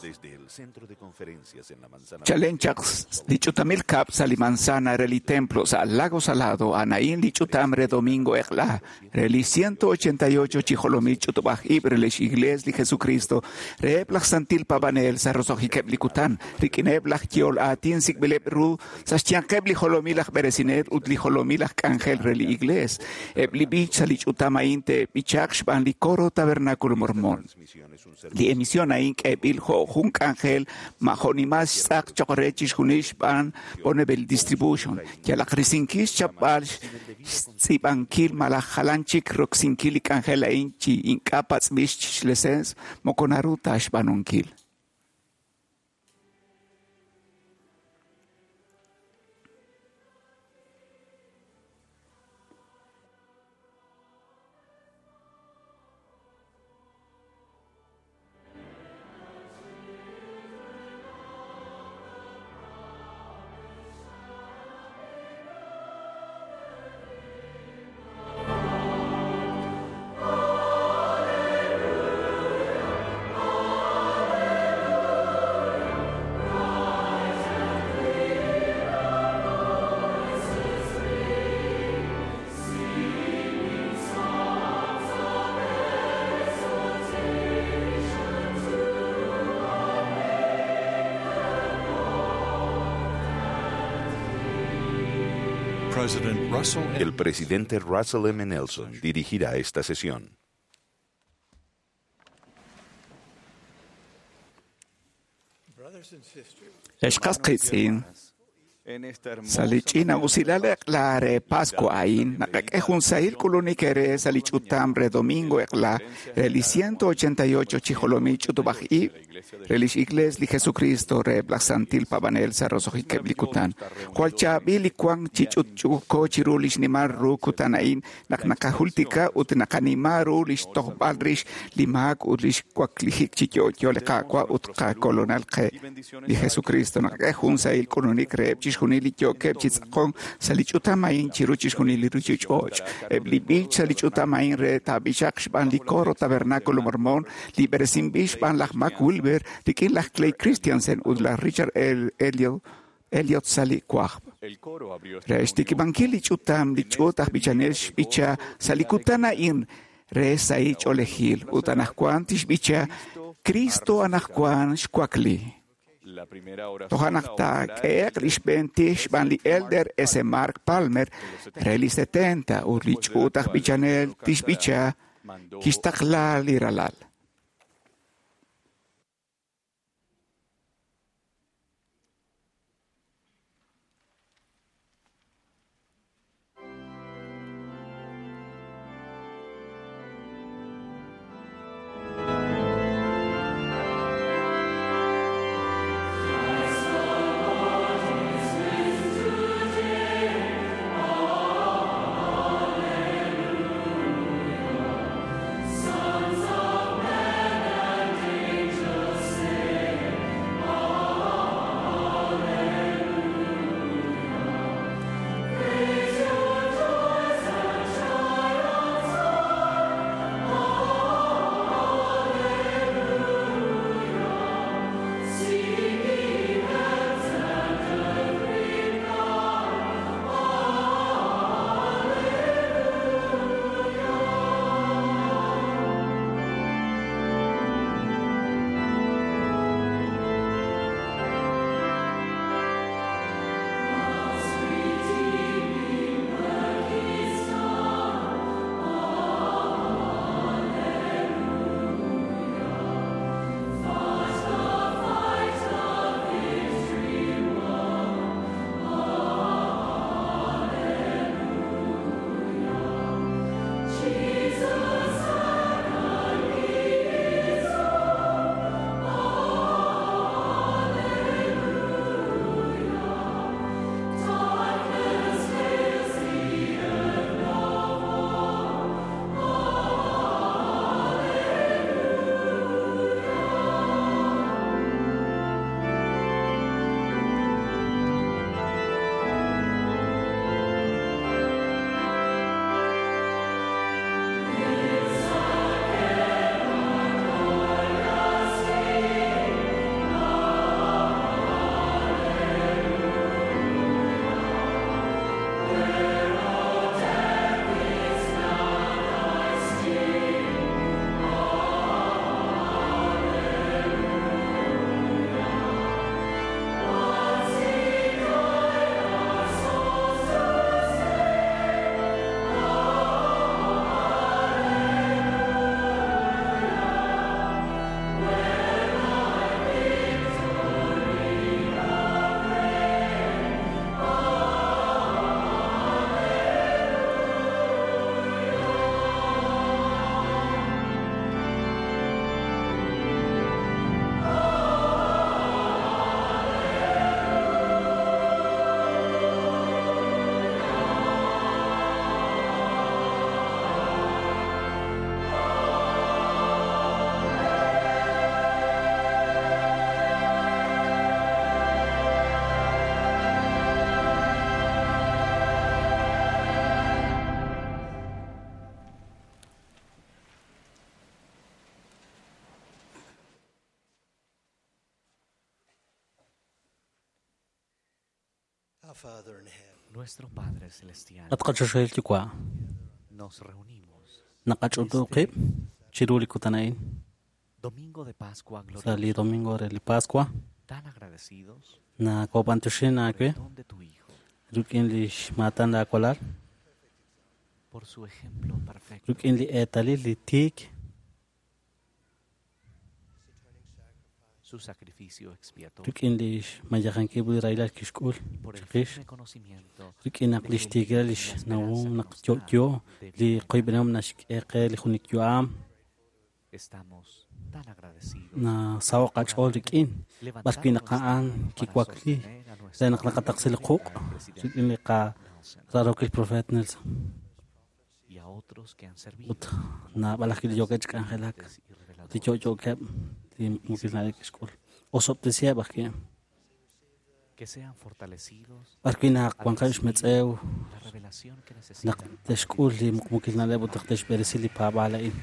Desde el centro de conferencias en la manzana. Chalen chaq li ch'utamil kab' sa' li manzana re li templo sa' Lago Salado a'an li ch'utam re domingo eq'la re li 188 chi jolomil ch'utub'aj ib' re lix Iglesia li Jesucristo reheb' laj Santil Paab'anel sa' roso'jikeb' li kutan rik'ineb' laj yehol aatin sik'b'ileb' ru sa' xyanqeb' li jolomil aj b'eresinel ut li jolomil aj k'anjel re li Iglesia. Eb' li b'ich sa' li ch'utam a'in te'b'ichaq xb'aan li coro Tabernáculo Mormón. Li emisión a'in k'eeb'il jo' jun k'anjel ma jo'nimal xtz'aq choq' re chixjunil xb'aan Bonneville Distribution. Yalaq risinkil xchapb'al xtz'iib'ankil malaj jalan chik roksinkil li k'anjel a'in chi ink'a' patz'b'il xleseens moko naru ta xb'aanunkil. President Russell M. El presidente Russell M. Nelson dirigirá esta sesión. Ex qas qiitz'in En esta hermosa sa' li ch'ina usilal eq'la re Pascua a'in naqak'e jun sahil k'ulunik eere sa' li ch'utam re domingo eq'la re li 188 chi jolomil ch'utub'aj ib' re lix Iglesia li Jesucristo reheb' laj Santil Paab'anel sa' roso'jikeb' li kutan. Jwal chaab'il li wank chi ch'utch'uuko chiru lix nimal ru kutan a'in naq naqajultika ut naqanima ru lix tojb'al rix li maak ut lix waklijik chi yo'yo li Qaawa' ut qakolonal qe li Jesucristo. Naqak'e jun sahil k'ulunik reheb' chixjunil li yookeb' chi tz'aqonk sa' li ch'utam a'in chiru chixjunil li ruuchich'och'. Eb' li b'ich sa' li ch'utam a'in re taab'ichaq xb'aan li coro Tabernáculo Mormón li b'eresinb'il xb'aan laj Mac Wilber rik'in laj Clay Christensen ut laj Richard L. Elliot sa' li wajb'. El coro abrió esta Re xtikib'ankil li ch'utam li ch'uut aj b'ichanel xb'icha sa' li kutan a'in re sahil ch'oolejil ut anaqwan tixb'icha Cristo anaqwan xwakli. La primera oración Toja' naq la ofrecerá el taak'ehe'q li xb'een tij xb'aan li Elder S. Mark Palmer re li 70 ut li ch'uut aj b'ichanel tixb'icha mandó kixtaqla li ralal. Sons of Our Father in heaven, Nuestro Padre Celestial, At qachoxahil yuwa' nos reunimos. naqach'utu qib' chiru li kutan a'in Domingo de Pascua sa' li glorioso, domingo re li Pascua tan agradecidos nakob'antuxin por aawe el don de tu Hijo, rik'in li xmaatan laawalal por su ejemplo perfecto, rik'in li eetalil li tiik su sacrificio expiatorio rik'in li xmayajankil li rahilal kixk'ul y por el chiqix firme conocimiento rik'in naq de li que xtiikilal él li es la xnawom esperanza naq que nos da yo'yo de li vida qoyb'enehom naxk'e qe li junik yu'am Estamos tan agradecidos nasaho' por qach'ool haber rik'in levantado b'arwi' naq nuestra a'an mano para kiwakli sostener a nuestro re naq naqataqsi li quq' al presidente rik'in li qa Nelson rarokil profeet Nelson y a otros que han servido ut naab'al ajwi' li yookeb' chi k'anjelak profetas y ut li reveladores. yo'yookeb' li muqmuukil na'leb' kixk'ul osob'tesiheb' ajwi' Que sean fortalecidos b'arwi' naq al wanqeb' recibir xmetz'ew la revelación que naq necesitan para te'xk'ul li vivir esta muqmuukil na'leb' ut naq te'xb'eresi li paab'aal a'in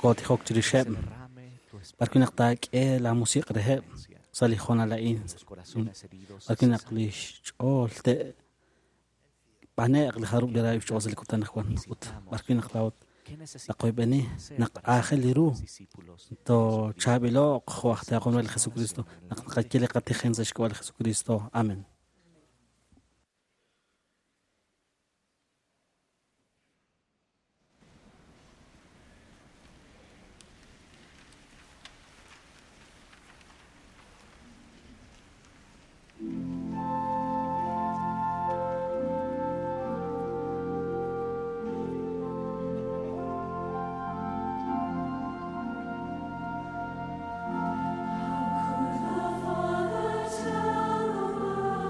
kootijok Que se chirixeb' derrame tu b'arwi' naq espíritu taak'e la musiq' reheb' clemencia sa' li hoonal a'in en los corazones heridos y b'arwi' naq se li xch'ool te' b'ane'q li jarub' li raayib' xch'ool sa' li kutan ajwan ut b'arwi' naq laa'ut ¿Qué necesitamos naqoyb'eni hacer naq para aajel ser li ru discípulos de to Jesucristo? chaab'ilo'q jo' aj taaqom re li Jesucristo naq naqaye li qatijen sa' xk'ab'a' li Jesucristo amen. Father, tell the world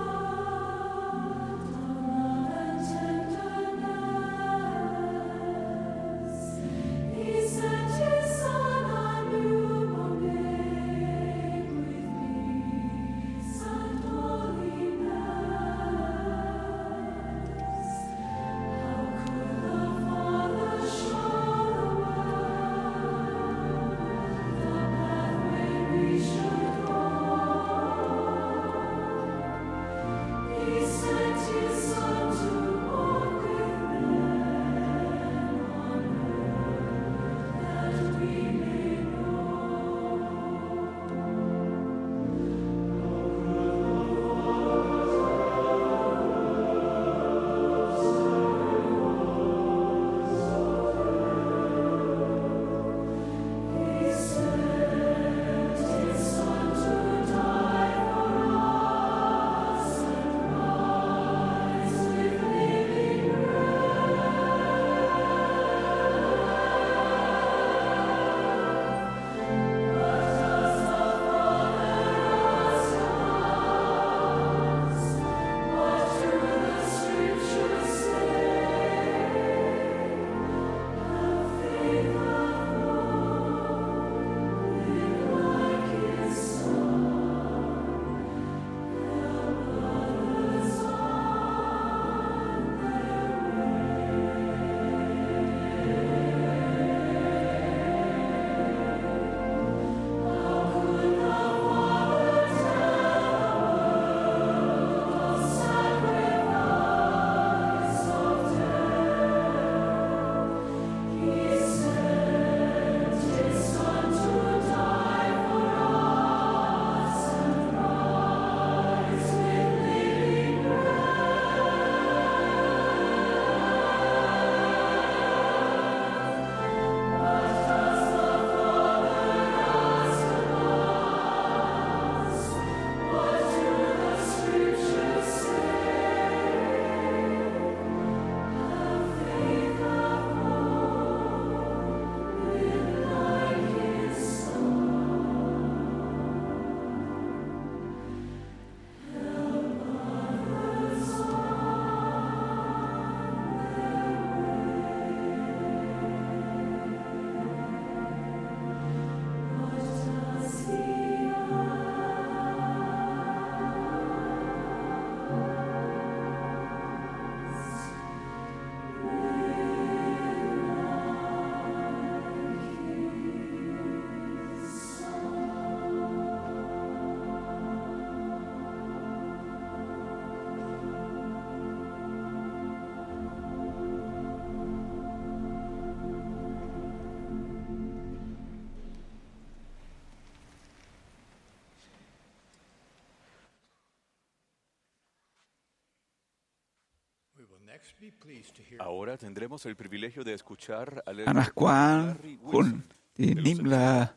Ahora tendremos el privilegio de escuchar al elder Anaqwan Larry jun Wilson. li nimla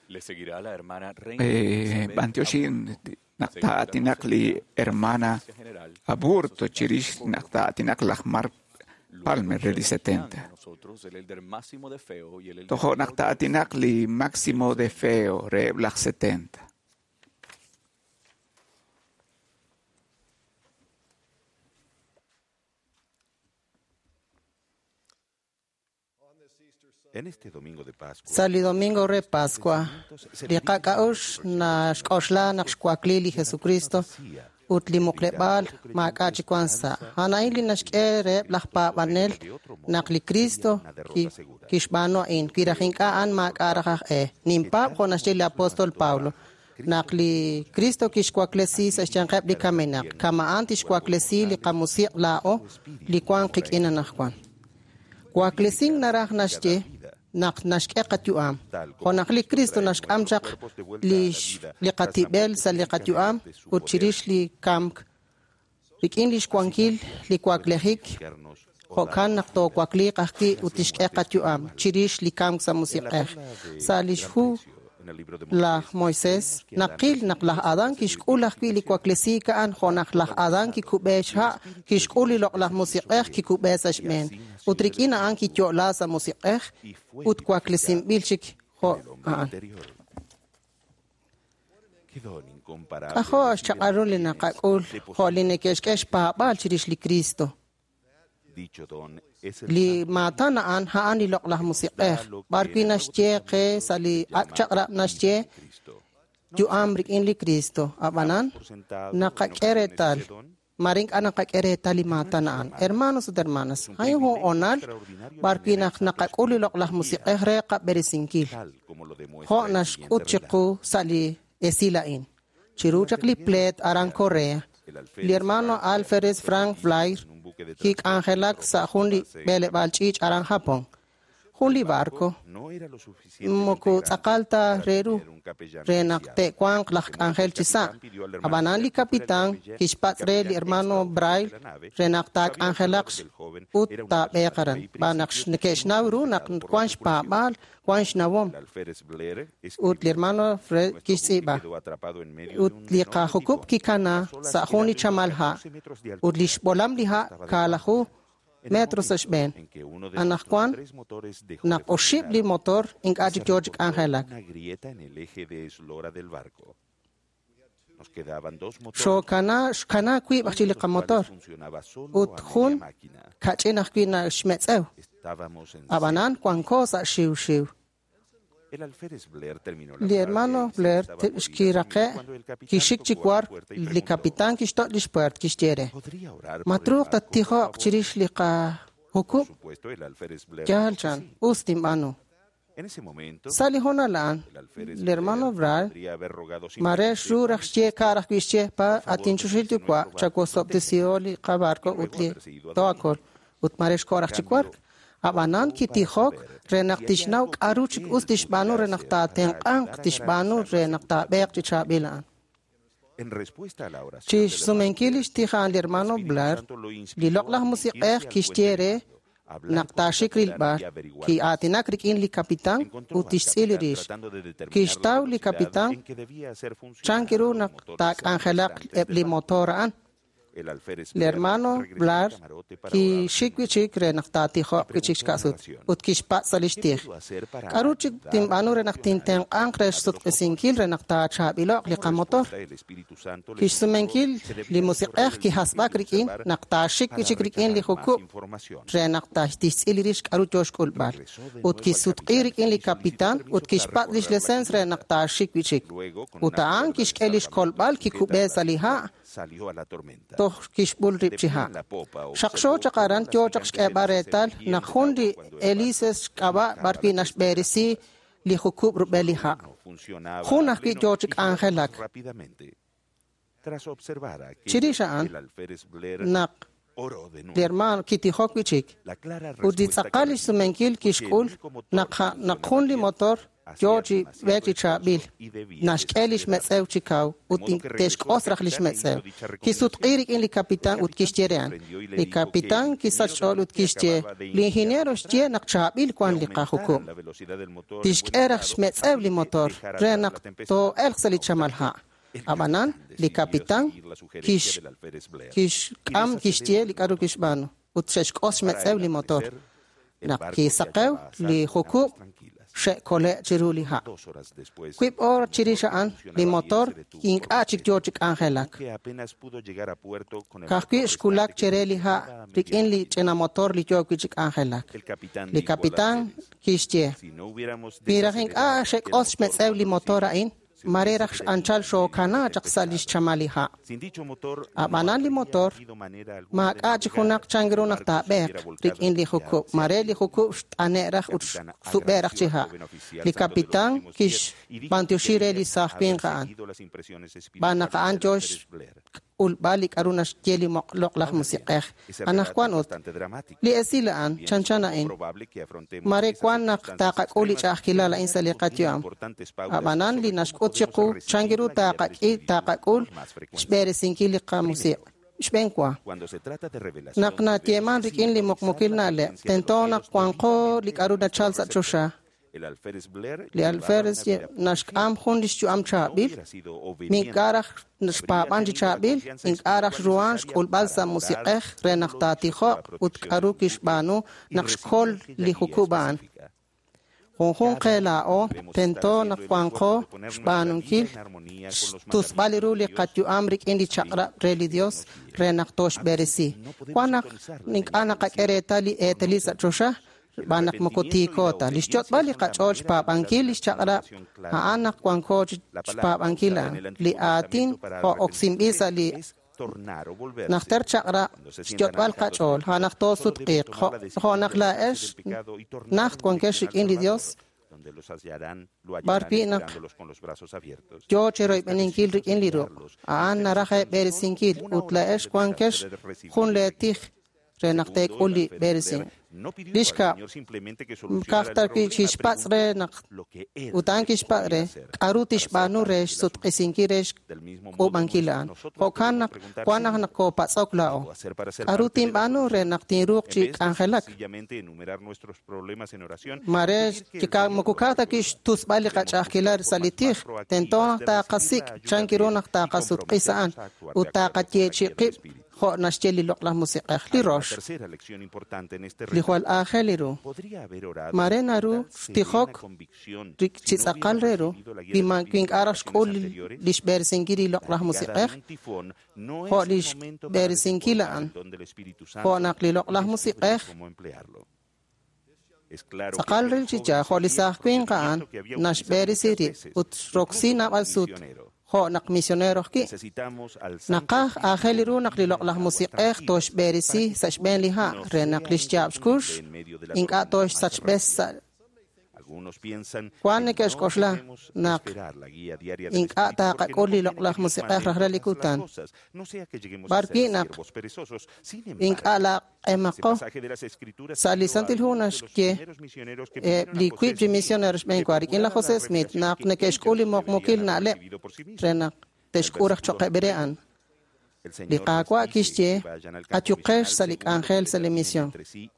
Le seguirá la hermana Reina Elizabeth b'antioxin Aburto. naq taa'atinaq li hermana Seguirá la general Aburto chirix naq taa'atinaq laj Mark Luego Palmer re li se unirán 70. a nosotros el elder Máximo de Feo y el elder Tojo naq Claudio taa'atinaq li Máximo de Feo re laj 70. En este domingo de Pascua, Sa' li domingo re Pascua, li qak'a'ux naxk'oxla naq xwakli li Jesucristo ut li muqleb'aal maak'a' chi wank sa'. A'an a'in li naxk'e reheb' laj paab'anel naq li Cristo kixb'aanu a'in. Wi raj ink'a' a'an maak'a' raj aj e. Ninpaab' jo' naxye li apóstol Pablo, naq li Cristo kixwaklesi sa' xyanqeb' li kamenaq, kama'an tixwaklesi li qamusiq' laa'o li wank qik'in anaqwan. Waklesink naraj naxye naq naxk'e qayu'am. Jo' naq li Cristo naxk'am chaq li qatib'el sa' li qayu'am ut chirix li kamk rik'in lix wankil li waklejik, jo'kan naq toowakliiq ajwi' ut tixk'e qayu'am chirix li kamk sa' musiq'ej. Sa' lix hu laj Moisés naqil naq laj Adán kixk'ul ajwi' li waklesiik a'an jo' naq laj Adán kikub'e xha' kixk'ul li loq'laj musiq'ej kikub'e sa' xb'een ut rik'in a'an kiyo'la sa' musiq'ej ut waklesinb'il chik jo' a'an. anterior. Qué don incomparable K'ajo' recibe xchaq'al ru li quienes naqak'ul jo' li neke'xk'e xpaab'aal chirix li Cristo. Dicho don es el Li Santo maatan a'an a'an li loq'laj musiq'ej b'ar wi' naxye qe sa' li ak' chaq'rab' naxye Cristo. yu'am rik'in li Cristo. Ab'anan Por sentado en naqak'e ocasiones reetal ese don, mare ink'a' naqak'e reetal li maatan a'an. Hermanos ut hermanas, a'in jun honal b'ar wi' naq naqak'ul li loq'laj musiq'ej re qab'eresinkil. tal como lo demuestra Jo' el naxk'ut siguiente chiqu relato. sa' li esil a'in. Chiru chaq li pleet aran Korea, El alférez li hermano Frank Alférez Frank Blair en un buque de kik'anjelak sa' jun li transporte b'eleb'aal ch'iich' aran Japón. Jun li barco no era lo suficientemente moko grande tz'aqal ta para re ru tener un capellán re naq oficial. te'wanq laj De modo que k'anjel el chi sa'. capitán pidió al hermano Ab'anan li Blair que fuera el capitán capellán- kixpatz' el re li capellán hermano extraordinario Braille de la nave. re naq Sabía observar taak'anjelaq que el joven ut era una taab'eeq persona de aran. fe y B'an naq principios neke'xnaw muy ru naq respetado por la wank tripulación. xpaab'aal, wank xnawom. El alférez Blair Ut li escribió: hermano Fred Nuestro buque kixtz'iib'a. quedó atrapado en medio de Ut un li enorme qajukub' tifón. kikana Las olas sa' jun eran li de unos chamal ha' 14 metros de ut altura. li xb'olam li ha' Estaba de kaalaju guardia. En el metros sa' momento xb'een. en que uno de nuestros Anaqwan tres motores dejó de naq oxib' li funcionar, motor ink'a' se chik yoo chi reportó k'anjelak. una grieta en el eje de eslora del barco. Nos quedaban dos motores, Xookana xkana wiib' uno ajwi' de li los cuales qamotor funcionaba solo ut a media jun máquina. kach'in ajwi' naxmetz'ew. Estábamos en Ab'anan wanko sa' xiwxiw. El alférez Blair terminó la Li tarde hermano y se Blair estaba por ir a dormir xkiraqe' cuando el capitán kixik chi tocó a la war puerta y li preguntó: capitán kixto' li xpuert kixye re. ¿Podría orar por el Matruuq barco, por tattijoq favor? chirix li Por qajukub' supuesto, el alférez Blair yaal dijo que chan sí. us tinb'aanu. En ese momento, Sa' li honal a'an, el alférez li hermano Blair Blair podría haber rogado mare simplemente: xru raj xye ka' raj wi' xye pa Por favor, atinchuxil bendice yuwa' nuestro barco, chawosob'tesihom li qabarco y ut luego li haberse ido a dormir. toakol ut mare xko' raj En chi cambio, wark. Ab'anan optó para kitijok saber re naq si había tixnaw algo que k'aru chik él us tixb'aanu pudiera re naq hacer para taatenq'anq ayudar a tixb'aanu garantizar re la naq seguridad taab'eeq del chi chaab'il a'an. En respuesta a la oración Chi del hermano xsumenkil Blair, li xtij a'an li el hermano Espíritu Blair, Santo lo li inspiró a loq'laj dirigirse musiq'ej al puente kixye de re mando, hablar naq con el taaxik capitán rilb'al, y averiguar más. ki'aatinak rik'in li capitán Encontró ut al tixtz'il li capitán rix. tratando de determinar la Kixtaw li velocidad capitán en que debía hacer funcionar chan kiru los naq motores taak'anjelaq restantes eb' del li barco. motor a'an. El alférez Li Blair hermano regresó al Blair camarote para orar de kixik nuevo wi'chik re naq y taatijoq wi'chik preguntó en xka'sut oración: ut kixpatz' sa' li ¿Qué xtij. puedo hacer para K'aru chik ayudar a tinb'aanu re naq funcionar el tintenq'anq re sistema de los motores? xsutq'isinkil re naq taachaab'ilo'q li Como qamotor? respuesta, el Espíritu Santo le indicó Kixsumenkil que li debía recorrer musiq'ej el buque kijasb'ak y rik'in observar naq taaxik para wi'chik rik'in li recabar más jukub' información. re naq tixtz'il li rix k'aru yoo xk'ulb'al. Regresó de Ut nuevo al kisutq'i capitán rik'in li y solicitó capitán permiso ut para kixpatz' lix recorrer la lesens re naq cubierta. taaxik wi'chik. Luego, con Ut una a'an cuerda de kixk'e li salvamento xkolb'al sujeta a kikub'e la sa' li cintura, ha' salió a la tormenta. toj kixb'ul De rib' chi pie ha'. en la popa, Xaqxo observó chaq cómo aran las yoo chaq gigantes xk'eeb'al hélices se reetal erguían naq del jun agua li cuando el barco hélices xk'ab'a' surcaba b'ar wi' la cresta de las naxb'eresi olas. li jukub' rub'el li Solo ha'. uno funcionaba Jun a ajwi' pleno yoo chi y giraba más k'anjelak. rápidamente. Tras observar aquello, Chirix a'an el alférez Blair naq oró de li nuevo. hermano kitijok wi'chik La clara ut li respuesta que tz'aqal li recibió xsumenkil fue que el kixk'ul único motor naq que naq funcionaba jun li bien motor Yo chi b'eek chi chaab'il, naxk'e lix metz'ew chi kaw ut te'xk'os raj lix metz'ew. Kisutq'i rik'in li capitán ut kixye re a'an. Li capitán kisach xch'ool ut kixye, li ingeniero xye naq chaab'il wan li qajukub'. Tixk'e raj xmetz'ew li motor re naq too'elq sa' li chamal ha'. Ab'anan, li capitán kixk'am kixye li k'aru kixb'aanu ut xe'xk'os xmetz'ew li motor. Naq kisaqew li jukub' xe'kole' chiru li ha'. Wiib' oor chirix a'an, li motor ink'a' chik yoo chi k'anjelak. Ka'ajwi' xkulak chire li ha' rik'in li ch'ina motor li yoo wi' chi k'anjelak. Li capitán kixye, wi raj ink'a' xe'k'os xmetz'ew li motor a'in, mare raj anchal xookana chaq sa' lix chamal li ha'. Ab'anan li motor maak'a' chi junaq chan ru naq taab'eeq rik'in li jukub'. Mare li jukub' xt'ane' raj ut xsub'e' raj chi ha'. Li capitán kixb'antioxi re li saaj winq a'an. B'an naq a'an yoo xk'ulb'al li k'aru naxye li loq'laj musiq'ej. Anaqwan ut, li esil a'an chanchan a'in. Mare wan naq taqak'ul li ch'a'ajkilal a'in sa' li qayu'am. Ab'anan li naxk'ut chiqu chan ru taqak'i taqak'ul xb'eresinkil li qamusiq'. Xb'een wa. Naq nayeeman rik'in li muqmukil na'leb', tento naq wanqo li k'aru nachal sa' choxa. Li alférez naxk'am jun lix yu'am chaab'il, ink'a' raj xpaab'an chi chaab'il, ink'a' raj xruhan xk'ulb'al sa' musiq'ej re naq taatijoq ut k'aru kixb'aanu naq xkol li jukub' a'an. Junjunq qe laa'o tento naq wanqo xb'aanunkil xtusb'al ru li qayu'am rik'in li chaq'rab' re li Dios re naq tooxb'eresi. Wan naq ink'a' naqak'e reetal li eetalil sa' choxa, xb'aan naq moko tiiko ta. Li xyot'b'al li qach'ool xpaab'ankil li xchaq'rab' a'an naq wanko xpaab'ankil a'an. Li aatin jo' oksinb'il sa' li najter chaq'rab' xyot'b'al qach'ool, a'an naq toosutq'iiq. Jo' naq laa'ex najt wankex rik'in li Dios, b'ar wi' naq yoo cheroyb'eninkil rik'in li ruq'. A'an naraj eeb'eresinkil ut laa'ex wankex jun leetij re naq teek'ul li b'eresin. Li xkab', ka'aj wi' kixpatz' re naq ut a'an kixpatz' re k'aru tixb'aanu re xsutq'isinkil re xk'uub'ankil a'an. Jo'kan naq wan naq naqoopatz'ok laa'o. K'aru tinb'aanu re naq tinruuq chi k'anjelak? Mare moko ka'aj ta wi' xtusb'al li qach'a'ajkilal sa' li tij, tento naq taqasik' chan ru naq taqasutq'is a'an ut taqayeechi' qib' jo' naxye li loq'laj musiq'ej, li rox, li jwal aajel ru. Mare naru xtijok chi tz'aqal re ru, wi ink'a' raj xk'ul li xb'eresinkil li loq'laj musiq'ej, jo' li xb'eresinkil a'an, jo' naq li loq'laj musiq'ej tz'aqal ril chi yaal, jo' li saaj winq a'an naxb'eresi rib' ut xroksi naab'al sut jo' naq misionero ajwi'. Naqaj aajel ru naq li loq'laj musiq'ej tooxb'eresi sa' xb'een li ha' re naq li xyaab' xkux ink'a' tooxsachb'es sa' wan neke'xk'oxla naq ink'a' taqak'ul li loq'laj musiq'ej rajlal li kutan. B'ar wi' naq ink'a' laaq'emaqo sa' li Santil Hu naxye li wiib' chi misionero xb'een wa rik'in laj José Smith naq neke'xk'ul li muqmukil na'leb' re naq te'xk'ul raj cho'qeb' re a'an. Li Qaawa' kixye ayuqex sa' li k'anjel sa' li mision,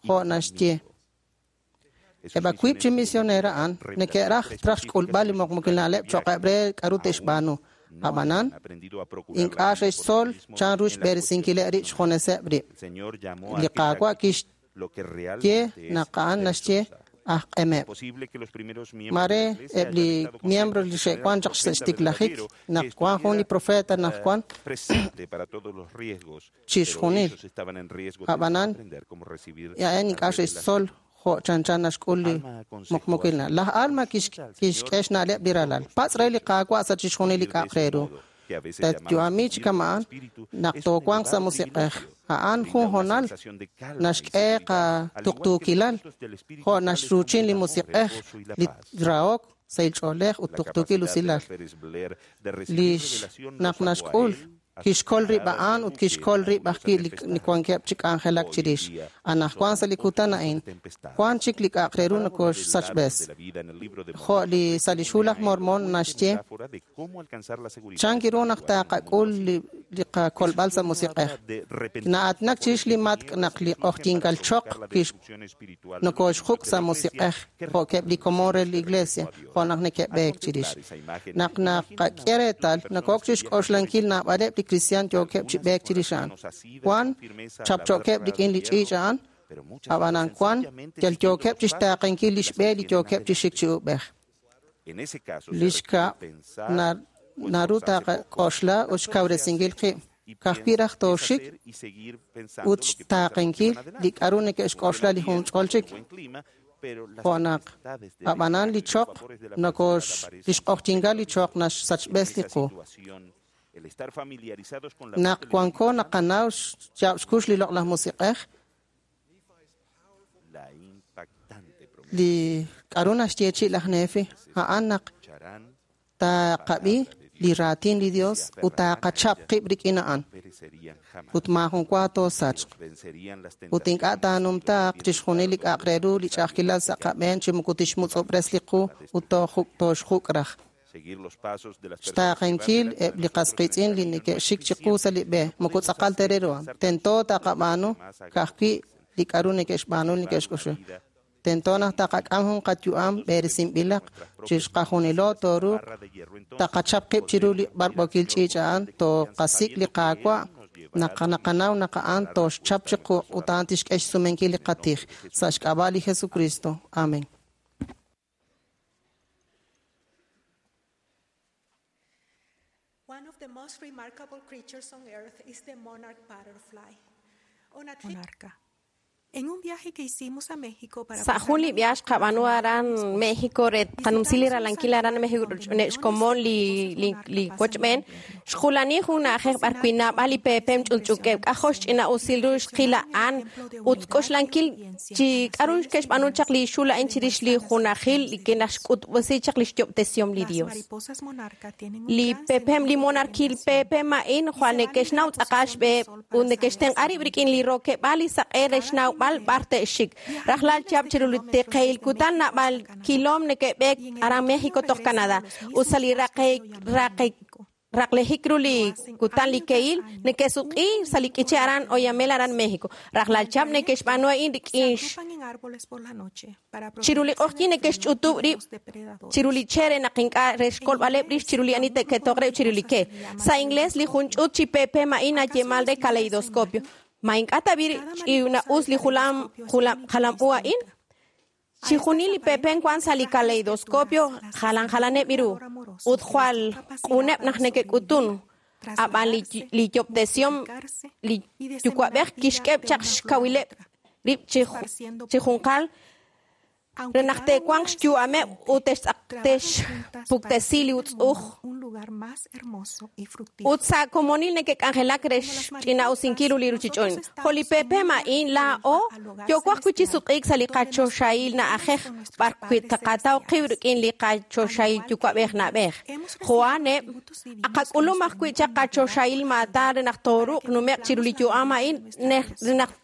jo' naxye. Eb' wiib' chi misionero a'an neke'raj raj xk'ulb'al li muqmukil na'leb' cho'qeb' re k'aru te'xb'aanu. Ab'anan, ink'a' xe'xtzol chan ru xb'eresinkileb' rib' xjuneseb' rib'. Li Qaawa' kixye naq a'an naxye aj q'emeb'. Mare eb' li miembro li xe'wan chaq sa' xtiklajik naq wan jun li profeta naq wan chixjunil. Ab'anan, a'an ink'a' xe'xtzol jo' chanchan naxk'ul li muqmukil na'leb'. Laj Alma kixk'e xna'leb' li ralal. Patz' re li Qaawa' sa' chixjunil li k'a'aq re ru. Tatyu'ami chi kama'an naq toowanq sa' musiq'ej. A'an jun honal naxk'e qatuqtuukilal jo' naxruuchin li musiq'ej, li rahok, sahil ch'oolej ut tuqtuukil usilal. Lix naq naxk'ul Kixkol rib' a'an ut kixkol rib' ajwi' li wankeb' chi k'anjelak chirix. Anaqwan sa' li kutan a'in, wank chik li k'a'aq re ru nokooxsachb'es. Jo' li sa' lix Hu laj Mormon naxye chan ru naq taqak'ul li qakolb'al sa' musiq'ej. Na'aatinak chirix li matk' naq li q'ojyinkal choq nokooxjuk' sa' musiq'ej jo'keb' li komon re li Iglesia, jo' naq neke'b'eek chirix. Naq naqak'e reetal, nokook chixk'oxlankil naab'aleb' li kristiaan yookeb' chi b'eek chirix a'an. Wan chapcho'keb' rik'in li ch'iich' a'an, ab'anan wan yal yookeb' chixtaaqenkil lix b'e li yookeb' chi xik chi uub'ej. Li xkab' naru taqak'oxla ut xkawresinkil qib'. Ka'ajwi' raj tooxik ut xtaaqenkil li k'a'ru neke'xk'oxla li junch'ol chik. Jo' naq ab'anan li choq lix q'ojyinkal li choq naxsachb'es li qu. Naq wanko naqanaw xyaab' xkux li loq'laj musiq'ej, li k'a'ru naxyeechi' laj Nefi, a'an naq taqab'i li raatin li Dios ut taqachap qib' rik'in a'an ut maajun wa toosachq. Ut ink'a' taanumtaaq chixjunil li k'a'aq re ru li ch'a'ajkilal sa' qab'een chi moko tixmutz'ob'res li qu ut tooxjuk' raj. Xtaaqenkil eb' li qas qiitz'in li neke'xik chiqu sa' li b'e moko tz'aqal ta re ru. Tento taqab'aanu ka'ajwi' li k'a'ru neke'xb'aanu li neke'xk'oxla. Tento naq taqak'am jun qayu'am b'eresinb'ilaq chixqajunilo tooruuq taqachap qib' chiru li b'arb'ookil ch'iich' a'an, tooqasik' li Qaawa' naq naqanaw naq a'an tooxchap chiqu ut a'an tixk'e xsumenkil li qatij sa' xk'ab'a' li Jesucristo. Amen. One of the most remarkable creatures on earth is the monarch butterfly. On a trip Monarca. En un viaje que hicimos a México para Sa' pasar jun li la viaje noche con xqab'aanu mi aran esposo, México re qanumsi li visitamos un ralankil aran santuario México donde millones de xkomon mariposas li monarca pasan el wochb'een. invierno. Xjulani jun na'ajej b'ar wi' naab'al li peepem ch'ulch'ukeb' k'ajol xch'ina'usil ru xqil a'an ut k'oxlankil chi k'a'ru ke'xb'aanu chaq li xul a'in chirix li junajil li ke'naxk'utb'esi chaq li xyob'tesihom li Las Dios. mariposas monarca tienen un Li gran peepem sentido li de monarquil orientación peepem a'in y jwal se valen de la neke'xnaw tz'aqal posición del xb'eheb' sol ut para saber neke'xtenq'a hacia rib' dónde rik'in li ir. rokeb'aal li saq'e re Cada xnawb'al primavera b'ar te'xik. viajan Rajlal miles chihab' de chiru li kilómetros teqeil desde kutan México naab'al hasta Canadá kilom neke'b'eek y en el aran otoño México toj regresan a Canadá. los Ut sa' mismos li bosques raqe de Oyamel en raqe México. raqlejik ru Lo li hacen kutan li año tras keil año, neke'suq'i un sa' li minuto k'iche de aran cada Oyamel aran mes. México. Rajlal En el chihab' trayecto neke'xb'aanu a'in se rik'in agrupan en árboles por la noche para chiru li protegerse q'ojyin del frío neke'xch'utub' y de rib' los depredadores. chiru li che' re naq ink'a' re En xkolb'aleb' rix inglés, chiru li a ani un grupo de te'ketoq rib' chiru li mariposas ke. se le llama Sa' inglés li jun caleidoscopio. ch'ut chi peepem a'in ¿Acaso nayeemal es re linda esa caleidoscopio. imagen? Ma ink'a' tab'i' Cada mariposa ch'ina'us del li caleidoscopio es única y jalam u a'in? distinta. A Chi estas junil li peepem wan aparentemente sa' li frágiles caleidoscopio criaturas las jalan asignó un jalaneb' iru creador amoroso ut que les jwal dio capacidad q'uneb' para naq neke'k'utun. sobrevivir, Ab'an li trasladarse, li yob'tesihom multiplicarse li y diseminar yuwa'b'ej vida kixk'eb' de chaq una flor a xkawileb' otra, rib' chi esparciendo chi polen. junqal re Aunque naq cada una te'wanq es xyu'ameb' ut diferente, trabajan juntas para texpuktesi hacer li del utz'uj. mundo un lugar más hermoso y Ut fructífero. sa' komonil neke'k'anjelak re Como las xch'ina'usinkil mariposas, ru li nosotros ruchich'och'. Jo' li estamos en peepem un a'in viaje de laa'o vuelta al hogar yooko ajwi' chi celestial, sutq'iik sa' li donde nos qachoxahil encontramos na'ajej con nuestros b'ar wi' padres taqataw qib' celestiales. rik'in li Al qachoxahil igual que yuwa'b'ej ellos, na'b'ej. hemos recibido Jo'aneb' atributos divinos que nos aqak'ulum ajwi' permiten chaq navegar qachoxahil por la maatan vida re naq para tooruuq que nume'q chiru cumplamos li la yu'am voluntad a'in de nuestro re naq Dios.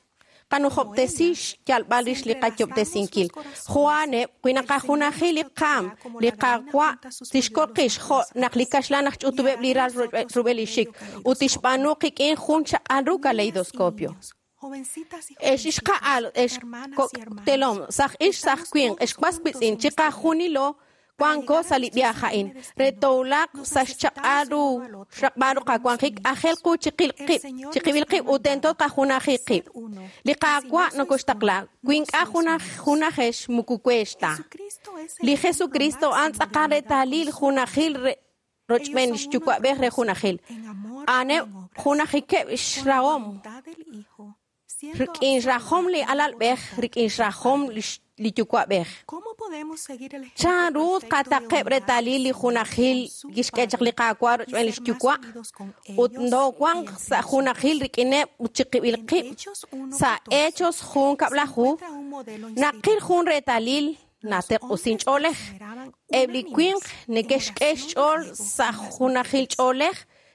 Como qanujob'tesi ellas, xyalb'al si rix li entrelazamos los qayob'tesinkil. corazones, Jo'aneb' wi el Señor naqajunaji nos li qaam, protegerá como li la gallina Qaawa' junta sus tixkol polluelos qix bajo jo' las naq li alas kaxlan aj y ch'utub'eb' hará li de ral nosotros rub'el un li xik bello ut caleidoscopio. tixb'aanu qik'in jun chaq'al ru Niñas y caleidoscopio. niños, jovencitas y Ex jovencitos, ixqa'al ex hermanas kok' y hermanos, telom saj ix saj estamos winq todos ex was juntos witz'in en este viaje. chiqajunilo Para wanko llegar a sa' li nuestro viaje a'in sublime re destino, towulaq nos sa' necesitamos xchaq'al el ru uno al otro y xraqb'al ru debemos qawanjik ajel unirnos. qu chiqil El qib' Señor nos chiqib'il ha qib' ut tento mandado, qajunaji sed qib'. uno, Li y si Qaawa' no sois uno, nokoxtaqla wi no ink'a' sois unidos. junajex muku weex ta. Jesucristo es el Li ejemplo Jesucristo a'an máximo de tz'aqal unidad con retalil su junajil Padre. re Ellos rochb'een son uno en xyuwa'b'ej re propósito, junajil. en amor y A'aneb' en obras, junajikeb' con la xrahom voluntad del Hijo, siendo rik'in xrajom absorbida li en la alalb'ej voluntad rik'in del xrajom Padre. li yuwa'b'ej. ¿Cómo podemos seguir el ejemplo Chan ru perfecto de qataqeb' unidad del retalil li Señor junajil con su kixk'e chaq li Padre Qaawa' y rochb'een li ser más xyuwa' unidos con ut ellos y ndowanq entre sa' junajil nosotros? rik'ineb' ut chiqib'il En qib' Hechos sa' 1:14 Hechos jun se kab'laju encuentra un modelo naqil inspirador. jun retalil Los nateq'usin hombres ch'oolej. perseveraban Eb' li winq unánimes en neke'xk'e oración y xch'ool ruego sa' con las junajil mujeres. ch'oolej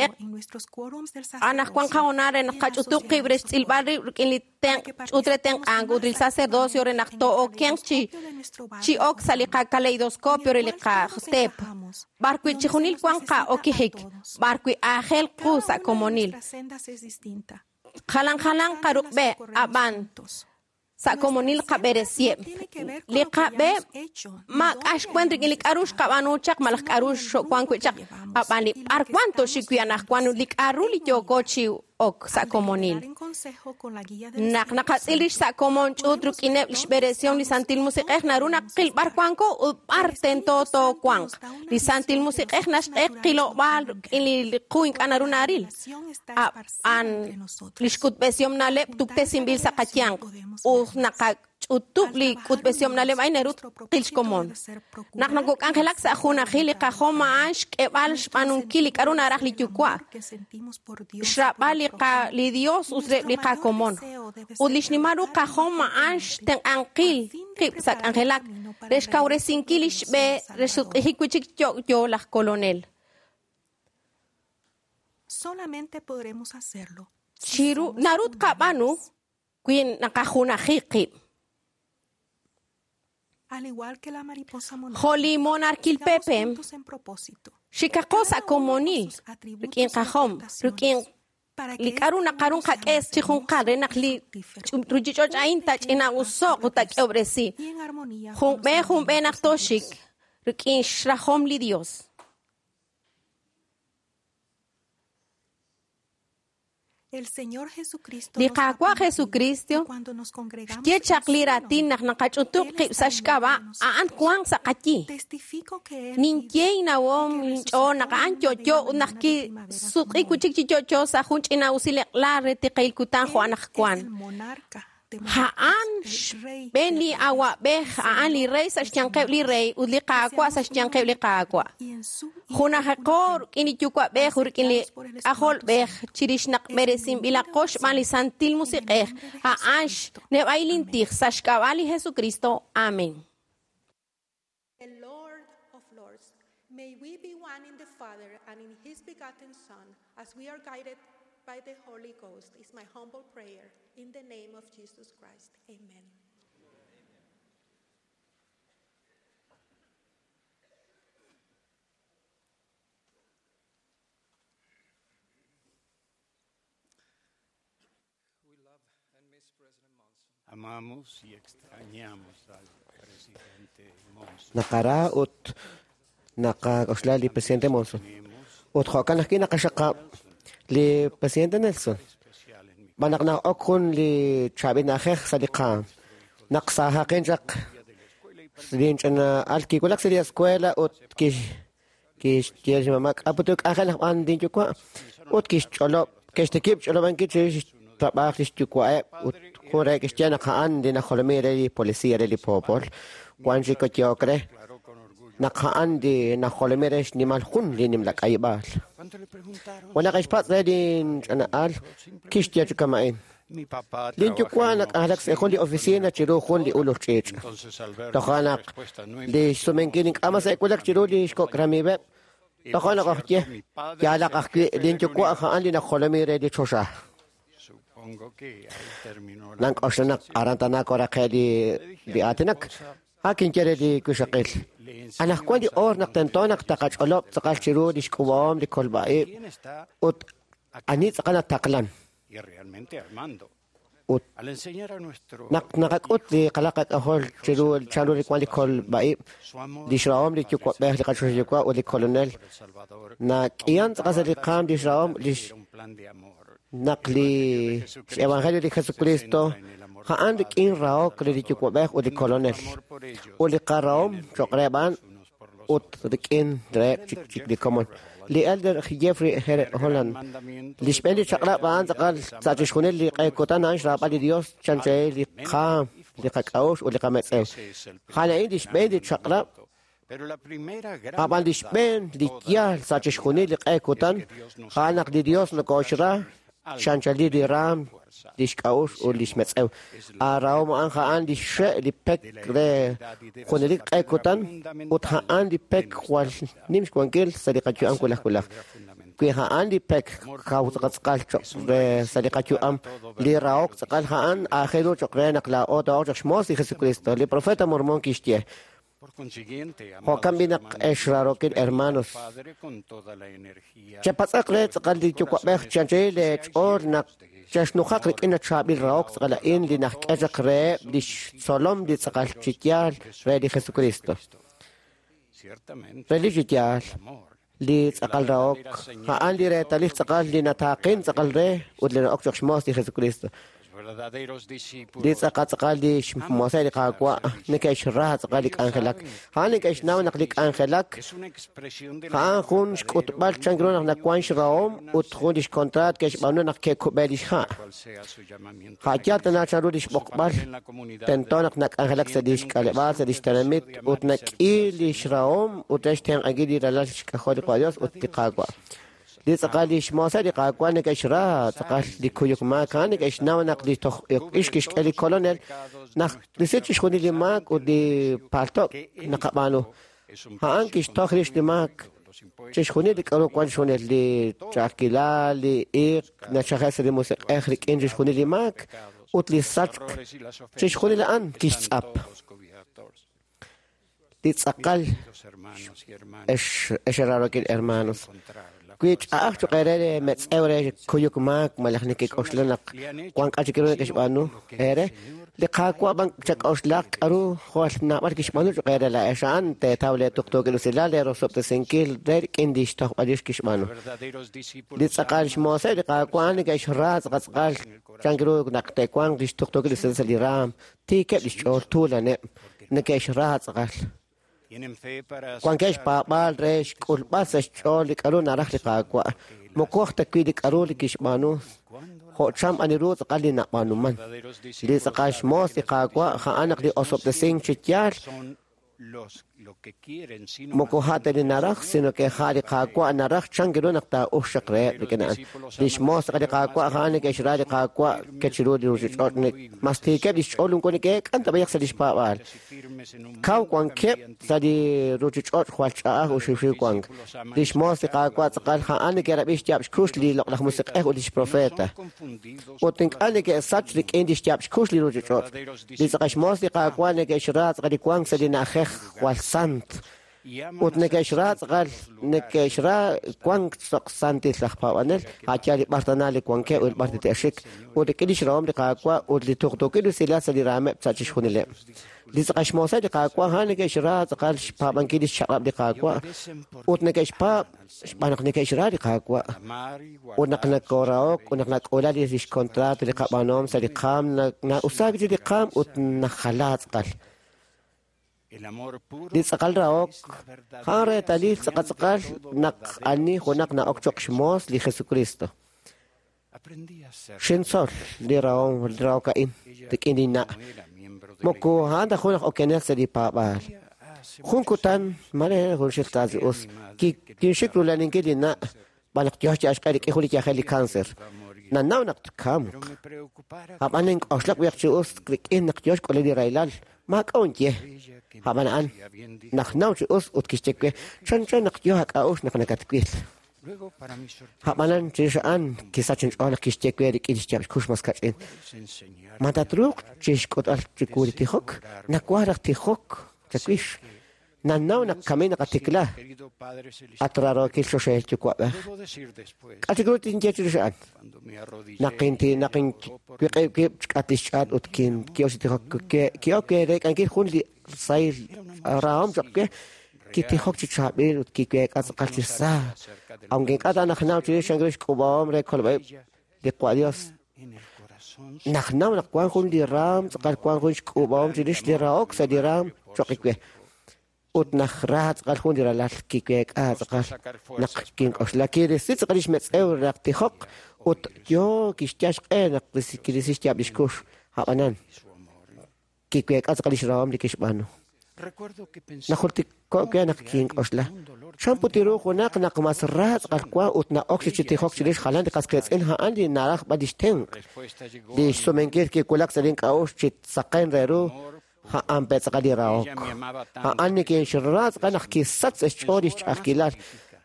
Taqak'e anaqwan qahoonal re naq qach'utub' qib' re xtz'ilb'al rib' rik'in li tenq' ch'uut re tenq'ank ut li sacerdocio re naq too'okenq chi chi ok sa' li qakaleidoscopio re li qateep b'ar wi' chixjunil wan qa'okijik b'ar wi' aajel qu sa' komonil. Jalan jalan qaruqb'e ab'an Sa' komonil qab'eresiheb'. Li qab'e maak'a' xwan rik'in li k'a'ru xqab'aanu chaq malaj k'a'ru xo'wan wi' chaq. Ab'an li b'ar wan toxik wi' anaqwan li k'a'ru li yooko chi ok sa' komonil. Naq naqatz'il rix sa' komon ch'uut rik'ineb' li xb'eresihom li Santil Musiq'ej naru naqil b'ar wanko ut b'ar tento toowanq. Li Santil Musiq'ej naxk'e qilob'aal rik'in li qu ink'a' naru naril. Ab'an li xk'utb'esihom na'leb' tuktesinb'il sa' qayanq ut naqach'utub' li k'utb'esihom na'leb' a'in naru tqil xkomon. Naq nokok'anjelak sa' junajil li qajom a'an xk'eb'al xb'aanunkil li k'a'ru naraj li Yuwa', xrab'al li Dios ut reb' li qakomon. Ut li xnimal ru qajom a'an xtenq'ankil qib' sa' k'anjelak re xkawresinkil li xb'e re xsutq'ijik wi' chik yo'yo laj Kolonel. Chiru naru tqab'aanu wi naqajunaji qib'. Jo' li monarquil pepem, xikaqo sa' komonil rik'in qajom, rik'in li k'a'ru naqarun qak'es chi junqal re naq li ruchich'och' a'in tach'ina'uso'q ut tak'eob'resi. Junb'e junb'e naq toxik rik'in xrajom li Dios. Li Qaawa' Jesucristo xye chaq li raatin naq naqach'utub' qib' sa' xk'ab'a' a'an wanq sa' qayi. Ninye innawom inch'ool naq a'an yo'yo ut naq kisutq'i wi' chik chi yo'yo sa' jun ch'ina'usil eq'la re tiqil kutan jo' anaqwan. A'an xb'een li awa'b'ej, a'an li rey sa' xyanqeb' li rey ut li Qaawa' sa' xyanqeb' li Qaawa'. Junajaqo rik'in li Yuwa'b'ej ut rik'in li K'ajolb'ej chirix naq b'eresinb'ilaqo xb'aan li Santil Musiq'ej, a'an xneb'ayil intij sa' xk'ab'a' li Jesucristo. Amén. The Lord of Lords, may we be one in the Father and in His begotten Son, as we are guided by the Holy Ghost, is my humble prayer. In the name of Jesus Christ. Amen. Amamos y extrañamos al presidente Monson. Naqara ut naqak'oxla li presidente Monson. Ut jo'kan ajwi' naqaxaqab' li presidente Nelson. B'an naq na'ok jun li chaab'il na'ajej sa' li qaam. Naq saajaqin chaq linch'ina'al kiwulak sa' li escuela ut kixye li xmama' k'a'ut k'anjel naq b'an linyuwa' ut kixch'olob' kixtikib' xch'olob'ankil chirix xtrab'aaj li xyuwa'eb' ut jun re kixye naq a'an li najolomi re li policía re li poopol wan chik koyok re naq a'an li najolomi re xnimal jun li nimla k'ayib'aal. Wan naq xpatz' re linch'ina'al kixye chi kama'in. Linyuwa' nak'anjelak sa' jun li oficina chiru jun li ulul ch'iich'. Toja' naq li xsumenkil ink'a' mas e'wulak chiru li xkok' ramib'eb', toja' naq ojye yaalaq ajwi' linyuwa' a'an li najolomi re li choxa. Nank'oxla naq aran tana koraqe li aatinak. Ha kinye re li wixaqil. Anaqwan li oor naq tento naq taqach'olob' tz'aqal chiru li xk'ub'ahom li kolb'a'ib' ut ani tz'aqal nataqlan. Ut naq naqak'ut li qalaq qak'ajol chiru chanru li wan li kolb'a'ib' li xrahom li yuwa'b'ej li qachoxahil yuwa' ut li kolonel nak'ihan tz'aqal sa' li qaam li xrahom li naq li xevangelio li Jesucristo a'an rik'in rahok re li yuwa'b'ej ut li kolonel ut li qarahom cho'q re b'an ut rik'in reheb' chik li komon. Li elder Jeffrey R. Holland li xb'een li chaq'rab' a'an tz'aqal sa' chixjunil li q'eekutan a'an xraab'al li Dios chanchahil li qaam li qak'a'uxl ut li qametz'ew. A'an a'in li xb'een li chaq'rab' ab'an li xb'een li yaal sa' chixjunil li q'eekutan a'an naq li Dios nokoxra chanchali li raam li xk'a'uxl ut li xmetz'ew. Arahom a'an a'an li xe' li pek re junelik q'eekutan ut a'an li pek jwal nim xwankil sa' li qayu'am wulaj wulaj. Wi a'an li pek kaw tz'aqal cho'q re sa' li qayu'am li rahok tz'aqal a'an aajel ru cho'q re naq laa'o to'oq cho'q xmoos li Jesucristo. Li profeta Mormón kixye Jo'kan b'i naq ex rarokil hermanos chepatz'aq re tz'aqal li yuwa'b'ej chanchahil leech'ool naq Chexnujaq rik'in chaab'il rahok tz'aqal a'in li najk'e chaq reheb' lix tzolom li tz'aqal chi yaal re li Jesucristo. Relik chi yaal, li tz'aqal rahok a'an li reetalil tz'aqal li nataaqin tz'aqal re ut li na'ok cho'q xmoos li Jesucristo. Li tz'aqal tz'aqal li xmooseb' li Qaawa' neke'xra tz'aqal li k'anjelak. A'an neke'xnaw naq li k'anjelak a'an jun xk'utb'al chan ru naq nawank xrahom ut jun lix kontraat ke'xb'aanu naq ke'kub'e lix ha'. A' yaal tana chanru lix b'oqb'al, tento naq nak'anjelak sa' lix k'aleb'aal, sa' lix tenamit, ut nak'i lix rahom ut re xtenq'ankil li ralal xk'ajol li Dios ut li Qaawa'. Li tz'aqal lix mooseb' li Qaawa' neke'xra tz'aqal li kuyuk maak, a'an neke'xnaw naq li toj ix kixk'e li Kolonel naq risi chixjunil li maak ut li palto' naqab'aanu. A'an kixtoj rix li maak, chixjunil li k'aru wank chixjunil li ch'a'ajkilal, li iiq nachaje' sa' li musiq'ej rik'in chixjunil li maak ut li sachk, chixjunil a'an kixtz'ap. Li tz'aqal ex raarokil hermanos, wi ch'a'aj cho'q eere re metz'ew re kuyuk maak malaj nekek'oxla naq wank k'a' chik ru neke'xb'aanu eere, li Qaawa' b'an chak'oxlaq k'aru jwal naab'al kixb'aanu cho'q eere laa'ex a'an teetaw leetuqtuukil usilal leerosob'tesinkil re rik'in li xtojb'al rix kixb'aanu. Li tz'aqal xmooseb' li Qaawa' a'an neke'xra tz'aqal tz'aqal chan ru naq te'wanq li xtuqtuukil usilal sa' li raanm, tiikeb' li xch'ool, tuulaneb', neke'xra tz'aqal. Wankeb' xpaab'aal re xk'ulb'al sa' xch'ool li k'aru naraj li Qaawa', moko aj ta wi' li k'aru li kixb'aanu, jo' chan b'an ru tz'aqal li nab'aanuman. Li tz'aqal xmoos li Qaawa' a'an naq li osob'tesink chi yaal moko a' ta li naraj, sino ke a' li Qaawa' naraj chan ru naq taa'uxq reheb' rik'in a'an. Li xmoos tz'aqal li Qaawa' a'an neke'xra li Qaawa' ke chiru li ruuchich'och', mas tiikeb' li xch'ool moko neke'eek'an ta b'ayaq sa' li xpaab'aal. Kaw wankeb' sa' li ruuchich'och' jwal ch'a'aj ut xiwxiw wank. Li xmoos li Qaawa' tz'aqal a'an neke'rab'i xyaab' xkux li Loq'laj Musiq'ej ut li xprofeta. Ut ink'a' neke'sach rik'in li xyaab' xkux li ruuchich'och'. Li tz'aqal xmoos li Qaawa' neke'xra tz'aqal li wank sa' li na'ajej jwal sant. Ut neke'xra tz'aqal neke'xra wank cho'q santil aj paab'anel, a' yaal li b'ar tana li wankeb' ut b'ar te'xik, ut rik'in li xrahom li Qaawa' ut li tuqtuukil usilal sa' li raameb' sa' chixjunileb'. Li tz'aqal xmooseb' li Qaawa' a'an neke'xra tz'aqal xpaab'ankil li xchaq'rab' li Qaawa' ut neke'xpaab' xb'aan naq neke'xra li Qaawa'. Ut naq nakoorahok ut naq nak'uula li xkontraat li qab'aanuhom sa' li qaam, na'usaak chi li qaam ut najala tz'aqal. Li tz'aqal rahok a'an reetalil tz'aqal tz'aqal naq ani junaq na'ok cho'q xmoos li Jesucristo. Xintzol li rahom li rahok a'in rik'in linna'. Moko a'an ta jun aj okenel sa' li paab'aal. Jun kutan, mare junxil ta chi us, kinxik rula'aninkil linna' xb'aan naq yo chi axq'e rik'in jun li yajel li cáncer. Nanaw naq tkamq. Ab'an nink'oxlak b'ayaq chi us rik'in naq yo xk'ulel li rahilal, maak'a' unye. Ab'an a'an najnaw chi us ut kixye we, chanchan naq yo aak'a'uxl naq nakatwil. Ab'anan chirix a'an kisach inch'ool naq kixye we rik'in xyaab' xkux mas kach'in, Ma tatruuq chi xk'utb'al chiwu li tijok? Nawaj raj tijok chawix. Nannaw naq kamin naqatikla, at raarookil choxahil Yuwa'b'ej. K'a' chik ru tinye chirix a'an? Naq naq inwiq'ib' wib' chik'atq li xch'aat ut ki'ok chi tijok, ki'ok reek'ankil jun li sahil rahom cho'q we, kitijok chi chaab'il ut kiweek'a tz'aqal chi sa. Aunque ink'a' ta najnaw chirix chan ru xk'uub'ahom re kolb'a'ib' li Qwa' Dios, najnaw naq wank jun li raam tz'aqal wank jun xk'uub'ahom chirix li rahok sa' li raam cho'q we. Ut najra tz'aqal jun li ralal kiweek'a tz'aqal naq kink'oxla kirisi tz'aqal lix metz'ew naq tijoq ut yo kixyal xq'e naq kirisi xyaab' lix kux. Ab'anan kiweek'a tz'aqal lix rahom li kixb'aanu. Najultiko' we naq kink'oxla, chan put ru junaq naq mas ra tz'aqal wank ut na'ok chi tijok chirix jalan li qas qiitz'in a'an li naraj b'an lix tenq'. Li xsumenkil kiwulak sa' link'a'uxl chi saqen re ru a'an pe tz'aqal li rahok. A'an nikinxra tz'aqal naq kisach sa' xch'ool li xch'a'ajkilal.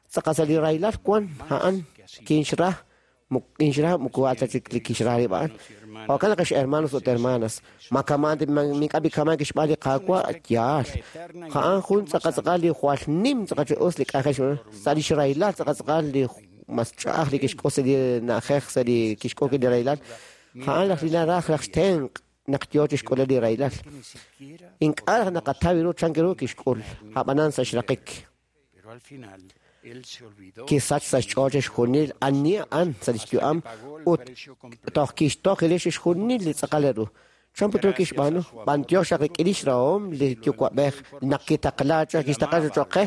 Tz'aqal sa' li rahilal wank a'an kinxra, kinxra moko a' ta chik li kixra rib' a'an. Jo'kan naq ex hermanos ut hermanas, ma kamaan mink'a' b'ikamaan kixb'aan li Qaawa' yaal. A'an jun tz'aqal tz'aqal li jwal nim tz'aqal chi us li k'anjel sa' li xrahilal tz'aqal tz'aqal li mas ch'a'aj li kixk'ul sa' li na'ajej sa' li kixk'ul li rahilal, a'an laj li naraj raj xtenq' naq yoo chixk'ulel li rahilal. Ink'a' raj naqataw ru chan ru kixk'ul, ab'anan sa' xraqik. Kisach sa' xch'ool chixjunil ani a'an sa' lix yu'am ut toj kixtoj rix chixjunil li tz'aqal ru. Chan put ru kixb'aanu? B'antiox xaq rik'in lix rahom li yuwa'b'ej naq kitaqla kixtaqla cho'q qe,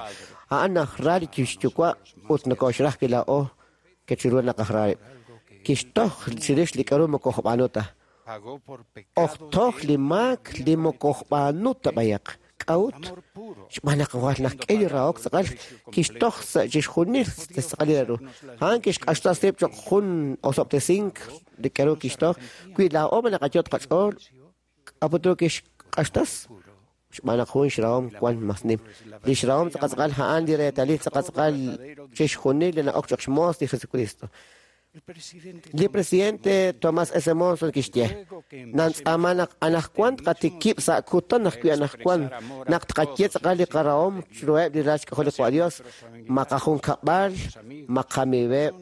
a'an najra li xyuwa' ut nokoxraj wi laa'o ke chiru naq ajra rib'. Kixtoj chirix li k'aru moko xb'aanu ta. Ojtoj li maak li moko xb'aanu ta b'ayaq. K'a'ut? Xb'aan naq jwal naqk'e li rahok tz'aqal kixtoj sa' chixjunil tz'aqal li ru. A'an kixq'axtas rib' cho'q jun osob'tesink li k'aru kixtoj. Wi laa'o ma naqayot' qach'ool, k'a'ut ru kixq'axtas? Xb'aan naq jun xrahom wan mas nim. Li xrahom tz'aqal a'an li reetalil tz'aqal chixjunil li na'ok cho'q xmoos li Jesucristo. Li presidente Thomas S. Monson kixye, nantz'aama naq anajwan tqatikib' sa' kutan ajwi' anajwan naq tqaye tz'aqal li qarahom chiruheb' li ral xk'ajol li Qwa Dios, ma qajunkab'al, ma qamiiweb',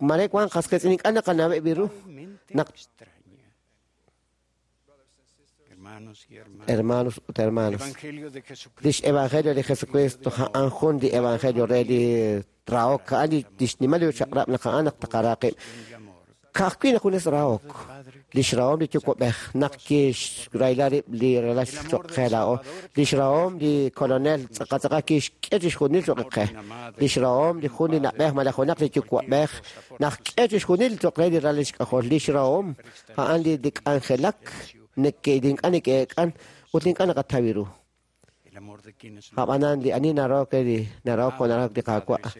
mare wan qas qiitz'in ink'a' naqanaweb' ru naq Hermanos ut hermanas, lix evangelio li Jesucristo a'an jun li evangelio re li rahok, a'an li xnimal li chaq'rab' naq a'an naq taqara qib'. Ka'ajwi' naq junes rahok, lix rahom li yuwa'b'ej naq kixrahila rib' li ralal cho'q qe laa'o, lix rahom li kolonel tz'aqal kixk'e chixjunil cho'q qe, lix rahom li jun li na'b'ej malaj junaq li yuwa'b'ej naq k'e chixjunil cho'q re li ralal xk'ajol, lix rahom a'an li k'anjelak ink'a' neke'eek'an ut ink'a' naqataw ru. Ab'anan li ani narahok li narahok jo' narahok li Qaawa',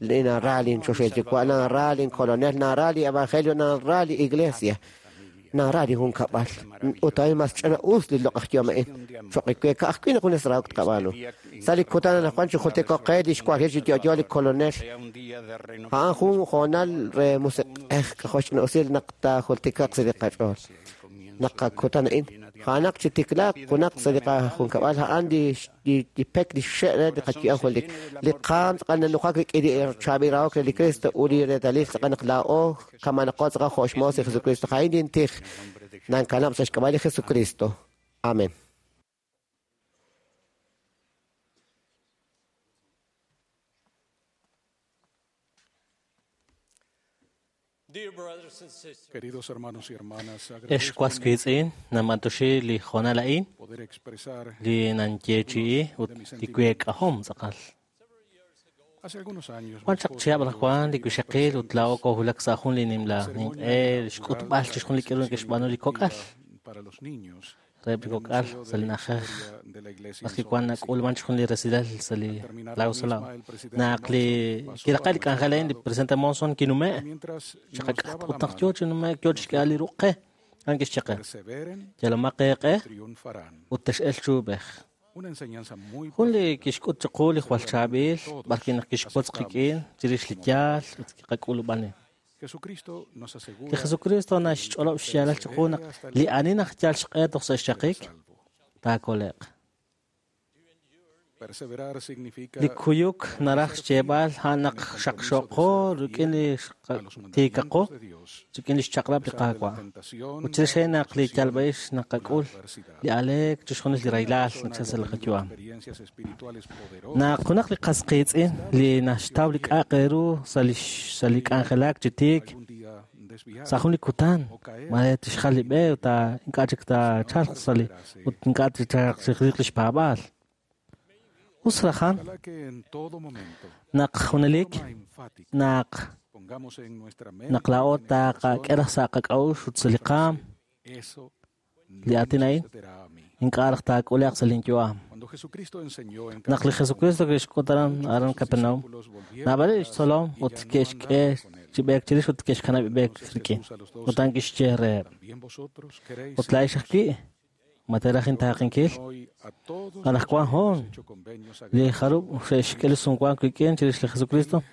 li nara linchoxahil Yuwa', nara linkolonel, nara li evangelio, nara li iglesia, nara li junkab'al. Ut a'in mas ch'ina-us li loq'aj yu'am a'in. Cho'q we ka'ajwi' naq junes rahok tqab'aanu. Sa' li kutan anaqwan chijultiko'q qe li xwanjil chi yo'yo li kolonel. A'an jun hoonal re musiq'ej k'ajo' xch'ina-usil naq taajultikaq sa' li qach'ool. Naq qakutan a'in, a'anaq chi tiklaaq junaq sa' li qajunkab'al, a'an li pek li xe' re li qayu'am junelik. Li qaam tz'aqal nanujak rik'in li chaab'il rahok re li Cristo ut li reetalil tz'aqal naq laa'o kamanaqo tz'aqal jo' xmoos li Jesucristo. A'in lintij nankanab' sa' xk'ab'a' li Jesucristo. Amén. Queridos hermanos y hermanas, Ex was wiitz'in namantoxi li hoonal a'in poder expresar li nanyeechi'i ut li week'ahom tz'aqal. Hace algunos años Wan chaq chihab' anaqwan li wixaqil ut laa'o koowulak sa' jun li nimla ninq'e xk'utb'al chixjunil li k'aru neke'xb'aanu li kok'al para los niños reheb' li kok'al sa' li na'ajej de la iglesia b'ar kiwan nak'ulman chixjunil li resilal sa' li Lago Salado. Naq li kiraqe' li k'anjel a'in li presidente Monson kinume' chiqak'at ut naq yoo chi nume'k yoo chixk'ehal li ruq' qe a'an kixye qe perseveren yalomaq eeq'e triunfarán. ut tex'elq chuub'ej. Una enseñanza muy Jun li kixk'ut chiqu li jwal chaab'il b'ar naq kixwotz qik'in chirix li yaal ut kiqak'ulub'ani. Jesucristo nos asegura Li Jesucristo naxch'olob' xyaalal chiqu naq li ani naq yal xq'e toj sa' xchaqik taakole'q. perseverar significa Li kuyuk naraj xyeeb'al a'an naq xaqxoqo rik'in li tiikaqo rik'in li xchaq'rab' li Qaawa'. Ut chirix a'in naq li yalb'a'ix naqak'ul li aleek chixjunil li rahilal nachal sa' li qayu'am. experiencias espirituales poderosas Naq junaq li qas qiitz'in li naxtaw li k'a'aq ru sa' li k'anjelak chi tiik algún día desviar sa' jun li kutan mare tixjal li b'e ut ink'a' chik taachalq sa' li ut ink'a' tixchalq chiq li xpaab'aal. Us rajan Ojalá que en todo momento naq junelik forma enfática naq pongamos en nuestra mente naq laa'o y en el corazón, taqak'e raj sa' qak'a'uxl ut sa' li qaam eso li no aatin me a'in sucederá a mí. ink'a' raj taak'ule'q sa' linyu'am. Cuando Jesucristo enseñó en Naq li Capernaum, Jesucristo kixk'ut aran aran sus Capernaum, discípulos volvieron naab'aleb' atrás xtzolom y ut ya no ke'xk'e andaban con él. chi b'eek chirix ut ke'xkanab' b'eek Entonces rik'in. Jesús a los doce Ut a'an kixye reheb', También vosotros queréis ut laa'ex ajwi' ma teeraj intaaqinkil? hoy a todos los Anaqwan que hoon hemos hecho convenios li sagrados jarub' xe'xk'e li sumwank wik'in chirix li Jesucristo,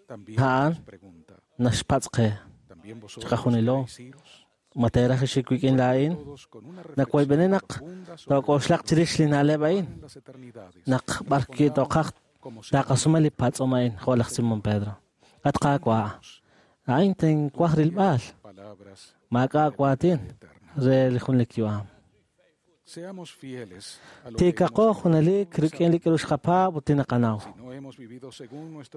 también a'an os pregunta, naxpatz' qe también vosotros chiqajunilo queréis iros ma teeraj ixik wik'in laa'in? todos con una Nawayb'eni reflexión naq profunda sobre took'oxlaq chirix li na'leb' a'in en las eternidades naq b'ar toqaj como si taqasume li patz'om a'in jo' laj Simón Pedro. At Qaawa', a'in tinwaj rilb'al. Maak'a' waatin re li junelik yu'am. Tiikaqo junelik rik'in li k'aru xqapaab' ut li naqanaw.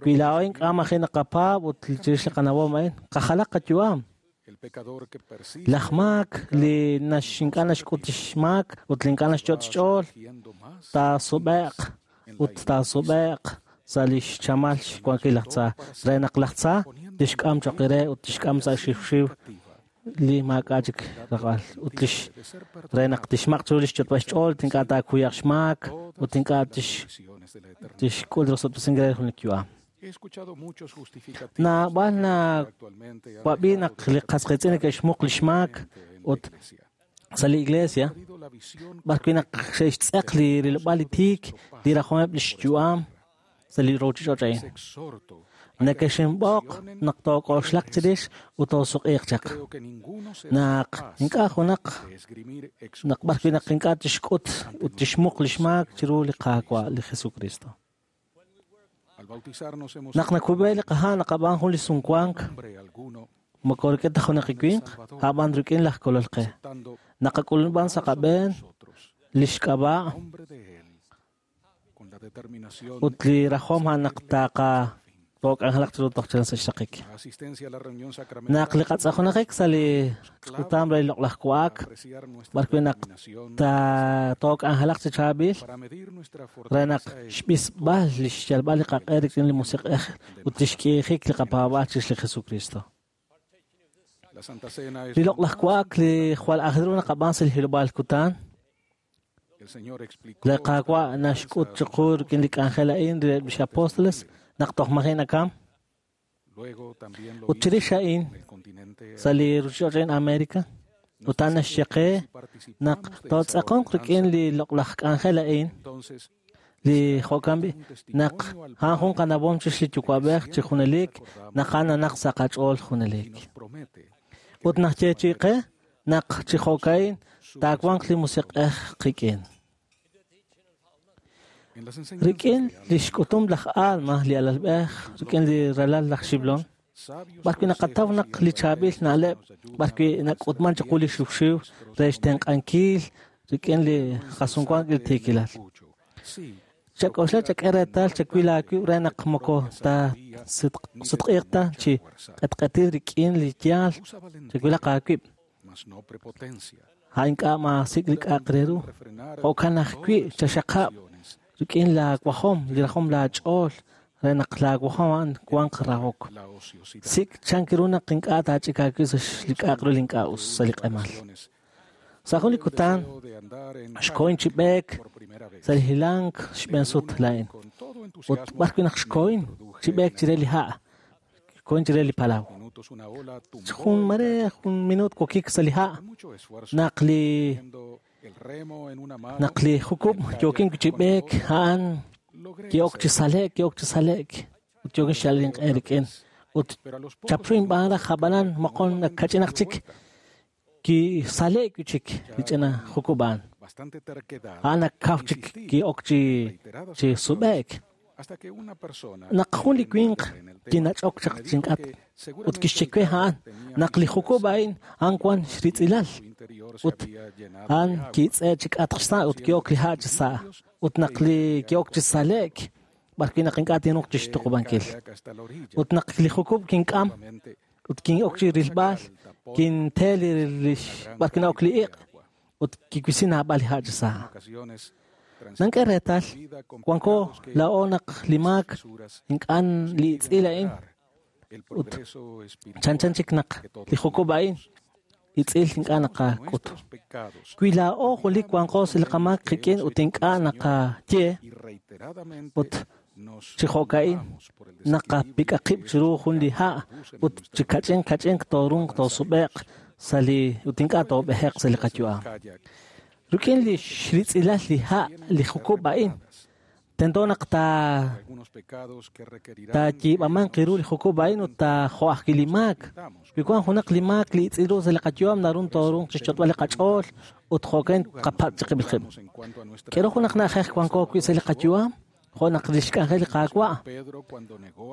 Wi laa'o ink'a' maji' naqapaab' ut chirix li qanawom a'in, qajalaq qayu'am. Laj maak li ink'a' naxk'ut xmaak ut li ink'a' naxyot' xch'ool, taasub'e'q ut taasub'e'q sa' li xchamal xwankil laj tza, re naq laj tza tixk'am choq re ut tixk'am sa' xiwxiw li maak'a' chik raqb'al ut lix re naq tixmaq' chiru li xyotb'al xch'ool ink'a' taakuyaq xmaak ut ink'a' tixk'ul rosob'tesinkil re jun li yu'am. Naab'al nawab'i naq li qas qiitz'in neke'xmuq li xmaak ut sa' li iglesia b'arwi' naq xe'xtz'eq li rilb'al li tiik li rajomeb' li xyu'am sa' li ruuchich'och' a'in. Nekexinb'oq naq took'oxlaq chirix ut toosuq'iiq chaq. Naq ink'a' junaq naq b'arwi' naq ink'a' tixk'ut ut tixmuq li xmaak chiru li Qaawa' li Jesucristo. Naq nakub'e li qaha' naqab'aan jun li sumwank moko rik'in ta junaq li winq, a'b'an rik'in laj Kolol qe. Naqak'ulub'an sa' qab'een li xk'ab'a' ut li rajom a'an naq taaqa took'anjelaq chiru toj chalen sa' xraqik. Naq li qatz'ajunajik sa' li ch'utam re li loq'laj wa'ak, b'arwi' naq took'anjelaq chi chaab'il re naq xb'isb'al li xyalb'al li qaq'e rik'in li Musiq'ej ut li xk'iijik li qapaab'aal chirix li Jesucristo. Li loq'laj wa'ak li jwal aajel ru naqab'aan sa' li hilob'aal kutan, li Qaawa' naxk'ut chiqu rik'in li k'anjel a'in reheb' lix apóstoles naq toj maji' nakam. Ut chirix a'in sa' li ruuchich'och' a'in América, ut a'an naxye qe naq tootz'aqonq rik'in li loq'laj k'anjel a'in, li jo'kan b'i' naq a'an jun qanawom chirix li Yuwa'b'ej chi junelik naq a'an nanaq sa' qach'ool junelik. Ut naxyeechi'i qe naq chi jo'ka'in taawanq li Musiq'ej qik'in. Rik'in li xk'utum laj Alma li alalb'ej rik'in li ralal laj Xiblon, b'arwi' naqataw naq li chaab'il na'leb' b'arwi' nak'utman chiqu li xiwxiw re xtenq'ankil rik'in li qasumwank li tiikilal. Chak'oxla chak'e reetal chawil aawib' re naq moko taasutq'iiq ta chi q'etq'etil rik'in li yaal chawilaq aawib'. A'in ink'a' maasik' li k'a'aq re ru. Jo'kan ajwi' chaxaqab' rik'in laawajom, li rajom laach'ool, re naq laawajom a'an wanq rahok. Sik' chan ru naq ink'a' taach'ik aawib' sa' li k'a'aq ru li ink'a' us sa' li q'emal. Sa' jun li kutan xkohin chi b'eek sa' li hilank xb'een sut laa'in. Ut b'arwi' naq xkohin chi b'eek chire li ha', xkohin chire li palaw. Jun mare jun minut wokik sa' li ha' naq li jukub' yookin chi b'eek a'an ki'ok chi sale'k ut yookin xyalb'al inq'e rik'in. Ut chapru inb'aan raj ab'anan moqon kach'inaq chik kisale'k wi' chik li ch'ina jukub' a'an. A'an nakaw chik ki'ok chi sub'e'k. Naq jun li winq kinach'ok chaq chink'atq ut kixye we a'an naq li jukub' a'in a'an wan xritz'ilal ut a'an kitz'e chi k'atq xsa' ut ki'ok li ha' chi sa' ut naq li ki'ok chi sale'k b'arwi' naq ink'a' tinruuq chixtuqub'ankil. Ut naq li jukub' kink'am ut kin'ok chi rilb'al kinte li b'arwi' na'ok li iq' ut kiwisi naab'al li ha' chi sa'. Nank'e reetal wanko laa'o naq li maak ink'a' li itz'il a'in ut chanchan chik naq li jukub' a'in itz'il ink'a' naqak'ut. Wi laa'o julik wanqo sa' li qamaak qik'in ut ink'a' naqaye ut chi jo'ka'in naqapik'a qib' chiru jun li ha' ut chi kach'in kach'in toorunq toosub'e'q sa' li ut ink'a' toob'eje'q sa' li qayu'am. Rik'in li xritz'ilal li ha' li jukub' a'in, tento naq taayiib'amanq ru li jukub' a'in ut taajo'ajwi' li maak. Wi wan junaq li maak li itz'il ru sa' li qayu'am narun toorunq chixch'otb'al li qach'ool ut jo'kan qapatz' chiqib'il qib'. K'ero junaq na'ajej wanko wi' sa' li qayu'am Jo' naq li xk'anjel li Qaawa'.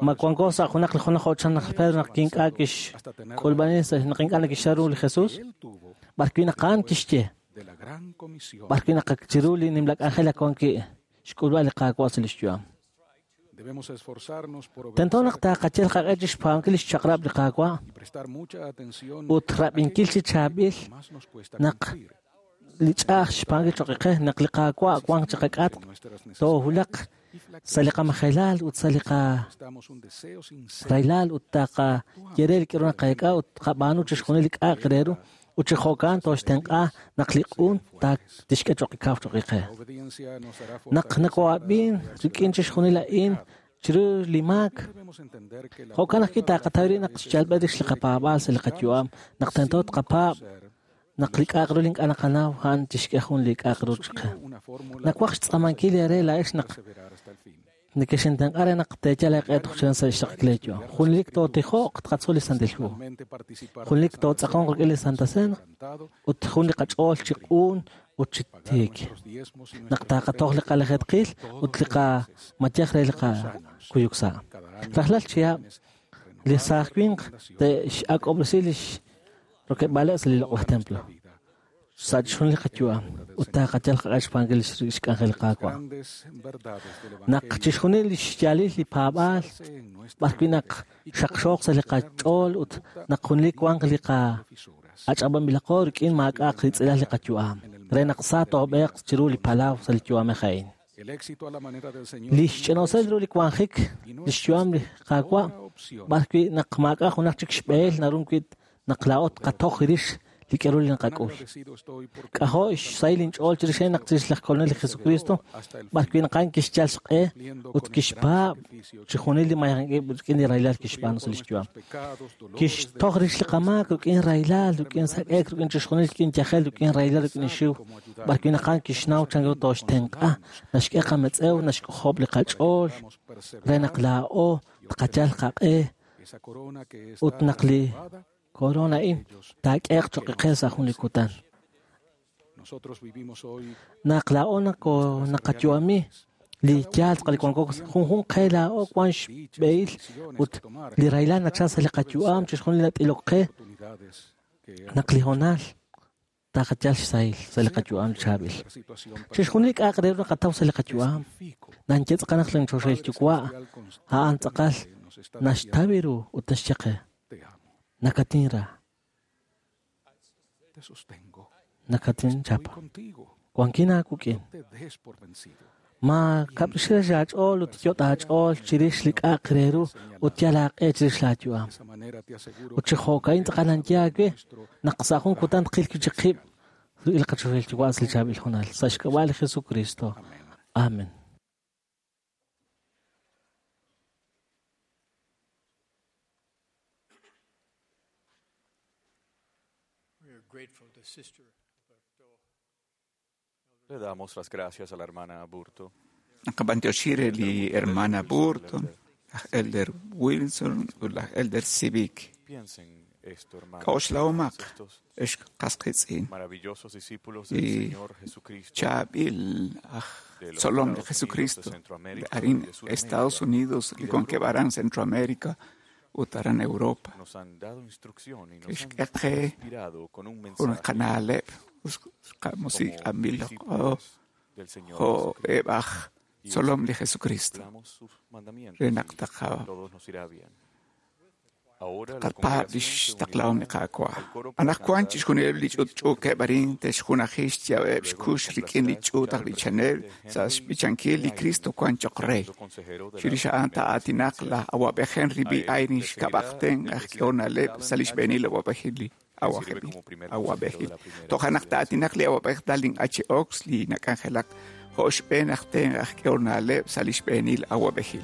Ma wanko sa' junaq li junaj jo' chan laj Pedro naq ink'a' kixk'ulb'ani naq ink'a' nakixra ru li Jesús? B'ar wi' naq a'an kixye. B'ar wi' naq chiru li nimla k'anjel ak wan wi' xk'ulb'al li Qaawa' sa' li xyu'am. Tento naq taaqachel qaq'e chi xpaab'ankil li xchaq'rab' li Qaawa' ut rab'inkil chi chaab'il naq li ch'a'aj xpaab'ankil choq' qe naq li Qaawa' wanq chi qak'atq toowulaq sa' li qamajelal ut sa' li qaraylal ut taqaye re li k'aru naqeek'a ut tqab'aanu chixjunil li k'a'aq re ru ut chi jo'kan tooxtenq'a naq li q'un tixk'e choq' kaw choq' qe. Naq nako'ab'in rik'in chixjunil a'in chiru li maak, jo'kan ajwi' taqataw ri naq xyalb'al rix li qapaab'aal sa' li qayu'am, naq tento tqapaab' naq li k'a'aq ru li ink'a' naqanaw a'an tixk'e jun li k'a'aq ru chiqe. Nawaj xtz'aamankil eere laa'ex naq nekexintenq'a re naq teeyal eeq'e toj sa' xraqik leeyu'am. Junelik tootijoq tqatzol li Santil Hu. Junelik tootz'aqonq rik'in li Santa Cena ut jun li qach'ool chi q'un ut chi tiik. Naq taqatoj li qalajetqil ut li qamayej re li qakuyuk sa'. Rajlal chihab' li saaj winq te'x'ak'ob'resi li rokeb'aaleb' sa' li loq'laj templo. Sa' chixjunil li qayu'am ut taqayal qaq'e xpaab'ankil li xk'anjel li Qaawa'. Naq chixjunil li xyaalil li paab'aal b'ar wi' naq xaqxooq sa' li qach'ool ut naq junelik wanq li qach'ab'anb'ilaqo rik'in maak'a'aq ritz'ilal li qayu'am re naq sa toob'eeq chiru li palaw sa' li yu'amej a'in. Li xch'inoosel ru li wanjik li xyu'am li Qaawa' b'ar wi' naq maak'a' junaq chik xb'ehel naru wi' naq laa'o tqatoj rix li k'aru li naqak'ul. K'ajo' xsahil inch'ool chirix naq chirix laj Kolonel li Jesucristo b'ar wi' naq a'an kixyal xq'e ut kixpaab' chixjunil li mayank'ib' rik'in li rahilal kixb'aanu sa' li xyu'am. Kixtoj rix li qamaak rik'in rahilal, rik'in sak'ek, rik'in chixjunil rik'in yajel, rik'in rahilal, rik'in xiw. B'ar wi' naq a'an kixnaw chan ru tooxtenq'a, naxk'e qametz'ew, naxk'ojob' li qach'ool re naq laa'o tqayal qaq'e ut naq li korona a'in taak'eeq choq' qe sa' jun li kutan. Naq laa'o naqayu'ami li yaal tz'aqal li wanko junjunq qe laa'o wan xb'ehil ut li rahilal nachal sa' li qayu'am chixjunil nat'ilok qe naq li hoonal taqayal xsahil sa' li qayu'am chaab'il. Chixjunil li k'a'aq re ru naqataw sa' li qayu'am nanye tz'aqal naq li choxahil yuwa' a'an tz'aqal naxtaw ru ut naxye qe. Nakatinra. Nakatin chapa. Wankin aakuk'in. Ma kab'rixil aach'ool ut yot' aach'ool chirix li k'a'aq re ru ut yal aaq'e chirix laayu'am. Ut chi jo'ka'in tz'aqal nanye aawe naq sa' jun kutan tqil wi' chik qib' rik'in li qachoxahil yuwa' sa' li chaab'il hoonal. Sa' xk'ab'a' li Jesucristo. Amen. Le damos las gracias a la hermana Aburto. Naqab'antioxi li hermana Burton, laj Elder Wilson ut laj Elder Civic. Piensen esto, hermanos. K'a'uxlahomaq Estos ex qasqitz'in maravillosos discípulos del li Señor Jesucristo chaab'il aj de los tzolom li Estados Unidos, de Jesucristo Centroamérica arin y de Sudamérica Estados Unidos y li de wankeb' Centroamérica ut aran Europa. nos han dado instrucción y nos han Kixk'e qe inspirado con un jun mensaje qana'leb' como qamusik'anb'il discípulos del Señor jo' Jesucristo. eb' aj Y tzolom li Jesucristo cumplamos sus mandamientos re naq y taqaw todos nos irá bien. Ahora la tqapaab' li congregación se xtaqlahom li unirá Qaawa'. al coro para Anaqwan cantar chixjunileb' li ch'utch'uukeb' arin te'xjunaji xyaab'eb' Luego xkux nos rik'in li complazca ch'uut escuchar aj al b'ichanel presidente sa' Henry xb'ichankil li B. Cristo Eyring, wan choq' rey. segundo consejero de la Chirix a'an primera taa'aatinaq presidencia. laj awab'ej Henry A B. él le Eyring seguirá xk'ab'aqten el aj presidente k'ehonaleb' sa' li Dallin H. xb'eenil awab'ejil li quien sirve awab'ejil. como primer consejero de Awab'ejil. la primera Toja' naq presidencia. taa'aatinaq li awab'ej Dallin H. Ox li nak'anjelak jo' xb'een aj ten aj k'ehonaleb' sa' li xb'eenil awab'ejil.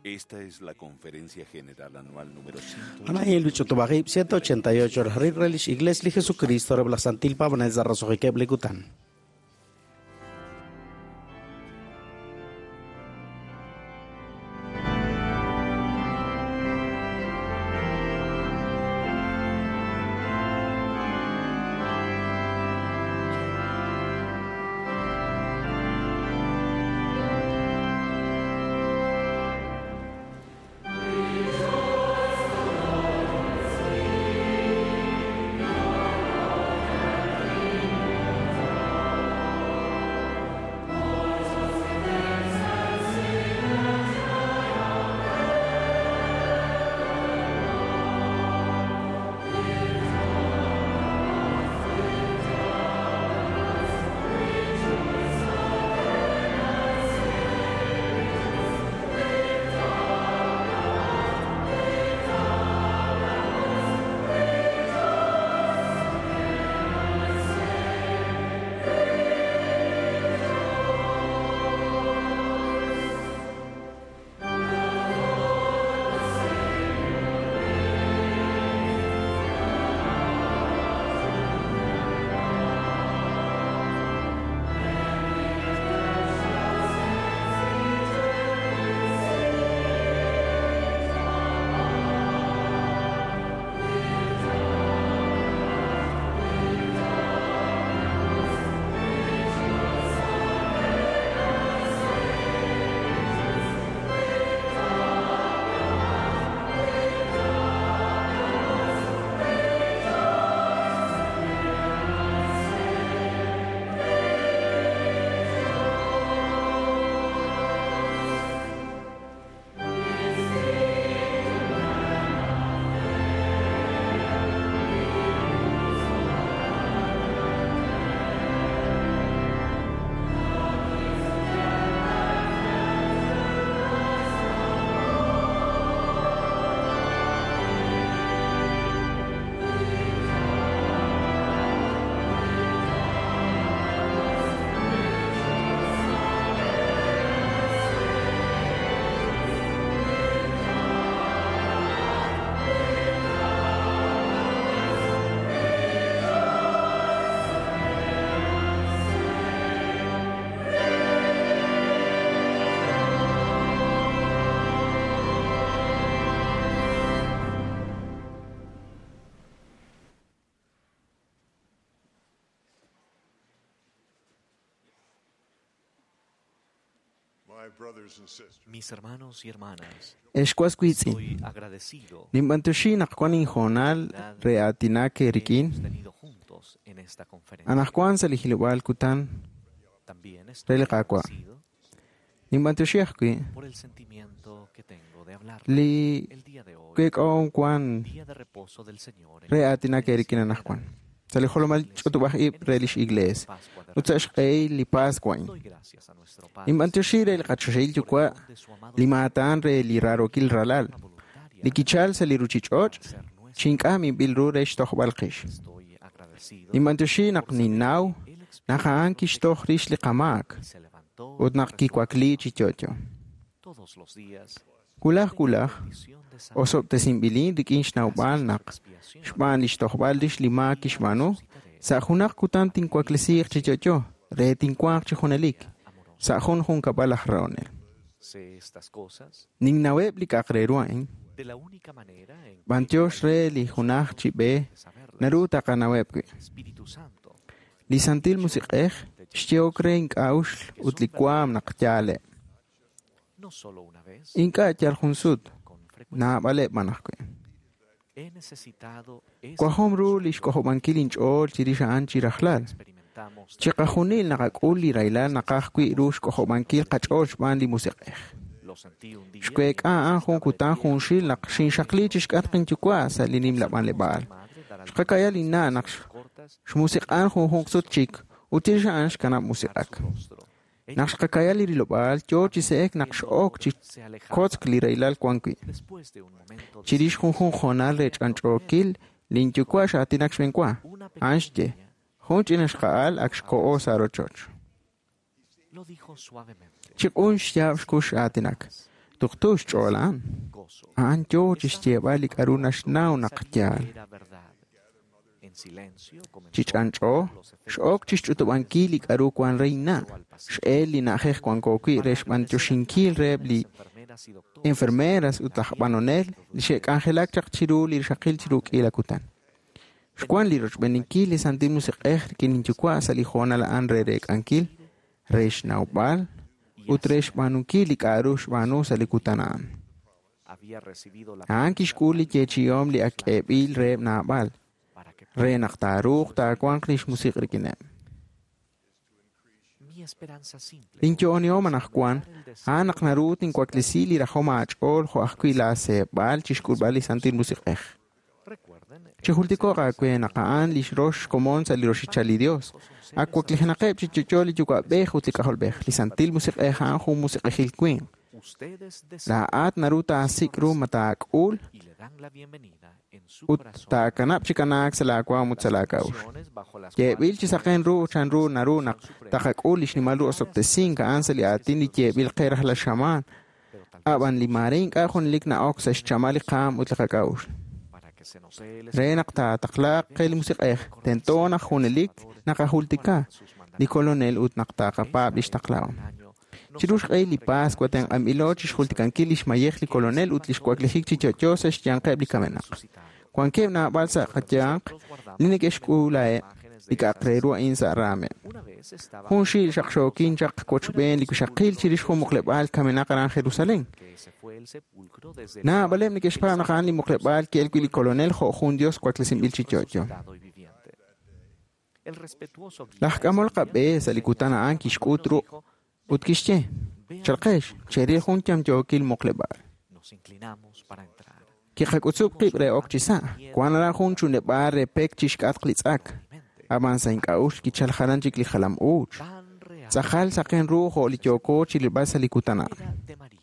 Esta es la conferencia general anual número Anahin Luchotobajib 188 Rir Relish Iglesia Jesucristo Reblasantil Pavanel Zarrazojiqueb Likutan. Mis hermanos y hermanas, Ex was wiitz'in, estoy agradecido ninb'antioxi naq wan inhoonal re aatinak eerik'in hemos tenido juntos en esta conferencia. anaqwan sa' li hilob'aal kutan También re estoy li Qaawa'. agradecido Ninb'antioxi ajwi' por el sentimiento que tengo de hablar li el día de hoy, kek'oom wan día de reposo del Señor en re aatinak eerik'in anaqwan. Sa' li jolomal ch'utub'aj ib' re lix iglees ut sa' xq'ehil li Pascua a'in. Doy gracias a nuestro Padre Ninb'antioxi re li qachoxahil yuwa' li maatan re li raarokil ralal, li kichal sa' li ruchich'och' chink'a minb'il ru re xtojb'al qix. estoy agradecido Ninb'antioxi naq ninnaw naq a'an kixtoj rix li qamaak se levantó ut naq kiwakli chi yo'yo. todos los días. Wulaj wulaj, Bendición de saber osob'tesinb'ilin rik'in xnawb'al naq xb'aan li xtojb'al rix li maak kixb'aanu, sa' junaq kutan tinwaklesiiq chi yo'yo re tinwanq chi junelik, sa' jun junkab'al aj rahonel. sé estas cosas Ninnaweb' li k'a'aq re ru a'in, de la única manera en que b'antiox re li junaj chi b'e naru taqanaweb' wi'. Espíritu Santo Li Santil Musiq'ej xyehok re ink'a'uxl ut li waam naq yaaleb'. no solo una vez, Ink'a' yal jun sut, con frecuencia. naab'aleb' b'an ajwi'. He necesitado ese Wajom ru li xk'ojob'ankil inch'ool chirix a'an chi rajlal. experimentamos Chiqajunil naqak'ul li rahilal naqaj wi' ru xk'ojob'ankil qach'ool xb'aan li Musiq'ej. lo sentí un día Xweek'a a'an jun kutan junxil naq xinxaqli chixk'atq inyuwa' sa' li nimla b'anleb'aal. madre dará Xqakaya linna' naq cortas xmusiq'an junjunq sut chik ut chirix a'an xkanab' musiq'ak. rostro. Naq xqakaya li rilob'aal yoo chi se'ek naq x'ok chi Se alejaba kotzk li rahilal wan wi'. después de un momento de Chirix junjunq hoonal re ch'anch'ookil, linyuwa' xaatinak xb'enwa. una A'an pequeña xye, niña jun ch'ina xqa'al ak xko'o sa' rochoch. lo dijo suavemente. Chiq'un xyaab' xkux aatinak. Tuqtu xch'ool a'an. Gozo. A'an yoo chi xyeeb'al li k'a'ru naxnaw naq Sabía yaal. que era verdad. En silencio comenzó Chi ch'anch'o, los efectos x'ok chi xch'utub'ankil li k'a'ru wan re inna'. X'el li na'ajej wanko wi' re xb'antioxinkil reheb' li enfermeras y doctores enfermeras ut laj b'anonel li xe'k'anjelak chaq chiru li rixaqil chiru k'iila kutan. Xwan li rochb'eninkil li Santil Musiq'ej rik'in inyuwa' sa' li hoonal a'an re reek'ankil, re xnawb'al ut re xb'aanunkil li k'a'ru xb'aanu sa' li kutan a'an. había recibido la A'an kixk'ul li yeechi'ihom li ak k'eeb'il reheb' naab'al, para que re naq taaruuq taawanq lix musiq' rik'ineb'. mi esperanza simple Linyo'onihom anaqwan, a'an naq naru tinwaklesi li rajom aach'ool jo' ajwi' laaseeb'al chixk'ulb'al li Santil Musiq'ej. recuerden Chijultiko'q aawe naq a'an lix rox komon sa' li roxichal li Dios. Ak waklijenaqeb' chi yo'yo li yuwa'b'ej ut li k'ajolb'ej. Li Santil Musiq'ej a'an jun musiq'ejil winq. ustedes desean Laa'at naru taasik' ru ma taak'ul y le dan la bienvenida en su ut corazón taakanab' chi kanaak sa' laawaam ut sa' laak'a'uxl. Acciones bajo las Yeeb'il chi saqen ru chan ru naru naq taqak'ul li xnimal ru osob'tesink a'an sa' li aatin li yeeb'il qe rajlal xamaan. pero tal vez Ab'an li maare ink'a' junelik na'ok sa' xchamal li qaam ut li qak'a'uxl. para que se nos dé el Re naq taataqlaaq qe li Musiq'ej, tento naq junelik naqajultika li Kolonel ut naq taqapaab' lix taqlahom. año Chiru xq'ehil li Pascua tenq'anb'ilo chixjultikankil lix mayej li Kolonel ut lix waklijik chi yo'yo sa' xyanqeb' li kamenaq. Wankeb' naab'al sa' qayanq li neke'xk'uulaheb' li k'a'aq re ru a'in sa' raameb'. una vez estaba Jun xiil xaqxookin chaq wochb'een li wixaqil chirix jun muqleb'aal kamenaq aran Jerusalén. que se fue el sepulcro desde el Naab'aleb' neke'xpaab' naq a'an li muqleb'aal ki'el wi' li Kolonel jo' jun Dios waklesinb'il chi yo'yo. resucitado y viviente. El respetuoso guía Laj k'amol qab'e sa' li kutan a'an kixk'ut ru ut kixye, chalqex, cheril jun yamyookil muqleb'aal. nos inclinamos para entrar. Kiqak'utzub' qib' re ok chi sa', wan aran jun chunleb'aal re pek chixk'atq li tz'ak. Ab'an sa' ink'a'uxl kichal jalan chik li jalam uuch. Tan real Tz'ajal saqen ru jo' li yooko chirilb'al sa' li kutan a'an. era de María,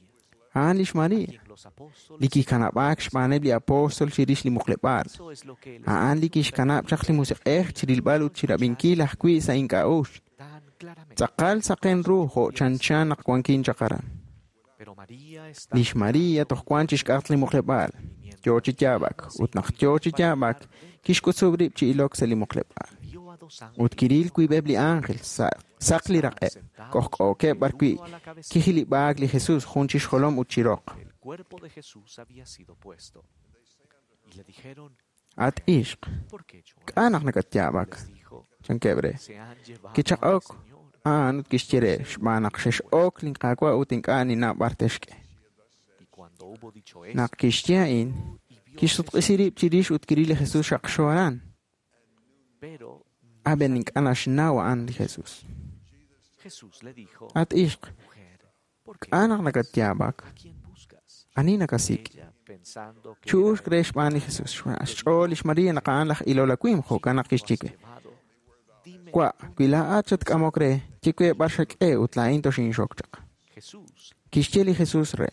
A'an lix Maria, quien los apóstoles li kikanab'aak xb'aaneb' li apóstol chirix li muqleb'aal. Eso es lo que el A'an li kixkanab' chaq li Musiq'ej chirilb'al ut chirab'inkil ajwi' sa' ink'a'uxl. tan claramente. Tz'aqal saqen ru jo' chanchan naq wankin chaq aran. Pero María está Lix Maria toj wan chixk'atq li muqleb'aal. Yoo chi yaab'ak ut naq yoo chi yaab'ak kixk'utzub' rib' chi ilok sa' li muqleb'aal. vio a dos Ut kiril wiib'eb' li ángel sa' saq li raq'eb', k'ojk'ookeb' b'arwi' kijilib'aak li Jesus jun chi xjolom ut chi roq. El cuerpo de Jesús había sido puesto. Y le dijeron, At ixq, ¿por qué lloras? k'a' naq nakatyaab'ak? Les dijo, Chankeb' re. se han llevado Kichaq'ok, al Señor. A'an ut kixye re, xb'aan naq xex'ok linQaawa' ut ink'a' ninnaw b'ar texk'e. Naq kixye a'in, kixsutq'isi rib' chirix ut kiril li Jesus xaqxo aran. Ab'an ink'a' naxnaw a'an li Jesus. At ixq, k'a' naq nakatyaab'ak? Ani nakasik'? Chu'uxk re xb'aan li Jesus. Xch'ool lix María naq a'an laj ilol awimq, jo'kan naq kixye we: Wa', wi laa'at xatk'amok re, ye we b'ar xak'e ut laa'in toxinxok chaq. Kixye li Jesus re: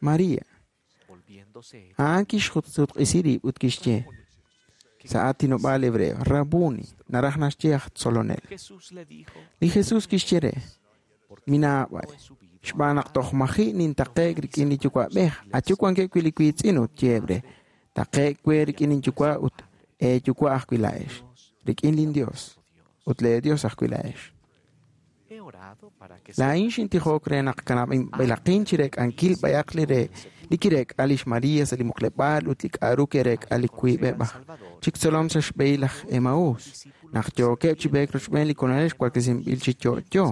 María. A'an kixsutq'isi rib' ut kixye sa' aatinob'aal hebreo, Rabuni, naraj naxye aj tzolonel. Li Jesus kixye re: Minaab'ay, xb'aan naq toj maji' nintaqe'k rik'in li Yuwa'b'ej, ayu wankeb' wi' li wiitz'in ut yeeb' re: Taqe'k we rik'in linyuwa' ut eeyuwa' ajwi' laa'ex, rik'in linYos ut leeYos ajwi' laa'ex. Laa'in xintijok re naq kanab'inb'ilaqin chi reek'ankil b'ayaq li re li kireek'a lix María sa' li muqleb'aal ut li k'a'ru ke'reek'a li wiib'eb' aj chik tzolom sa' xb'ehil laj Emaús, naq yookeb' chi b'eek rochb'een li Kolonel xwaklesinb'il chi yo'yo.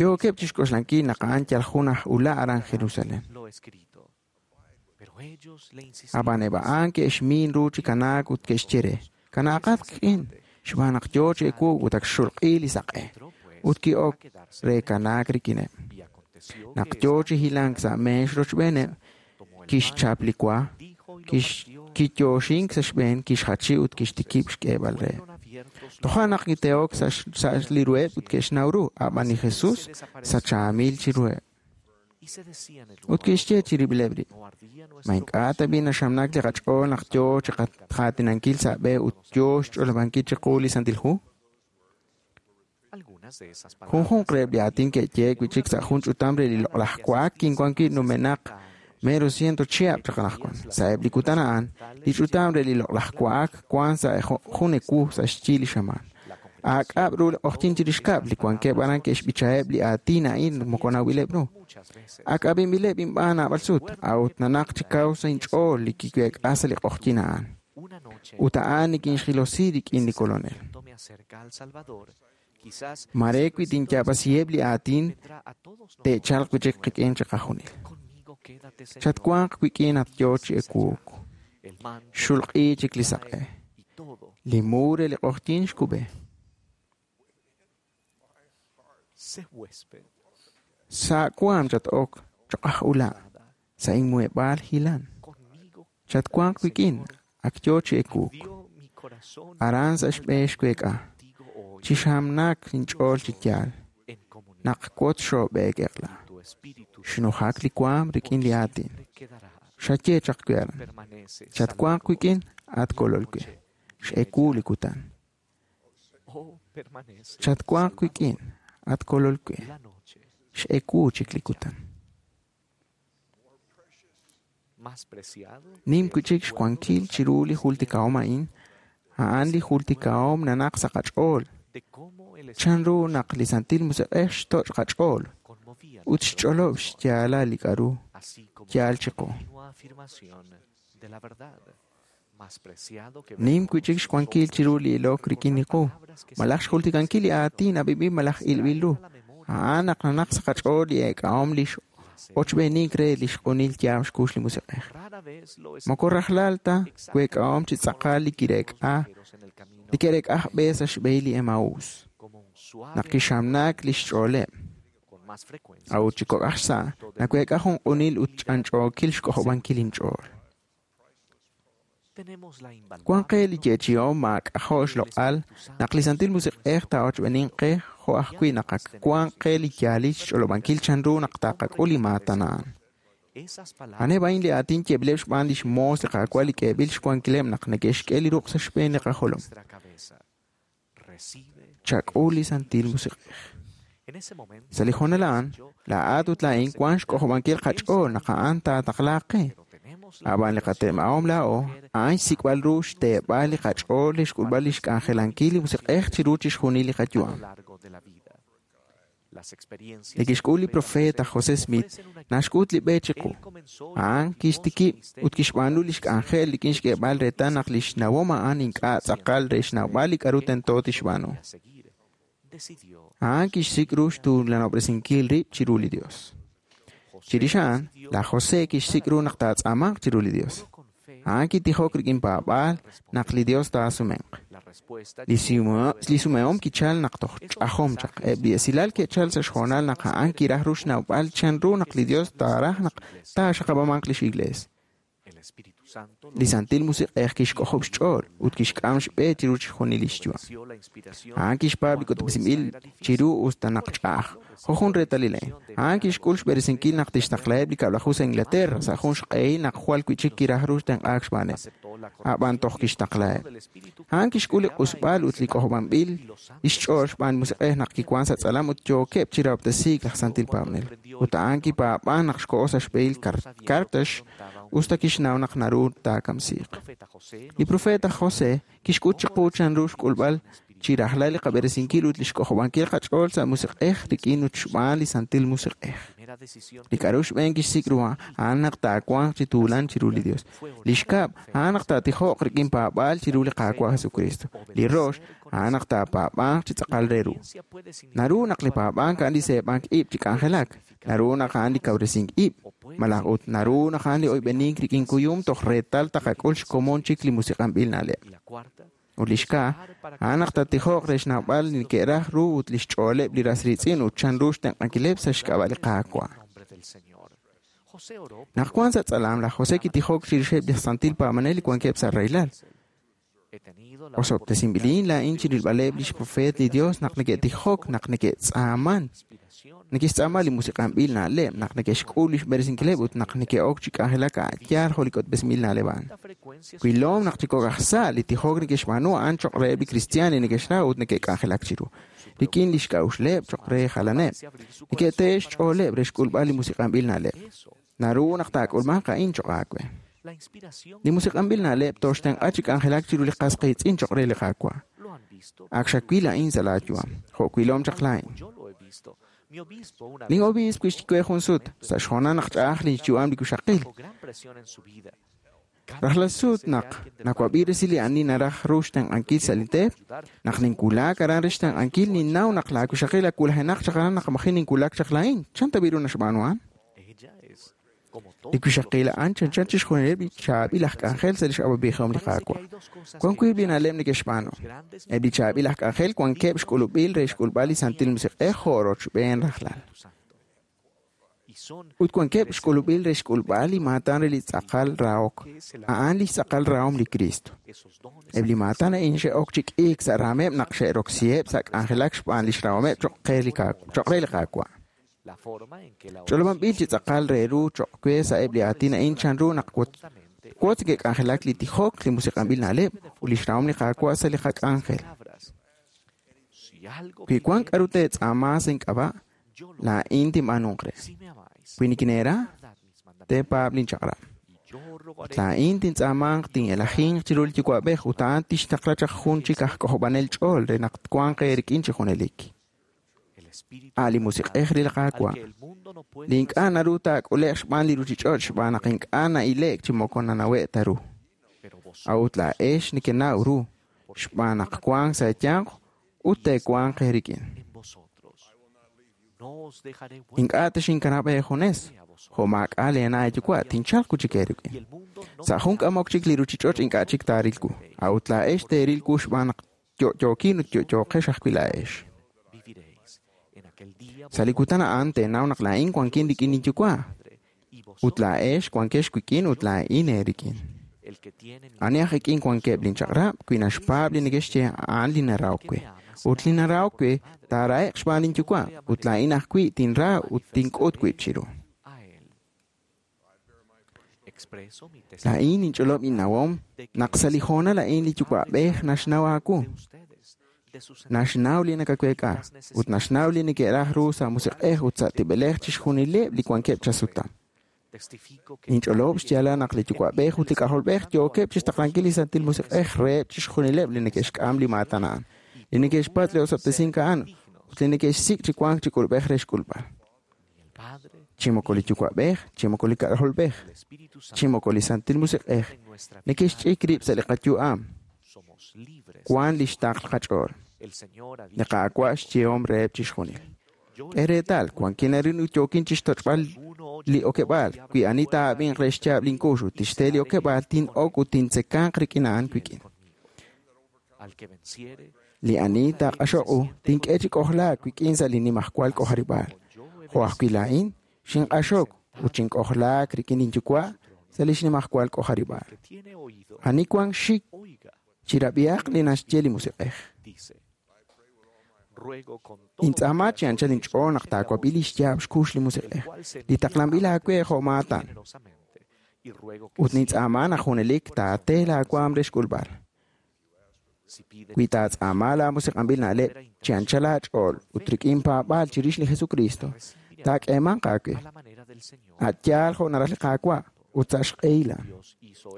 Yookeb' chixk'oxlankil naq a'an yal jun aj ula' aran Jerusalén. Ab'an eb' a'an ke'xmin ru chi kanaak ut ke'xye re: Kanaaqat qik'in, xb'aan naq yo chi ewu ut ak xxulq'i li saq'e. Ut ki'ok re kanaak rik'ineb'. Naq yo chi hilank sa' meex rochb'eeneb', kixchap li wa, kiyoxink sa' xb'een, kixjachi ut kixtikib' xk'eeb'al reheb'. Toja' naq kite'ok sa' li ruheb' ut ke'xnaw ru, ab'an li Jesus sachaamil chiruheb'. Ut kixye chirib'ileb' rib': Ma ink'a' tab'i' naxamnak li qach'ool naq yo chi qaatinankil sa' b'e ut yo xch'olob'ankil chiqu li Santil Hu? Junjunq reheb' li aatin ke'yehe'k wi' chik sa' jun ch'utam re li loq'laj wa'ak kinwan wi' numenaq mero ciento chihab' chaq anaqwan. Sa'eb' li kutan a'an, li ch'utam re li loq'laj wa'ak wank sa' jun ewu sa' xyi li xamaan. Aak'ab' ru li q'oqyink chirix kab'l, li wankeb' aran ke'xb'ichaheb' li aatin a'in moko nawb'ileb' ru. Ak ab'inb'ileb' inb'aan naab'al sut, a'ut nanaq chi kaw sa' inch'ool li kiweek'a sa' li q'oqyink a'an. Ut a'an nikinxjilosi rik'in li Kolonel. Mare wi tinyaab'asiheb' li aatin, te'chalq wi' chik qik'in chiqajunil. Chatwanq wik'in at yo chi ewuuk. Xulq'i chik li saq'e. Li mu re li q'oqyink xkub'e. Sa' waam chat-ok choq' aj ula', sa' inmuheb'aal hilan. Chatwanq wik'in, ak yo chi ewuuk. Aran sa' xb'een xweek'a, chixamnak inch'ool chi yaal, naq wotz xoob'eek eq'la. Xnujak li waam rik'in li aatin. Xaye chaq we aran. Chatwanq wik'in, at kolol we. X'ewu li kutan. Chatwanq wik'in, at kolol we. X'ewu chik li kutan. Nim wi' chik xwankil chiru li jultikahom a'in, a'an li jultikahom nanaq sa' qach'ool. Chanru naq li Santil Musiq'ej xtoch' qach'ool ut xch'olob' xyaalal li k'a'ru yaal chiqu. Nim wi' chik xwankil chiru li ilok rik'in li qu, malaj xjultikankil li aatin ab'ib'il malaj ilb'il ru. A'an naq nanaq sa' qach'ool li eek'ahom li ochb'eenink re li xq'unil yaab' xkux li Musiq'ej. Moko rajlal ta week'ahom chi tz'aqal li kireek'a li ke'reek'a aj b'e sa' xb'ehil li Emaús. Naq kixamnak li xch'ooleb'. A'ut chi kok' aj xsa', naweek'a jun q'unil ut ch'anch'ookil xk'ojob'ankil inch'ool. Wank qe li yeechi'om maak'ajo' xloq'al naq li Santil Musiq'ej taa'ochb'eeninq qe jo' ajwi' naq ak wank qe li yaalil xch'olob'ankil chanru naq taqak'ul li maatan a'an. A'aneb' a'in li aatin yeeb'ileb' xb'aan lix moos li Qaawa' li k'eeb'il xwankileb' naq neke'xk'e li ruq' sa' xb'een li qajolom. Chak'ul li Santil Musiq'ej. Sa' li hoonal a'an, laa'at ut laa'in wank xk'ojob'ankil qach'ool naq a'an taataqlaaq qe. Ab'an li qatem'ahom laa'o, a'an xsik'b'al ru xteeb'al li qach'ool li xk'ulb'al lix k'anjelankil li Musiq'ej chiru chixjunil li qayu'am. Li kixk'ul li profeet aj José Smith naxk'ut li b'e chiqu. A'an kixtikib' ut kixb'aanu lix k'anjel rik'in xk'eeb'al reetal naq lix nawom a'an ink'a' tz'aqal re xnawb'al li k'a'ru tento tixb'aanu. A'an kixsik' ru xtuulanob'resinkil rib' chiru li Dios. Chirix a'an, laj José kixsik' ru naq taatz'aamanq chiru li Dios. A'an kitijok rik'in paab'aal naq li Dios taasumenq. Li sumehom kichal naq toj ch'ajom chaq. Eb' li esilal ke'chal sa' xhoonal naq a'an kiraj ru xnawb'al chan ru naq li Dios taaraj naq taaxaqab'amanq lix iglees. Li Santil Musiq'ej kixk'ojob' xch'ool ut kixk'am xb'e chiru chixjunil lix yu'am. A'an kixpaab' li k'utb'esinb'il chiru us ta naq ch'a'aj. Jo' jun reetalil a'in, a'an kixk'ul xb'eresinkil naq tixtaqlaheb' li 10 sa' Inglaterra sa' jun xq'ehil naq jwal wi'chik kiraj ru xtenq'aak xb'aaneb'. A'b'an toj kixtaqlaheb'. A'an kixk'ul li q'usb'al ut li k'ojob'anb'il lix ch'ool xb'aan li Musiq'ej naq kiwan sa' tz'alam ut yookeb' chi rahob'tesiik laj santil paab'anel. Ut a'an kipaab'an naq xko'o sa' xb'ehil Carthage us ta kixnaw naq naru taakamsiiq. Li profeet aj José kixk'ut chiqu chanru xk'ulb'al chi rajlal li qab'eresinkil ut lix k'ojob'ankil qach'ool sa' musiq'ej rik'in ut xb'aan li Santil Musiq'ej. Li k'a'ru xb'een kixsik' ru a'an naq taawanq chi tuulan chiru li Dios. Li xkab', a'an naq taatijoq rik'in paab'aal chiru li Qaawa' Jesukristo. Li rox, a'an naq taapaab'anq chi tz'aqal re ru. Naru naq li paab'ank a'an li seeb'ank ib' chi k'anjelak. Naru naq a'an li kawresink ib'. Malaj ut naru naq a'an li oyb'enink rik'in kuyum toj reetal taqak'ul xkomon chik li musiq'anb'il na'leb'. Ut li xkaa, a'an naq taatijoq re xnawb'al li neke'raj ru ut lix ch'ooleb' li ras riitz'in ut chanru xtenq'ankileb' sa' xk'ab'a' li Qaawa'. Naq wan sa' tz'alam, laj José kitijok chirixeb' li santil paab'anel li wankeb' sa' rahilal. Osob'tesinb'ilin laa'in chirilb'aleb' lix profeet li Dios naq neke'tijok, naq neke'tz'aaman, neke'xtz'aama li musiq'anb'il na'leb', naq neke'xk'ul lix b'eresinkileb' ut naq neke'ok chi k'anjelak a' yaal jo' li k'utb'esinb'il na'leb' a'an. Wilom naq chi kok' aj sa' li tijok neke'xb'aanu a'an choq' reheb' li kristiaan li neke'xra ut neke'k'anjelak chiru, rik'in lix k'a'uxleb' choq' re jalaneb'. Neke'tehe' xch'ooleb' re xk'ulb'al li musiq'anb'il na'leb'. Naru naq taak'ulmanq a'in choq' aawe. Li musiq'anb'il na'leb' tooxtenq'a chi k'anjelak chiru li qas qiitz'in choq' re li Qaawa'. Ak xawil a'in sa' laa yu'am, jo' wilom chaq laa'in. Lin obiisp kixye jun sut, sa' xhoonal naq ch'a'aj lin yu'am li wixaqil. Rajlal sut naq nawab'i resil li ani naraj ru xtenq'ankil sa' li teep, naq ninwulak aran re xtenq'ankil, ninnaw naq laa wixaqil awulajenaq chaq aran naq maji' ninwulak chaq laa'in. Chan tab'i ru naxb'aanu a'an? Li wixaqil a'an chanchan chixjunileb' li chaab'il aj k'anjel sa' lix awab'ejihom li Qaawa'. Wan wiib' li na'leb' neke'xb'aanu. Eb' li chaab'il aj k'anjel wankeb' xk'ulub'il re xk'ulb'al li Santil Musiq'ej jo' rochb'een rajlal. Ut wankeb' xk'ulub'il re xk'ulb'al li maatan re li tz'aqal rahok, a'an lix tz'aqal rahom li Kristo. Eb' li maatan a'in xe'ok chi k'iik sa' raameb' naq xe'roksiheb' sa' k'anjelak xb'aan lix rahomeb' choq' re li Qaawa'. Ch'olob'anb'il chi tz'aqal re ru choq' we sa'eb' li aatin a'in chanru naq wotz neke'k'anjelak li tijok, li musiq'anb'il na'leb' ut lix rahom li Qaawa' sa' li qak'anjel. Wi wan k'a'ru teetz'aama sa' ink'ab'a', laa'in tinb'aanunq re. Wi nikineera, teepaab' linchaq'rab'. Ut laa'in tintz'aamanq tin'elajinq chiru li Yuwa'b'ej ut a'an tixtaqla chaq jun chik aj k'ojob'anel ch'ool re naq twanq eerik'in chi junelik. A' li Musiq'ej re li Qaawa'. Li ink'a' naru taak'ule'q xb'aan li ruchich'och' xb'aan naq ink'a' na'ile'k chi moko nanawe' ta ru. A'ut laa'ex nekenaw ru xb'aan naq wank sa' eeyanq ut teewanq eerik'in. Ink'a' texinkanab' eejunes, jo' maak'a' leena' eeyuwa' tinchalq wi' chik eerik'in. Sa' jun k'amok chik li ruchich'och' ink'a' chik taaril wu. A'ut laa'ex teeril wu xb'aan naq yo'yookin ut yo'yooqex ajwi' laa'ex. Sa' li kutan a'an teenaw naq laa'in wankin rik'in linyuwa' ut laa'ex wankex wik'in ut laa'in eerik'in. Ani aj ik'in wankeb' linchaq'rab' wi naxpaab' li neke'xye a'an li narahok we. Ut li narahok we taarahe'q xb'aan linyuwa' ut laa'in ajwi' tinra ut tink'ut wib' chiru. Laa'in ninch'olob' innawom naq sa' li hoonal a'in li Yuwa'b'ej naxnaw aawu. Naxnaw li nakaweek'a ut naxnaw li neke'raj ru sa' musiq'ej ut sa' tib'elej chixjunileb' li wankeb' chasutam. Ninch'olob' xyaalal naq li Yuwa'b'ej ut li K'ajolb'ej yookeb' chixtaqlankil li Santil Musiq'ej reheb' chixjunileb' li neke'xk'am li maatan a'an, li neke'xpatz' li osob'tesink a'an ut li neke'xsik' chi wank chi k'ulub'ej re xk'ulb'al. Chi moko li Yuwa'b'ej, chi moko li K'ajolb'ej, chi moko li Santil Musiq'ej neke'xch'ik rib' sa' li qayu'am. Wan lix taql qach'ool. Li Qaawa' xyehom reheb' chixjunil. K'e reetal, wankin arin ut yookin chixtoch'b'al li okeb'aal. Wi ani taa'ab'inq re xyaab' linkux ut tixte li okeb'aal, tin'ok ut tintzekanq rik'in a'an wik'in. Li ani taaq'axoq u, tink'e chi k'ojlaak wik'in sa' li nimajwal k'ojarib'aal. Jo' ajwi' laa'in, xinq'axok ut xink'ojlaak rik'in linyuwa' sa' li xnimajwal k'ojarib'aal. Ani wank xik chirab'ihaq li naxye li Musiq'ej. Intz'aama chi anchal inch'ool naq taawab'i li xyaab' xkux li Musiq'ej, li taqlanb'il aawe jo' maatan. Ut nintz'aama naq junelik taate laawaam re xk'ulb'al. Wi taatz'aama laamusiq'anb'il na'leb' chi anchal aach'ool ut rik'in paab'aal chirix li Jesukristo, taak'eemanq aawe. A' yaal jo' naraj li Qaawa' ut sa' xq'ehil a'an.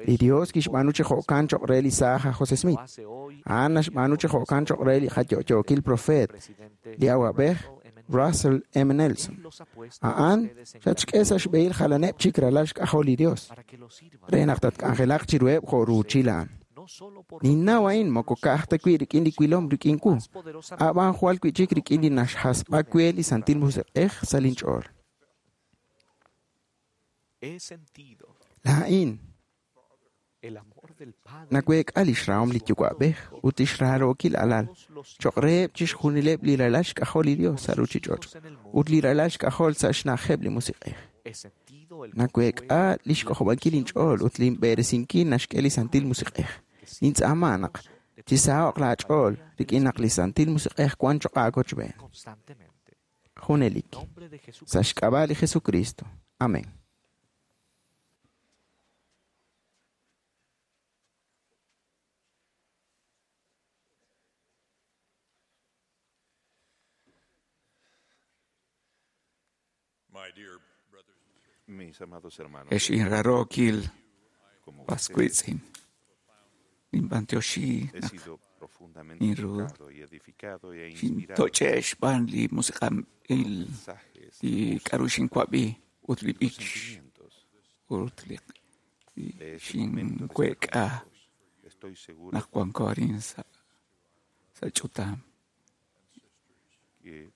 Li Dios kixb'aanu chi jo'kan choq' re li saaj aj Jose Smith. A'an naxb'aanu chi jo'kan choq' re li qayo'yookil profeet, li awab'ej Russell M. Nelson. A'an xatxk'e sa' xb'ehil jalaneb' chik ralal xk'ajol li Dios, re naq tatk'anjelaq chiruheb' jo' ruuchil a'an. Ninnaw a'in moko ka'aj ta wi' rik'in li wilom rik'in wu, a'b'an jwal wi'chik rik'in li naxhasb'a we li Santil Musiq'ej sa' linch'ool. Laa'in naweek'a lix rahom li Yuwa'b'ej ut lix rarookil alal choq' reheb' chixjunileb' li ralal xk'ajol li Dios sa' ruchich'och' ut li ralal xk'ajol sa' xna'ajeb' li Musiq'ej. Naweek'a lix k'ojob'ankil inch'ool ut linb'eresinkil naxk'e li Santil Musiq'ej. Nintz'aama naq chisaho'q laach'ool rik'in naq li Santil Musiq'ej wan choq' aawochb'een. Junelik. Sa' xk'ab'a' li Jesucristo. Amén. Mis amados hermanos, Ex inrarookil como paskuitzin. Ninb'antioxi he naq sido profundamente ninru tocado y edificado e inspirado xintoch'e xb'aan li musiq'anb'il mensajes, li k'aru xinwab'i ut li los b'ich sentimientos ut li de ese momento de estar xinweek'a juntos. Estoy seguro naq wanko arin sa' sa' ch'utam. que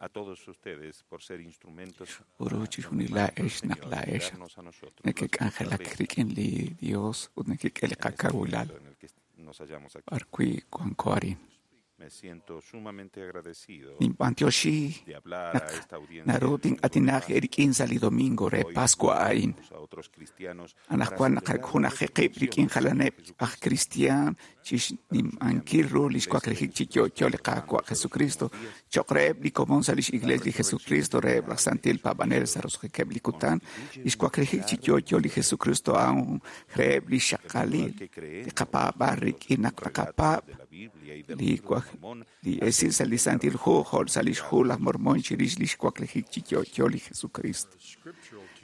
a todos ustedes por ser instrumentos Uru en chixjunil las manos del laa'ex naq Señor, laa'ex darnos a nosotros las nekek'anjelak fortalezas rik'in li Dios ut nekek'e li en este qakawilal momento en el que nos hallamos aquí. b'arwi' wanko arin. Me siento sumamente agradecido Ninb'antioxi de hablar a naq esta audiencia naru el domingo de tin'atinaq Pascua. eerik'in sa' li domingo re Hoy Pascua nos a'in. unimos a otros cristianos para Anaqwan celebrar la naqajunaji qib' resurrección rik'in de jalaneb' aj Jesucristo. cristian chixnim'ankil ru li xwaklijik chi yo'yo li Qaawa' Jesucristo choq' reheb' li komon sa' lix Iglesia li Jesucristo reheb' laj Santil Paab'anel sa' roso'jikeb' li kutan li xwaklijik chi yo'yo li Jesucristo a'an reheb' li El igual xaqalil que li creemos qapaab'al en los rik'in naq relatos naqapaab' de la Biblia y del li libro de waj Mormón li esil sa' li acerca de la Santil Hu jo' sa' lix resurrección Hu laj Mormón chirix li xwaklijik chi yo'yo li Jesucristo.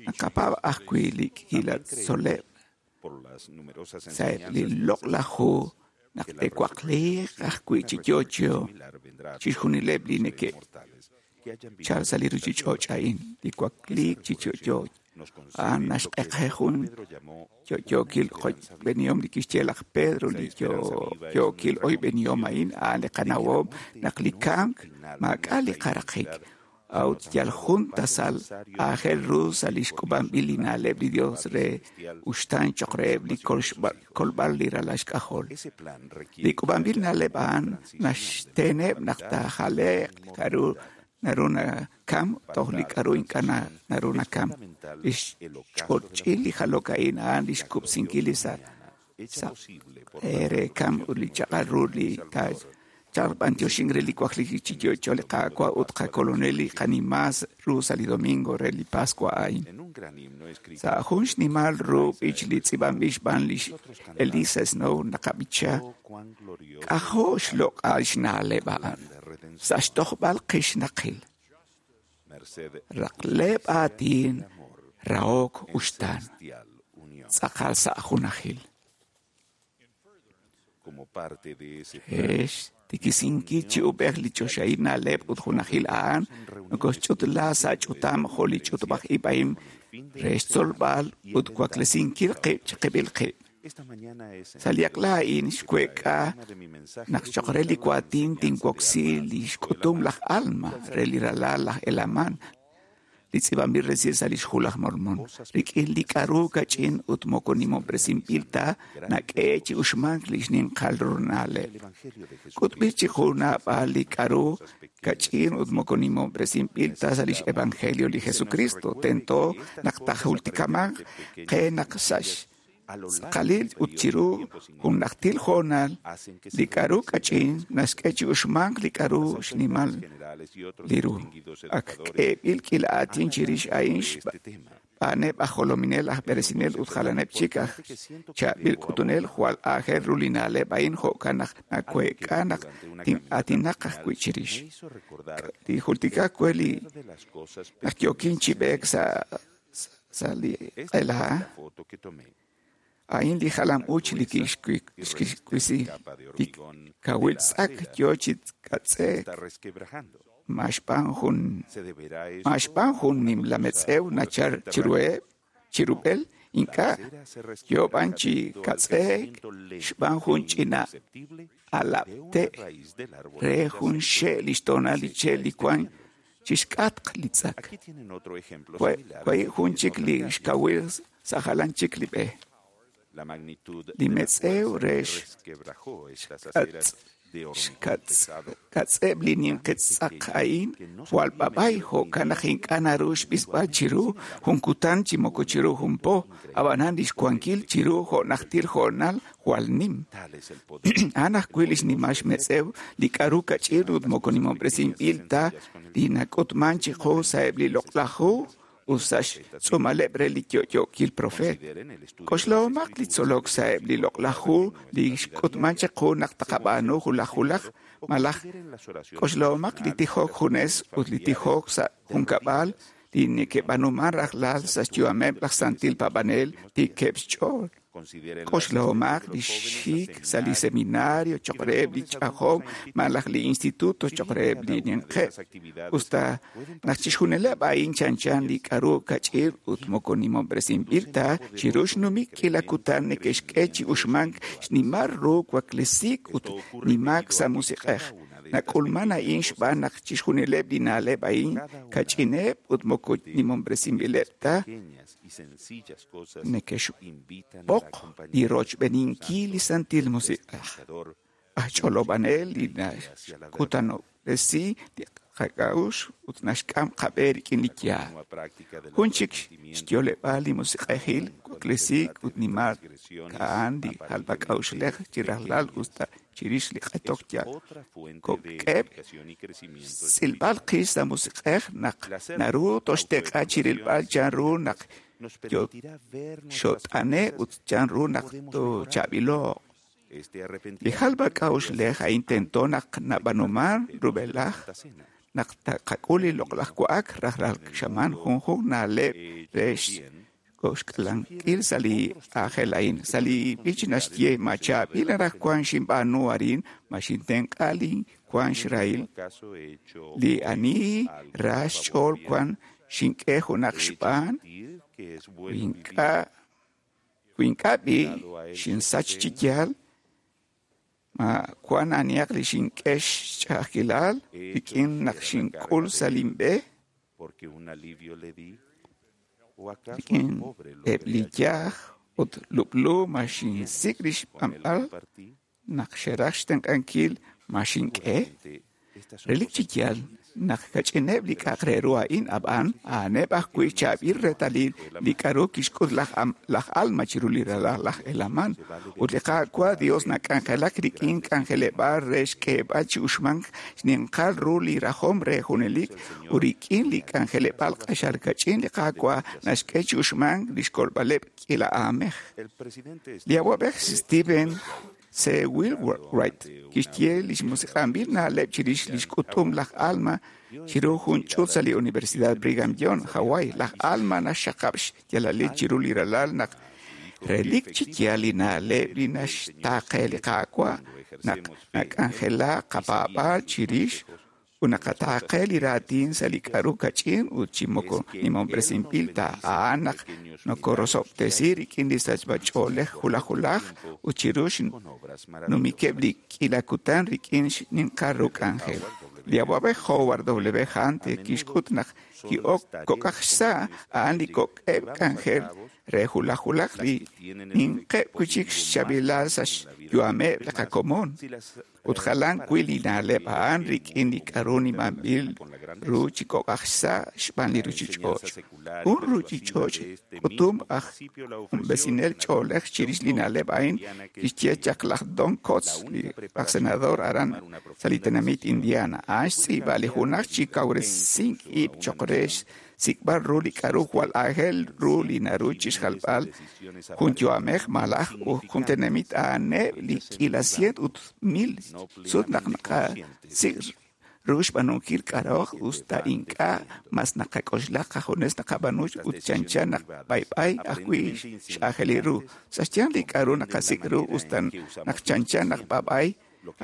Naqapaab' ajwi' li k'iila También creemos tzol'leb' por las numerosas sa'eb' li enseñanzas de las loq'laj hu Escrituras naq que la te'waqliiq resurrección, ajwi' una chi resurrección yo'yo similar vendrá a todos chixjunileb' li los seres neke' mortales que hayan vivido chal sa' li en esta ruchich'och' tierra. a'in li Esa wakliik chi yo'yo resurrección nos concede a'an lo que naxq'eqje jun Pedro llamó una yo'yookil esperanza viva. b'enihom li kixye laj Pedro Esa li esperanza viva es yo'yookil nuestra oy b'enihom convicción a'in a'an li de que la qanawom muerte naq li no es el kamk final de maak'a' li nuestra qaraqik identidad, sino a'ut tan yal solo jun el paso tasal necesario aajel ru sa' li por xk'ub'anb'il li nuestro plan na'leb' li Dios Padre re Celestial uxtaan choq' para la reheb' li salvación de sus hijos. kolb'al li ralal xk'ajol. Ese plan Li requiere que k'ub'anb'il haya na'leb' una a'an transición de la naxteneb' naq mortalidad a la taajale'q li k'a'ru inmortalidad. naru nakam Para toj li tal k'a'ru ink'a' transición naru es nakam. fundamental Li el ocaso de la xch'och'il li muerte, jalok a'in a'an li la xkub'sinkil li gloriosa sa' mañana hecha sa' posible por la re kam resurrección ut de li nuestro chaq'al ru Señor y li ta Salvador. chalb'antioxin re li waklijik chi En yo'yo este li domingo de Qaawa' ut Pascua de qakolonel li Resurrección, qanimaas ru sa' li domingo re li Pascua a'in. en un gran himno escrito Sa' por jun xnimal ru Eliza b'ich li M. Snow, tz'ib'anb'il xb'aan lix nosotros cantamos, Elisa Snow naqab'icha Oh, cuán glorioso es k'ajo' el xloq'al xna'leb' a'an plan de sa' redención, xtojb'al qixnaqil merced de raqleb' justicia aatin y amor rahok en uxtaan celestial unión. tz'aqal sa' junajil. Como parte de ese plan, Ex Xtiikisinkil chi ub'ej li choxahil na'leb' ut junajil a'an nokoxch'utla sa' ch'utam jo' li ch'utub'aj-ib' a'in re xtzolb'al ut waklesinkil qib' chiqib'il qib'. Sa' li aq'la a'in xweek'a naq choq' re li waatin tinwoksi li xk'utum laj Alma re li ralal laj Helaman, li tz'iib'anb'il resil sa' lix Hu laj Mormon. Rik'in li k'a'ru kach'in ut moko nimob'resinb'il ta nak'e chi uxmank li xninqal ru na'leb'. K'utb'il chiqu naab'al li k'a'ru kach'in ut moko nimob'resinb'il ta sa' lix Evangelio li Jesucristo. Tento naq taajultikamanq qe naq sa' xtz'aqalil ut chiru jun najtil hoonal li k'a'ru kach'in naxk'e chi uxmank li k'a'ru xnimal li ru. Ak k'eeb'il k'iila aatin chirix a'in xb'aaneb' aj jolominel, aj b'eresinel ut jalaneb' chik aj chaab'il k'utunel. Jwal aajel ru li na'leb' a'in jo'kan naq naweek'a naq tin'aatinaq ajwi' chirix. Li jultika we li naq yookin chi b'eek sa' li q'ela, a'in li jalam-uuch li kixwisi li kawil tz'ak yoo chi k'atz'e'k ma xb'aan jun nimla metz'ew nachal chirub'el, ink'a' yoo b'an chi k'atz'e'k xb'aan jun ch'ina alab'te' re jun xe' lix toonal li che' li wan chixk'atq li tz'ak. Wahi' jun chik li xkawil sa' jalan chik li b'e. Li metz'ew re xk'atz'eb' li ninqi tz'aq a'in jwal b'ab'ay jo'kan naq ink'a' naru xb'isb'al chiru jun kutan chi moko chiru jun po, ab'anan lix wankil chiru jo' najtil hoonal jwal nim. A'an ajwi' li xnimal xmetz'ew li k'a'ru kach'in ut moko nimob'resinb'il ta li nak'utman chiqu sa'eb' li loq'laj hu ut sa' xtz'uumaleb' re li yo'yookil profeet. K'oxlahomaq li tzolok sa'eb' li loq'laj hu li xk'utman chiqu naq taqab'aanu wulaj wulaj, malaj k'oxlahomaq li tijok junes ut li tijok sa' junkab'al li neke'b'aanuman rajlal sa' xyu'ameb' laj santil paab'anel tiikeb' xch'ool. K'oxlahomaq li xik sa' li seminario choq' reheb' li ch'ajom malaj li instituto choq' reheb' li ninqeb'. Usta naq chixjunileb' a'in chanchan li k'a'ru kach'in ut moko nimob'resinb'il ta chiru xnumik k'iila kutan neke'xk'e chi uxmank xnimal ru waklesiik ut nimaak sa' musiq'ej. Nak'ulman a'in xb'aan naq chixjunileb' li na'leb' a'in kach'ineb' ut moko nimob'resinb'ileb' ta neke'xb'oq li rochb'eeninkil li Santil Musiq'ej. Aj ch'olob'anel li naxkutanob'resi li qak'a'uxl ut naxk'am qab'e rik'in li yaal. Jun chik xyo'leb'aal li musiq'ejil waklesiik ut nimaak a'an li jalb'ak'a'uxlej chi rajlal usta chirix li q'etok yal kok'eb' xtz'ilb'al qix sa' musiq'ej naq naru toxtenq'a chirilb'al chanru naq xot'ane' ut chanru naq toochaab'ilo'q. Li jalb'ak'a'uxlej a'in tento naq nab'aanuman rub'elaj naq taqak'ul li loq'laj wa'ak rajlal xamaan junjunq na'leb' re xk'alankil sa' li aajel a'in. Sa' li b'ich naxye ma chaab'il anaqwan xinb'aanu arin, ma xintenq'a li wan xrahil, li ani ra xch'ool wan xink'e junaq xb'aan, wi ink'a' b'i' xinsach chi yaal, ma wan anihaq li xink'e xch'a'ajkilal rik'in naq xink'ul sa' linb'e, rik'in eb' li yaj ut lub'lu ma xinsik' li xb'anb'al naq xeraj xtenq'ankil ma xink'e. Relik chi yaal naq kach'ineb' li k'a'aq re ru a'in ab'an a'aneb' ajwi' chaab'il reetalil li k'a'ru kixk'ut laj Alma chiru li ralal laj Helaman. Ut li Qaawa' Dios nak'anjelak rik'in k'anjeleb'aal re xk'eeb'al chi uxmank xninqal ru li rajom re junelik ut rik'in li k'anjeleb'aal q'axal kach'in li Qaawa' naxk'e chi uxmank li xkolb'aleb' k'iila aamej. Li awa'b'ej Steven C. Wright kixye li xmusiq'anb'il na'leb' chirix li xk'utum laj Alma chiru jun ch'uut sa' li Universidad Brigham Young, Hawaii. Laj Alma naxxaqab' xyaalalil chiru li ralal naq Relik chi yaal li na'leb' li naxtaaqe li Qaawa' naq nak'anjelak qapaab'aal chirix ut naqataaqe li raatin sa' li k'a'ru kach'in ut chi moko nimob'resinb'il ta a'an naq nokorosob'tesi rik'in li sachb'a-ch'oolej wulaj wulaj ut chiru xnumikeb' li k'iila kutan rik'in xninqal ru k'anjel. Li awa'b'ej Howard W. Hunter kixk'ut naq ki'ok kok'aj xsa' a'an li kok'eb' k'anjel re wulaj wulaj li ninqeb' wi'chik xchaab'ilal sa' xyu'ameb' li qakomon ut jalan wi' li na'leb' a'an rik'in li k'a'ru nimanb'il ru chi kok'aj xsa' xb'aan li ruchich'och'. Jun ruchich'och' k'utum aj q'unb'esinel ch'oolej chirix li na'leb' a'in kixye chaq laj Don Coats, li aj senador aran sa' li tenamit Indiana. A'an xtz'iib'a li junaj chi kawresink ib' choq' re xsik'b'al ru li k'a'ru jwal aajel ru li naru chixjalb'al jun yu'amej malaj jun tenamit a'aneb' li k'iila cien ut mil sut naq naqasik' ru xb'aanunkil k'a'ruhaq us ta ink'a' mas naqak'oxla qajunes naqab'aanu ut chanchan naq b'ayb'ay ajwi' x'aajelil ru. Sa' xyanq li k'a'ru naqasik' ru us ta naq chanchan naq b'ab'ay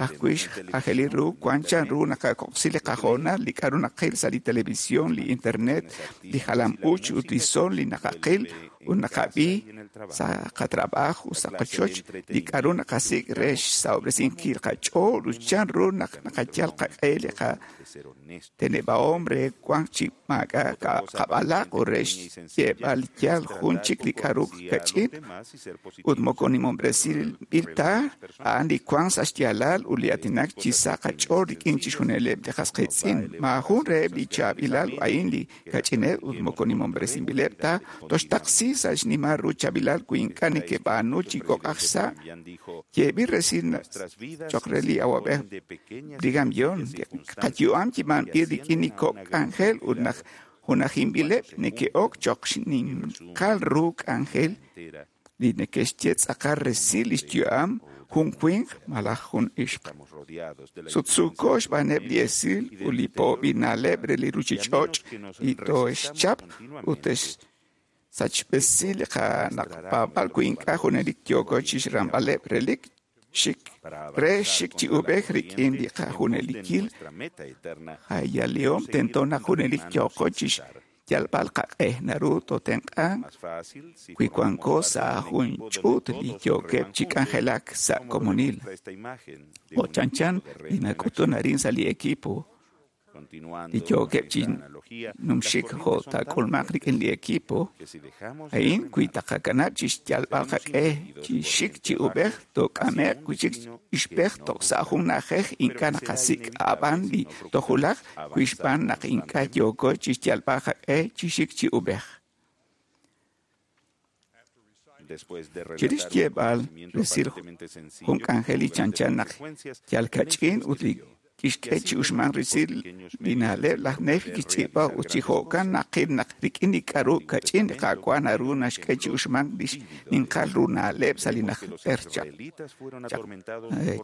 ajwi' x'aajelil ru wan chanru naqakoqsi li qahoonal, li k'a'ru naqil sa' li televisión, li internet, li jalam-uuch ut li son li naqaqil ut naqab'i sa' qatrab'aaj ut sa' qochoch, li k'a'ru naqasik' re xsahob'resinkil qach'ool ut chanru naq naqayal qaq'e li qateneb'ahom re wank chi maak'a' qab'alaq ut re xyeeb'al li yaal jun chik li k'a'ru kach'in ut moko nimob'resinb'il ta a'an li wank sa' xyaalal ut li aatinak chi sa' qach'ool rik'in chixjunileb' li qas qiitz'in. Maajun reheb' li chaab'ilal a'in li kach'ineb' ut moko nimob'resinb'ileb' ta toxtaqsi sa' xnimal ru chaab'ilal wi ink'a' nekeb'aanu chi kok'aj xsa'. Yeeb'il resil choq' re li awa'b'ej Brigham Young, qayu'am chi b'anb'il rik'in li kok' k'anjel ut naq junajinb'ileb' neke'ok choq' xninqal ru k'anjel li neke'xye tz'aqal resil lix yu'am jun winq malaj jun ixq. Sutsuuko xb'aaneb' li esil ut li po'b'il na'leb' re li ruchich'och' li tooxchap ut sachb'esi li qanaqpaab'al wi ink'a' junelik yooko chixramb'aleb' relik xik re xik chi ub'ej rik'in li qajunelikil jayalihom tento naq junelik yooko chixyalb'al qaq'e naru tootenq'anq wi wanko sa' jun ch'uut li yookeb' chi k'anjelak sa' komonil. Jo' chanchan li nak'utun arin sa' li equipo li yookeb' chi numxik jo' taak'ulmaq rik'in li equipo a'in wi taqakanab' chi xyalb'al qaq'e chi xik chi ub'ej took'ame'q wi'chik ixb'ej toj sa' jun na'ajej ink'a' naqasik' ab'an li tojulaq wi xb'aan naq ink'a' yooko chi xyalb'al qaq'e chi xik chi ub'ej. Chirix xyeeb'al resil jun k'anjel li chanchan naq yal kach'in ut li kixk'e chi uxmank resil li na'leb' laj Nefi kixtz'iib'a ut chi jo'kan naqil naq rik'in li k'a'ru kach'in li Qaawa' naru naxk'e chi uxmank li xninqal ru na'leb' sa' li najter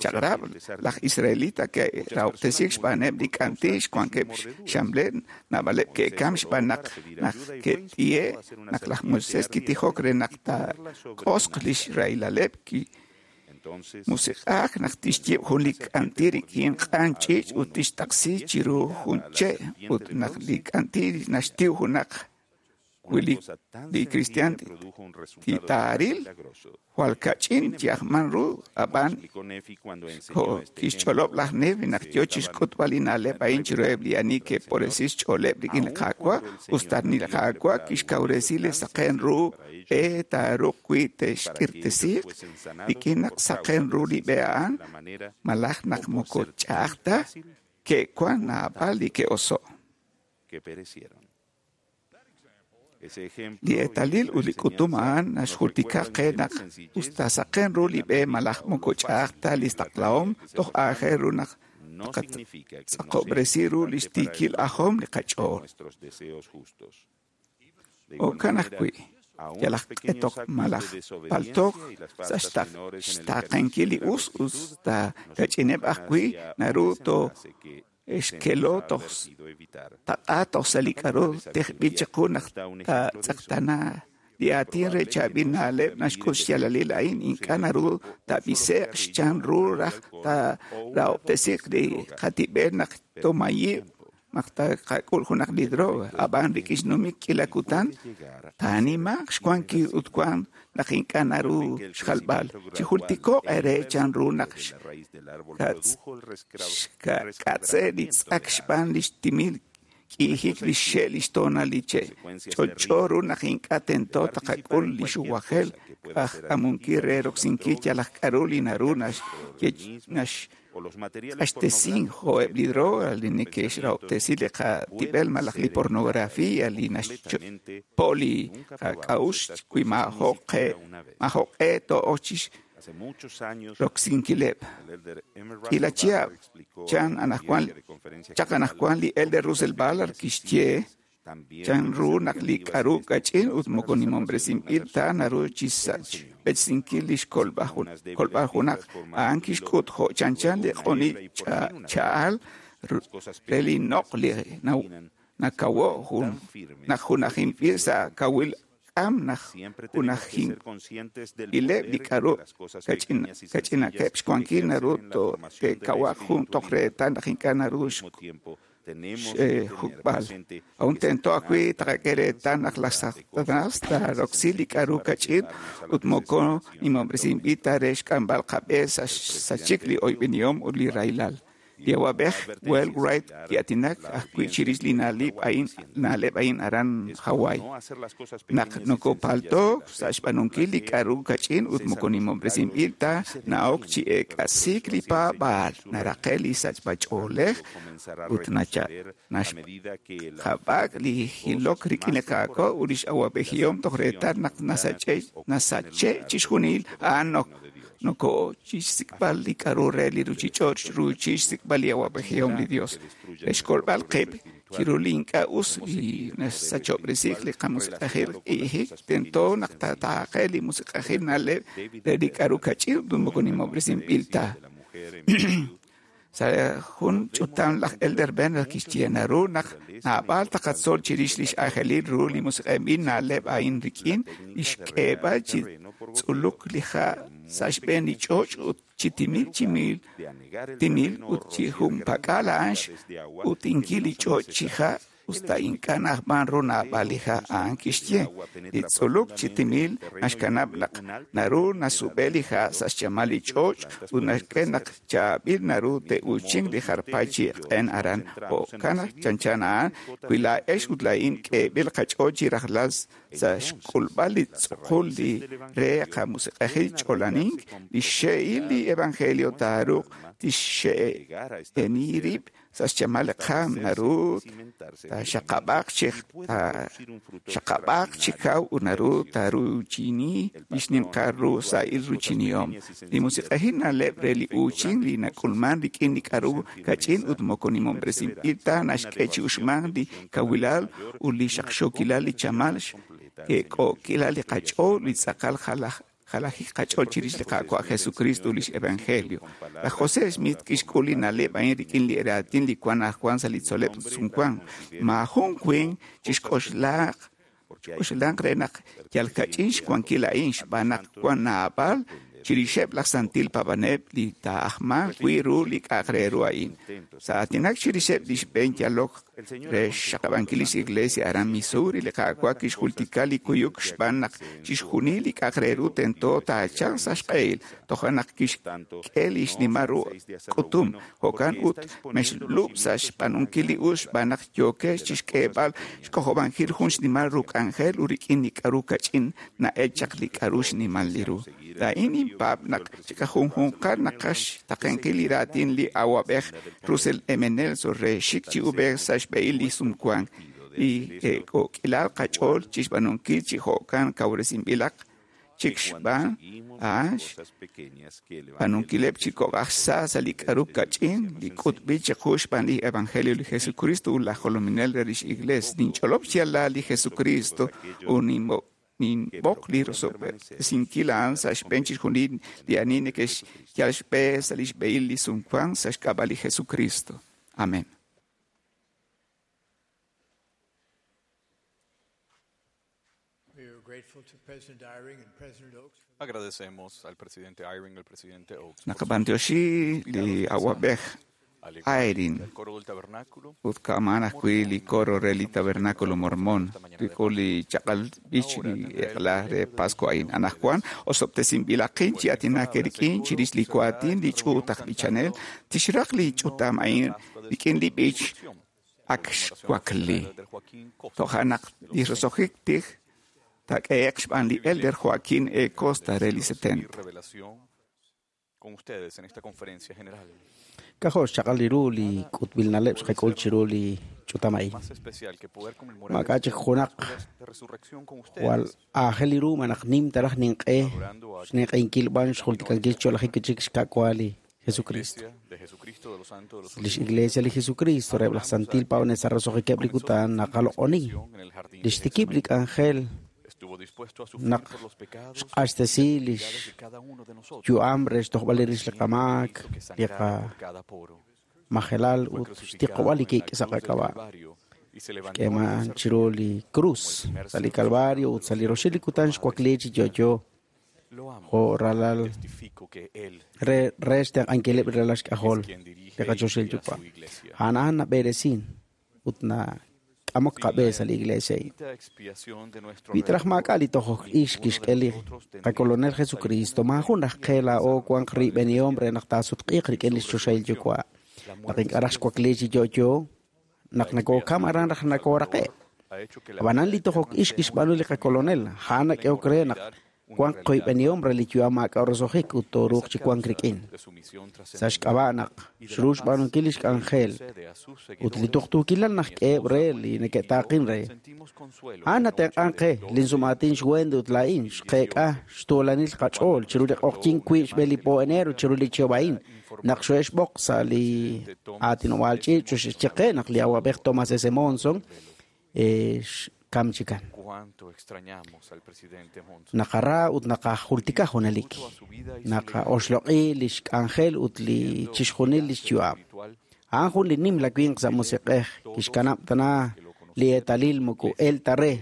chaq'rab'. Laj Israelita ke'rahob'tesiik xb'aaneb' li k'anti' xwankeb' xxamlel, naab'aleb' ke'kam xb'aan naq naq ke't'ihe' naq laj Moisés kitijok re naq taaq'osq lix rahilaleb' musiq'aak naq tixyiib' jun li k'anti' rik'in q'an ch'iich' ut tixtaqsi chiru jun che' ut naq li k'anti' naxtiw junaq wi li kristiaan titaaril jwal kach'in chi'ajman ru ab'an jo' kixch'olob' laj Nefi naq yoo chixk'utb'al li na'leb' a'in chiruheb' li ani ke'poresi xch'ooleb' rik'in li Qaawa' us ta li Qaawa' kixkawresi li saqen ru b'e taaruuq wi' te'xk'irtesiiq rik'in naq saqen ru li b'e a'an malaj naq moko ch'a'aj ta ke'wan naab'al li ke'oso'. Li eetalil ut li k'utum a'an naxjultika qe naq us ta saqen ru li b'e malaj moko ch'a'aj ta li taqlahom toj aajel ru naq taqatz'aqob'resi ru lix tiikil ajom li qach'ool. Jo'kan ajwi', yal aj q'etok malaj paltoq sa' xtaaqenkil li us us ta kach'ineb' ajwi' naru tooxkelo toj taq'a toj sa' li k'a'ru tejb'il chiqu naq taatz'eqtaana Li aatin re chaab'il na'leb' naxk'ut xyaalalil a'in ink'a' naru taab'ise'q xchan ru raj taarahob'tesiiq li qatib'el naq toomayiq naq taqak'ul junaq li droga. Ab'an rik'in xnumik k'iila kutan taanimaq xwankil ut wan naq ink'a' naru xjalb'al. Chijultiko'q eere chan ru naq xk'atze' li tz'ak xb'aan lix timil k'iijik li xxe' lix toonal li che'. Ch'olch'o ru naq ink'a' tento taqak'ul li xuwajel q'ajkamunkil re roksinkil yalaq k'a'ru li naru naxq'axtesin jo'eb' li droga li neke'xrahob'tesi li qatib'el malaj li pornografía li naxpo' li qak'a'uxl wi maajo'q'e to'ok chixroksinkileb'. K'iila chihab' chaq anaqwan li Elder Russell Ballard kixye chan ru naq li k'a'ru kach'in ut moko nimob'resinb'il ta naru chixsachb'esinkil lix kolb'al junaq. A'an kixk'ut jo' chanchan li q'unil cha'al re li noq' li nakawo' naq junajinb'il sa' kawil k'am naq junajinb'ileb' li k'a'ru kach'inaqeb' xwankil naru te'kawaq jun toj reetal naq ink'a' naru xjuk'b'al. Aun tento ajwi' taqak'e reetal naq laj Satanas taaroksi li k'a'ru kach'in ut moko nimob'resinb'il ta re xk'amb'al qab'e sa' xsachik li oyb'enihom ut li rahilal. Li awa'b'ej Will Wright ki'aatinak ajwi' chirix li na'leb' a'in aran Hawaii. Naq nokopalto'k sa' xb'aanunkil li k'a'ru kach'in ut moko nimob'resinb'il ta na'ok chi eek'asiik li paab'aal, naraqe' li sachb'ach'oolej ut naxjab'ak li jilok rik'in li Qaawa' ut lix awa'b'ejihom toj reetal naq nasache' chixjunil a'an noko chixsik'b'al li k'a'ru re li ruchich'och' ruuchil xsik'b'al li awa'b'ejihom li Dios. Re xkolb'al qib' chiru li ink'a' us li naxsachob'resi li qamusiq'ejil k'iijik, tento naq taataaqe li musiq'ejil na'leb' re li k'a'ru kach'in ut moko nimob'resinb'il ta. Sa' jun ch'utam laj Elder Bednar kixye naru naq naab'al taqatzol chirix lix aajelil ru li musiq'ejil na'leb' a'in rik'in li xk'eeb'al chi tz'uluk li ha' sa' xb'een li ch'och' ut chi timil chi timil ut chi junpak'al a'an x'utinkil li ch'och' chi ha' usta ink'a' na'ajman ru naab'al li ha' a'an kixye. Li tz'uluk chi timil naxkanab' naq naru nasub'e li ha' sa' xchamal li ch'och' ut naxk'e naq chaab'il naru te'uuchinq li jar paay chi q'een aran. Jo'kan chanchan a'an wi laa'ex ut laa'in k'eeb'il qach'ool chi rajlal sa' xk'ulb'al li tz'uqul li re qamusiq'ejil ch'olanink, li xxe'il li evangelio taaruuq tixxe'eni rib' sa' xchamal li qaam naru taaxaqab'aaq chi kaw ut naru taaruuchini li xninqal ru sa'il ruuchinihom. Li musiq'ejil na'leb' re li uuchin li nak'ulman rik'in li k'a'ru kach'in ut moko nimob'resinb'il ta naxk'e chi uxmank li kawilal ut li xaqxookilal li chamal xk'eek'ookilal li qach'ool li tz'aqal jalajik qach'ool chirix li Qaawa' Jesucristo ut lix evangelio. Laj José Smith kixk'ul li na'leb' a'in rik'in li raatin li wan ajwan sa' li tzol'leb' sumwank. Maajun winq chixk'oxlanq re naq yal kach'in xwankil a'in xb'aan naq wan naab'al chirixeb' laj santil paab'anel li taa'ajmanq wi' ru li k'a'aq re ru a'in. Sa' aatinak chirixeb' li xb'een yalok re xxaqab'ankil lix iglesia aran Missouri, li Qaawa' kixjultika li kuyuk xb'aan naq chixjunil li k'a'aq re ru tento taachalq sa' xq'ehil, toja' naq kixk'e li xnimal ru k'utum. Jo'kan ut mexlub' sa' xb'aanunkil li us xb'aan naq yookex chixk'eeb'al xk'ojob'ankil jun xnimal ru k'anjel ut rik'in li k'a'ru kach'in na'el chaq li k'a'ru xnimal li ru. Laa'in ninpaab' naq chiqajunjunqal naqaxtaqenkil li raatin li awa'b'ej Russell M. Nelson re xik chi ub'ej sa' xb'ehil li sumwank li k'ook'ilal qach'ool chixb'aanunkil chi jo'kan kawresinb'ilaq chik xb'aan a'an xb'aanunkileb' chi kok' aj xsa' sa' li k'a'ru kach'in li k'utb'il chiqu xb'aan li evangelio li Jesucristo ut laj jolominel re lix iglees. Ninch'olob' xyaalal li Jesucristo ut ninb'oq li rosob'tesinkil a'an sa' xb'een chixjunil li ani neke'xyal xb'e sa' lix b'ehil li sumwank sa' xk'ab'a' li Jesucristo. Amén. Agradecemos al presidente Eyring y al presidente Oaks Naqab'antioxi li awab'ej Eyring al coro del tabernáculo ut ka'man ajwi' li coro re li tabernáculo mormón rik'ul li chaq'al b'ich li eq'la re Pascua a'in. Anaqwan osob'tesinb'ilaqin chi aatinak rik'in chirix li kuatin li ch'uut aj b'ichanel tixraq li ch'utam a'in rik'in li b'ich ak xwakli. Toja' naq li roso'jik tij taak'ehe'q xb'aan li elder Joaquín E. Costa re li 70. revelación con ustedes en esta conferencia general. K'ajo' xchaq'al li ru li k'utb'il na'leb' xqak'ul chiru li ch'utam a'in. Más especial que poder conmemorar Maak'a' chik junaq de resurrección con jwal ustedes, aajel li ru malaj nim taraj ninq'e xninq'ehinkil b'an xjultikankil xcholajik chik xka'wa li Jesucristo. de Jesucristo de los Santos de los Lix Iglesia li Jesucristo reheb' laj Santil Pawnel sa' roso'jikeb' li kutan naqaloq'oni. Lix tikib' li k'anjel estuvo dispuesto a sufrir naq por los pecados xq'axtesi lix de cada uno de nosotros, yu'am re xtojb'al li rix li qamaak, que li sangrara por cada poro. qamajelal ut xtiqob'al li kik' sa' qak'ab'a'. Calvario y se levantó al Xk'eeman tercer chiru li cruz sa' li Calvario ut sa' li roxil li kutan xwakli chi yo'yo Lo amo. jo' ralal Testifico que él re re xtenq'ankileb' ralal xk'ajol quien dirige li qachoxil y guía yuwa'. su iglesia. A'an a'an nab'eresin ut nak'amok qab'e sa' li iglesia a'in. La expiación de nuestro Wi taraj maak'a' li tojok ix kixk'e li qakolonel Jesucristo maajun raj qe laa'o wanq riib'enihom re naq taasutq'iiq rik'in li xchoxahil yuwa'. Naq ink'a' raj xwakli chi yo'yo naq nakokam aran raj nakooraqe'. ha hecho que la Ab'anan li tojok ix kixb'aanu li qakolonel a'an nak'ehok re naq wanq qoyb'enihom re li yu'am maak'a' roso'jik ut tooruuq chi wank rik'in. de su misión Sa' xk'ab'a' naq xru xb'aanunkil li xk'anjel ut li tuqtuukilal naq k'eheb' re li neke'taaqin re. sentimos consuelo A'an natenq'an qe linsum'aatin xWendy ut laa'in xqeek'a xtuulanil qach'ool chiru li q'oqyink wiib' xb'een li po enero chiru li chihab' a'in naq xo'exb'oq sa' li aatinob'aal ch'iich' xexye qe naq li awab'ej Thomas S. Monson xkam chikan. cuánto extrañamos al presidente Monson. Naqara ut naqajultika junelik. Naqaoxloq'i li xk'anjel ut li chixjunil li xyu'am. A'an jun li nim la winq sa' musiq'ej kixkanab' tana li eetalil moko el ta re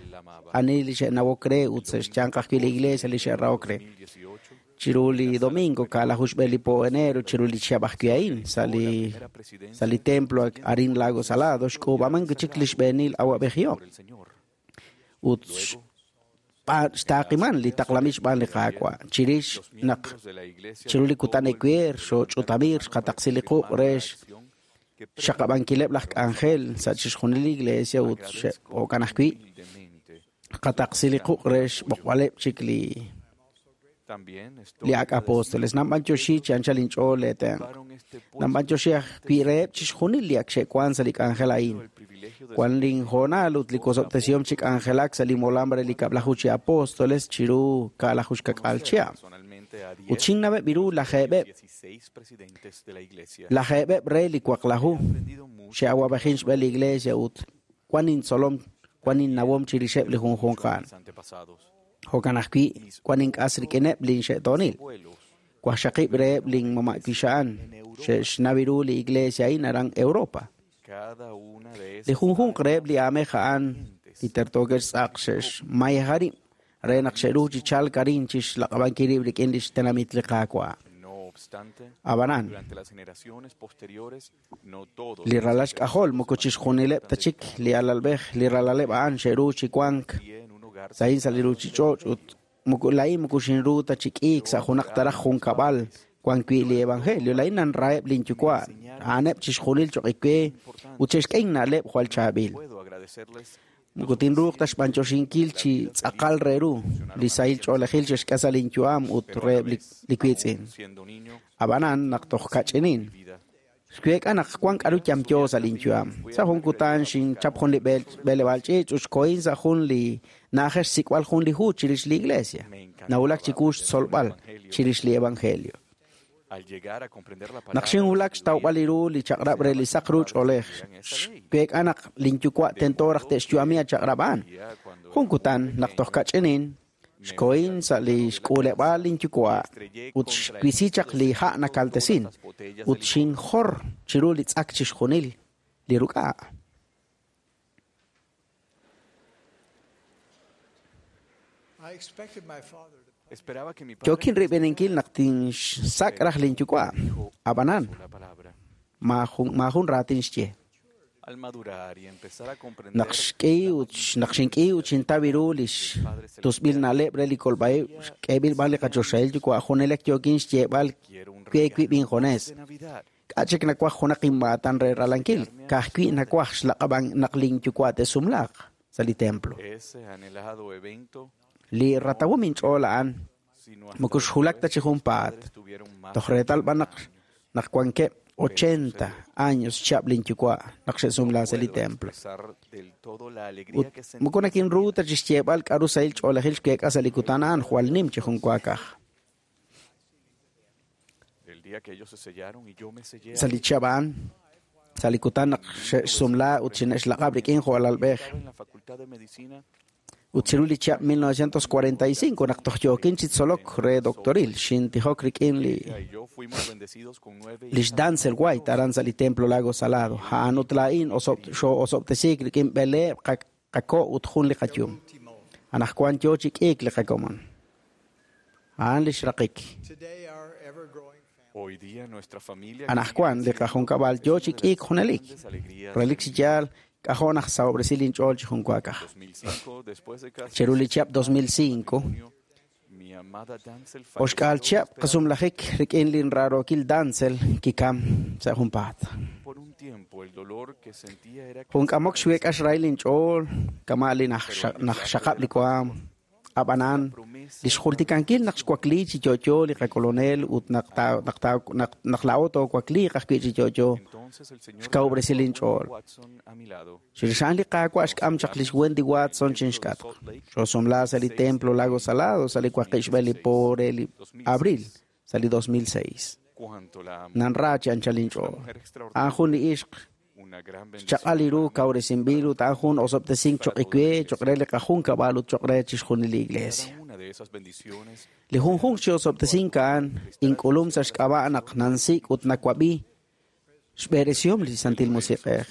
ani li xe'nawok re ut sa' xyanq ajwi' li iglesia li xe'rahok re. Chiru li domingo kaalaju xb'een li po enero chiru li chihab' ajwi' a'in sa' li templo arin Lago Salado xk'uub'aman chik li xb'eenil awab'ejihom. Ut xtaaqiman li taqlamil xb'aan li Qaawa'. Chirix naq chiru li kutan ewer xooch'utamir xqataqsi li quq' re xxaqab'ankileb' laj k'anjel sa' chixjunil li iglesia ut xe'okan ajwi' xqataqsi li quq' re xb'oqb'aleb' chik li También estoy li ak' apóstoles. Nanb'antioxi chi anchal inch'ool leetenq'. Nanb'antioxi ajwi' reheb' chixjunil li ak xe'wan sa' li k'anjel a'in. Wan linhoonal ut li kosob'tesihom chi k'anjelak sa' li molam re li kab'laju chi apóstoles chiru kaalaju xkak'al chihab'. personalmente a Ut xinnaweb' iru lajeeb'eb' 16 presidentes de la iglesia. lajeeb'eb' re li waqlaju xe'awab'ejin xb'een li iglesia ut wan intzolom wan innawom chirixeb' li junjunq a'an. Mis antepasados, Jo'kan ajwi' wan ink'as rik'ineb' linxe'toonil. Wajxaqib' reheb' linmama' wixa'an xe'xnaw ru li iglesia a'in aran Europa. cada una de Li esas junjunq reheb' li aamej a'an li tertookeb' xtz'aq xe'xmayeja rib' re naq xe'ru chi chalk arin chi xlaq'ab'ankil rib' rik'in li xtenamit li Qaawa'. No obstante, Ab'anan, durante las generaciones posteriores, no todos li ralal xk'ajol moko chixjunileb' ta chik li alalb'ej li ralaleb' a'an xe'ru chi wank sa'in sa' li ruuchich'och' ut moko laa'in moko xinru ta chi k'iik sa' junaq taraj junkab'al wan wi' li evangelio laa'in nanraheb' linyuwa' a'aneb' chixjunil choq' iwe ut xe'xk'e inna'leb' jwal chaab'il. puedo agradecerles Moko tinruuq ta xb'antioxinkil chi tz'aqal re ru li sahil ch'oolejil xe'xk'e sa' linyu'am ut reheb' li wiitz'in. siendo niño Ab'anan naq toj kach'inin xweek'a naq wan k'aru yamyo sa' linyu'am. Sa' jun kutan xinchap jun li b'eleb'aal ch'iich' ut xkohin sa' jun li na'ajej xsik'b'al jun li hu chirix li iglesia. Nawulak chiwu xtzolb'al chirix li evangelio. al llegar a comprender la Naq palabra xinwulak xtawb'al ru li chaq'rab' re li saq ru ch'oolej, xweek'a naq linyuwa' tento raj te'xyu'ami a chaq'rab' a'an. Jun kutan naq toj kach'inin, xkohin sa' li xk'uuleb'aal linyuwa' ut xwisi chaq li ha' nakaltesin ut xinjor chiru li tz'ak chixjunil li ruk'a'. I Yookin rib'eninkil naq tinxsak' raj linyuwa'. Ab'anan, maajun raatin xye. Naq xk'i ut naq xink'i ut xintaw ru lix tusb'il na'leb' re li kolb'a'ib' xk'eeb'il b'an li qachoxahil yuwa' junelik yookin xyeeb'al we wib' injunes. K'a' chik nawaj junaq inmaatan re ralankil, ka'ajwi' nawaj xlaq'ab'an naq linyuwa' te'sumlaaq sa' li templo. Li ratawom inch'ool a'an moko xwulak ta chi junpaat. Toj reetal b'an naq naq wankeb' 80 años xchihab' linyuwa' naq xe'sumla sa' li templo. Ut moko nakinru ta chi xyeeb'al k'a'ru sahil ch'oolejil xweek'a sa' li kutan a'an jwal nim chi junwaakaj. Sa' li chihab' a'an, sa' li kutan naq xe'xsumla ut xine'xlaq'ab' rik'in jo' alalb'ej. Ut chiru li chihab' 1945 naq toj yookin chi tzolok re doctoril, xintijok rik'in li lix Dantzel White aran sa' li templo Lago Salado. A'an ut laa'in xoo'osob'tesiik rik'in b'eleeb' qako' ut jun li qayum. Anaqwan yoo chi k'iik li qakomon. A'an lix raqik. Anaqwan li qajunkab'al yoo chi k'iik junelik. Relik chi yaal k'ajo' naq sahob'resi linch'ool chi junwaakaj. Chiru li chihab' 2005, oxk'aal chihab' qasumlajik rik'in linraarookil Dantzel kikam sa' junpaat. Jun k'amok xweek'a xrahil linch'ool kama' li najxaqab' li waam. Ab'anan, lix jultikankil naq xwakli chi yo'yo li qakolonel ut naq naq laa'o toowakliiq ajwi' chi yo'yo, xkawub'resi linch'ool. Chirix a'an li Qaawa' xk'am chaq lix Wendy Watson chinxk'atq. Xoosumla sa' li templo Lago Salado sa' li waqib' xb'e li po re li abril sa' li 2006. Nanra chi anchal inch'ool. A'an jun li ixq xchaq'al li ru kawresinb'il ut a'an jun osob'tesink choq' iwe, choq' re li qajunkab'al ut choq' re chixjunil li iglesia. Li junjunq chi osob'tesink a'an ink'ulum sa' xk'ab'a' naq nansik' ut nawab'i xb'eresihom li Santil Musiq'ej.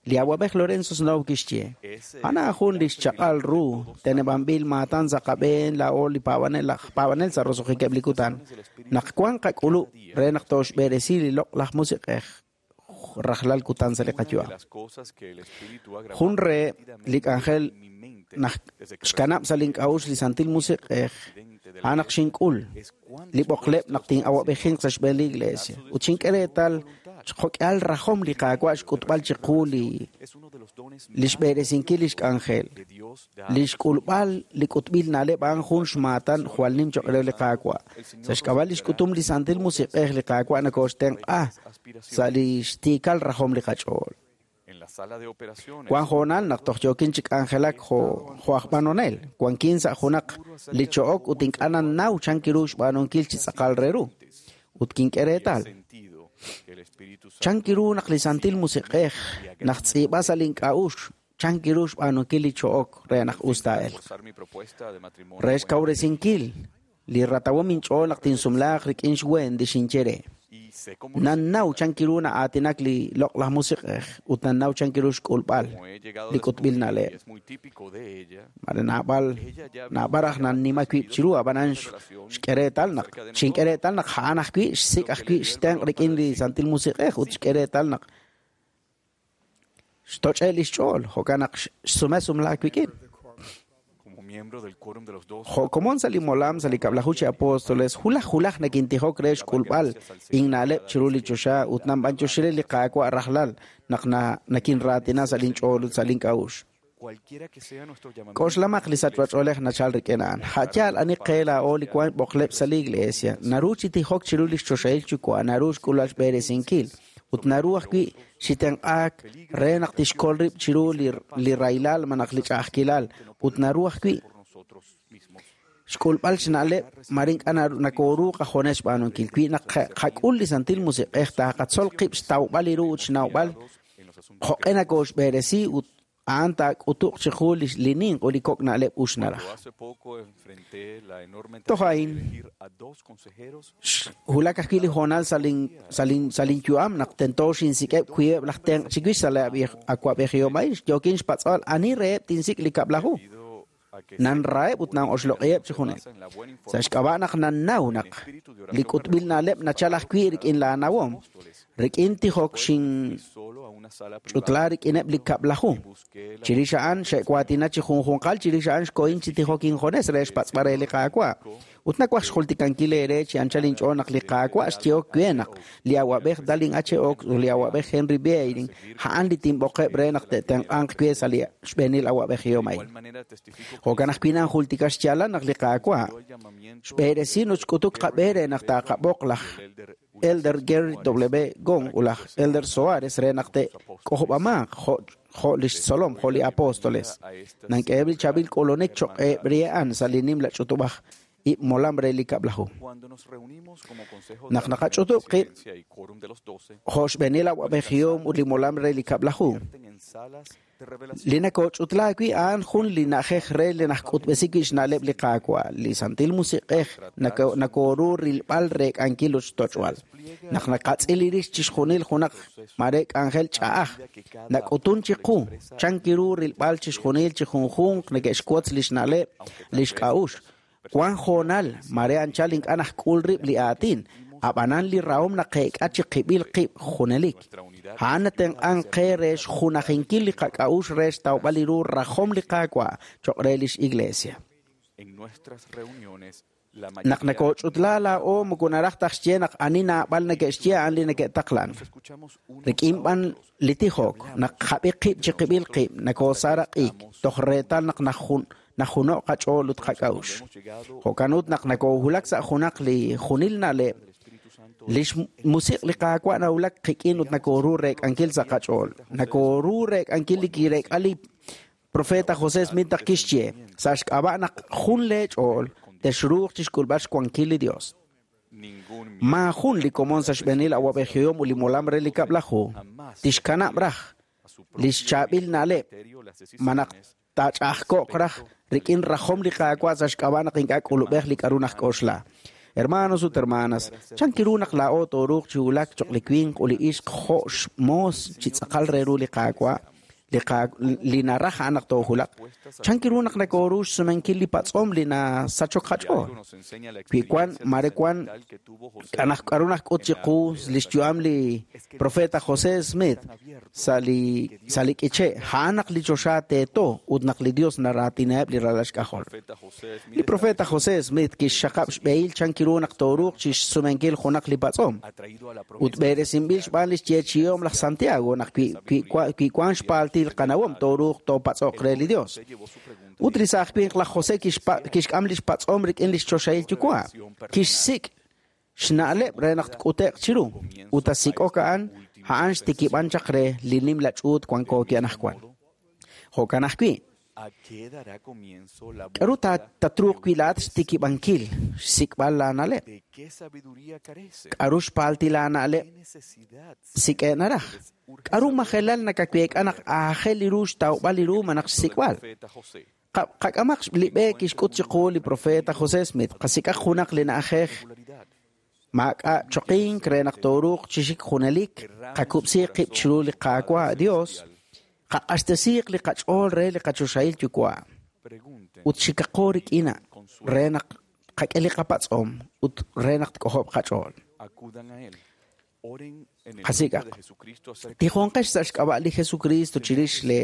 Li awab'ej Lorenzo Snow kixye, a'an jun li xchaq'al ru teneb'anb'il maatan sa' qab'een laa'o li paab'anel laj paab'anel sa' roso'jikeb' li kutan. Naq wan qak'ulub' re naq tooxb'eresi li loq'laj musiq'ej rajlal kutan sa' li qayu'am. Jun re li k'anjel naq xkanab' sa' link'a'uxl li Santil Musiq'ej, a'an naq xink'ul li b'oqleb' naq tin'awab'ejinq sa' xb'een li iglesia. Ut xink'e reetal xjo'k'ihal rajom li Qaawa' xk'utb'al chiqu li lix b'eresinkil lix k'anjel. Li xk'ulb'al li k'utb'il na'leb' a'an jun xmaatan jwal nim choq' re li Qaawa'. Sa' xk'ab'a' lix k'utum li Santil Musiq'ej li Qaawa' nokooxtenq'a sa' li xtiikal rajom li qach'ool. Wan hoonal naq toj yookin chi k'anjelak jo' aj b'anonel, wankin sa' junaq li cho'ok ut ink'a' nannaw chan kiru xb'aanunkil chi tz'aqal re ru. Ut kink'e reetal. Chan kiru naq li Santil Musiq'ej naq tz'iib'a sa' link'a'uxl chan kiru xb'aanunkil li cho'ok re naq us taa'elq. Re xkawresinkil li ratawom inch'ool naq tinsumlaaq rik'in xWendy xinye re. Nannaw chan kiru na'aatinak li loq'laj musiq'ej ut nannaw chan kiru xk'ulb'al li k'utb'il na'leb'. Mare naab'al naab'al raj nannima wib' chiru ab'anan xk'e reetal naq xink'e reetal naq a'an ajwi' xsik' ajwi' xtenq' rik'in li Santil Musiq'ej ut xk'e reetal naq xtoch'e li xch'ool jo'kan naq xsume sumlaak wik'in. Jo' komon sa' li molam sa' li kab'laju chi apóstoles, hulaj hulaj nakintijok re xk'ulb'al inna'leb' chiru li choxa ut nanb'anyoxire li Qaawa' rajlal naq nakinraatina sa' linch'ool ut sa' link'a'uxl. K'oxlamaq li sachb'ach'oolej nachal rik'in a'an. A' yaal ani qe laa'o li wank b'oqleb' sa' li iglesia, naru chi tijok chiru li xchoxahil yuwa', naru xk'ulb'al xb'eresinkil ut naru ajwi' xitenq'aak re naq tixkol rib' chiru li rahilal malaj li ch'a'ajkilal ut naru ajwi' xk'ulb'al xna'leb' mare ink'a' nakooru qajunes xb'aanunkil. Wi naq qak'ul li Santil Musiq'ej taaqatzol qib' xtawb'al li ru ut xnawb'al jo'q'e nakooxb'eresi ut a'an taak'utuq chiqu li ninq ut li kok' na'leb' us naraj. Toj a'in xwulak ajwi' li hoonal sa' linyu'am naq tento xinsik'eb' wiib'eb' laj tenq' chiwix sa' li awa'b'ejihom a'in. Yookin xpatz'b'al ani reheb' tinsik' li kab'laju. Nanraheb' ut nanoxloq'iheb' chi junelik. Sa' xk'ab'a' naq nannaw naq li k'utb'il na'leb' nachal ajwi' rik'in laanawom, rik'in tijok xinch'utla rik'ineb' li 10. Chirix a'an xe'waatina chi junjunqal, chirix a'an xkohin chi tijok injunes re xpatz'b'al re li Qaawa'. Ut nawaj xjultikankil eere chi anchal inch'ool naq li Qaawa' xyehok we naq li awa'b'ej Dallin H. Oaks ut li awa'b'ej Henry B. Eyring a'an li tinb'oqeb' re naq te'tenq'anq we sa' li xb'eenil awa'b'ejihom a'in. Jo'kan ajwi' nanjultika xyaalal naq li Qaawa' xb'eresin ut xk'utuk qab'e re naq taaqab'oq laj Elder Gary W. Gong ut laj Elder Soares re naq te'k'ojob'amanq jo' lix tzolom, jo' li apóstoles. Nank'eheb' li chaab'il k'ulunik cho'q re a'an sa' li nimla ch'utub'aj ib' molam re li 10. Naq naqach'utub' qib' jo' xb'eenil awa'b'ejihom ut li molam re li 10. Li nakoch'utla wi' a'an jun li na'ajej re li najk'utb'esi wi' xna'leb' li Qaawa', li Santil Musiq'ej nakoru rilb'al reek'ankil ut xtoch'b'al. Naq naqatz'il rix chixjunil junaq mare k'anjel ch'a'aj, nak'utun chiqu chankiru rilb'al chixjunil chi junjunq neke'xwotz li xna'leb' li xk'a'uxl. Wan hoonal mare anchal ink'a' najk'ul rib' li aatin, ab'anan li rahom naqeek'a chi qib'il qib' junelik. A'an natenq'anq qe re xjunajinkil li qak'a'uxl re xtawb'al li ru rajom li Qaawa' cho'q re lix iglesia. Naq nakoch'utla laa'o moko naraj taj xye naq ani naab'al neke'xye a'an li neke'taqlan. Rik'in b'an li tijok, naq qab'i qib' chi qib'il qib', nakoosaraq'ik, toj reetal naq najuno' qach'ool ut qak'a'uxl. Jo'kan ut naq nakohulak sa' junaq li junil na'leb', lix musiq' li Qaawa' nawulak qik'in ut nakoru reek'ankil sa' qach'ool. Nakoru reek'ankil li kireek'a li profeta José Smith naq kixye, sa' xk'ab'a' naq jun leech'ool texruuq chixk'ulb'al xwankil li Dios. Maajun li komon sa' xb'eenil awa'b'ejihom ut li molam re li 10 tixkanab' raj lix chaab'il na'leb' ma naq taach'a'ajko'q raj rik'in rajom li Qaawa' sa' xk'ab'a' naq ink'a' k'ulub'ej li k'a'ru najk'oxla. Hermanos ut hermanas, chankiru naq laa'o tooruuq chi wulak cho'q li winq ut li ixq jo' xmoos chi tz'aqal re ru li Qaawa', li naraj a'an naq toojulaq. Chankiru naq nakoru xsumenkil li patz'om li nasachok qach'ool. Wi wan mare wan k'a'ru najk'ut chiqu li xyu'am li profeta José Smith sa' li k'iche', a'an naq li choxa teeto ut naq li Dios naraatinaheb' li ralal xk'ajol. Li profeta José Smith kixxaqab' xb'ehil chankiru naq tooruuq chi xsumenkil junaq li patz'om. Ut b'eresinb'il xb'aan li xyeechi'om laj Santiago naq wi wan xpaaltil qanawom tooruuq toopatz'oq re li Dios. Ut li saaj winq laj José kixk'am li xpatz'om rik'in li xchoxahil yuwa'. Kixsik' xna'leb' re naq tk'ute'q chiru. Ut asik'ok a'an, a'an xtikib'an chaq re li nimla ch'uut wanko wi' anaqwan. Jo'kan ajwi', k'a'ru tatruuq wi' laa'at xtikib'ankil xsik'b'al laana'leb'? K'a'ru xpaaltil laana'leb' sik'e' naraj? K'a'ru majelal nakaweek'a naq aajel li ru xtawb'al li ru ma naq xsik'b'al? Qak'amaq li b'e kixk'ut chiqu li profeta José Smith, qasik'aq junaq li na'ajej maak'a' choqink re naq tooruuq chi xik junelik, qakub'siiq qib' chiru li Qaawa' Dios, qaq'axtesiiq li qach'ool re li qachoxahil yuwa' ut xikaqo rik'in re naq qak'e li qapatz'om ut re naq tk'ojob' qach'ool. Qasik'aq. Tijonqex sa' xk'ab'a' li Jesucristo chirix le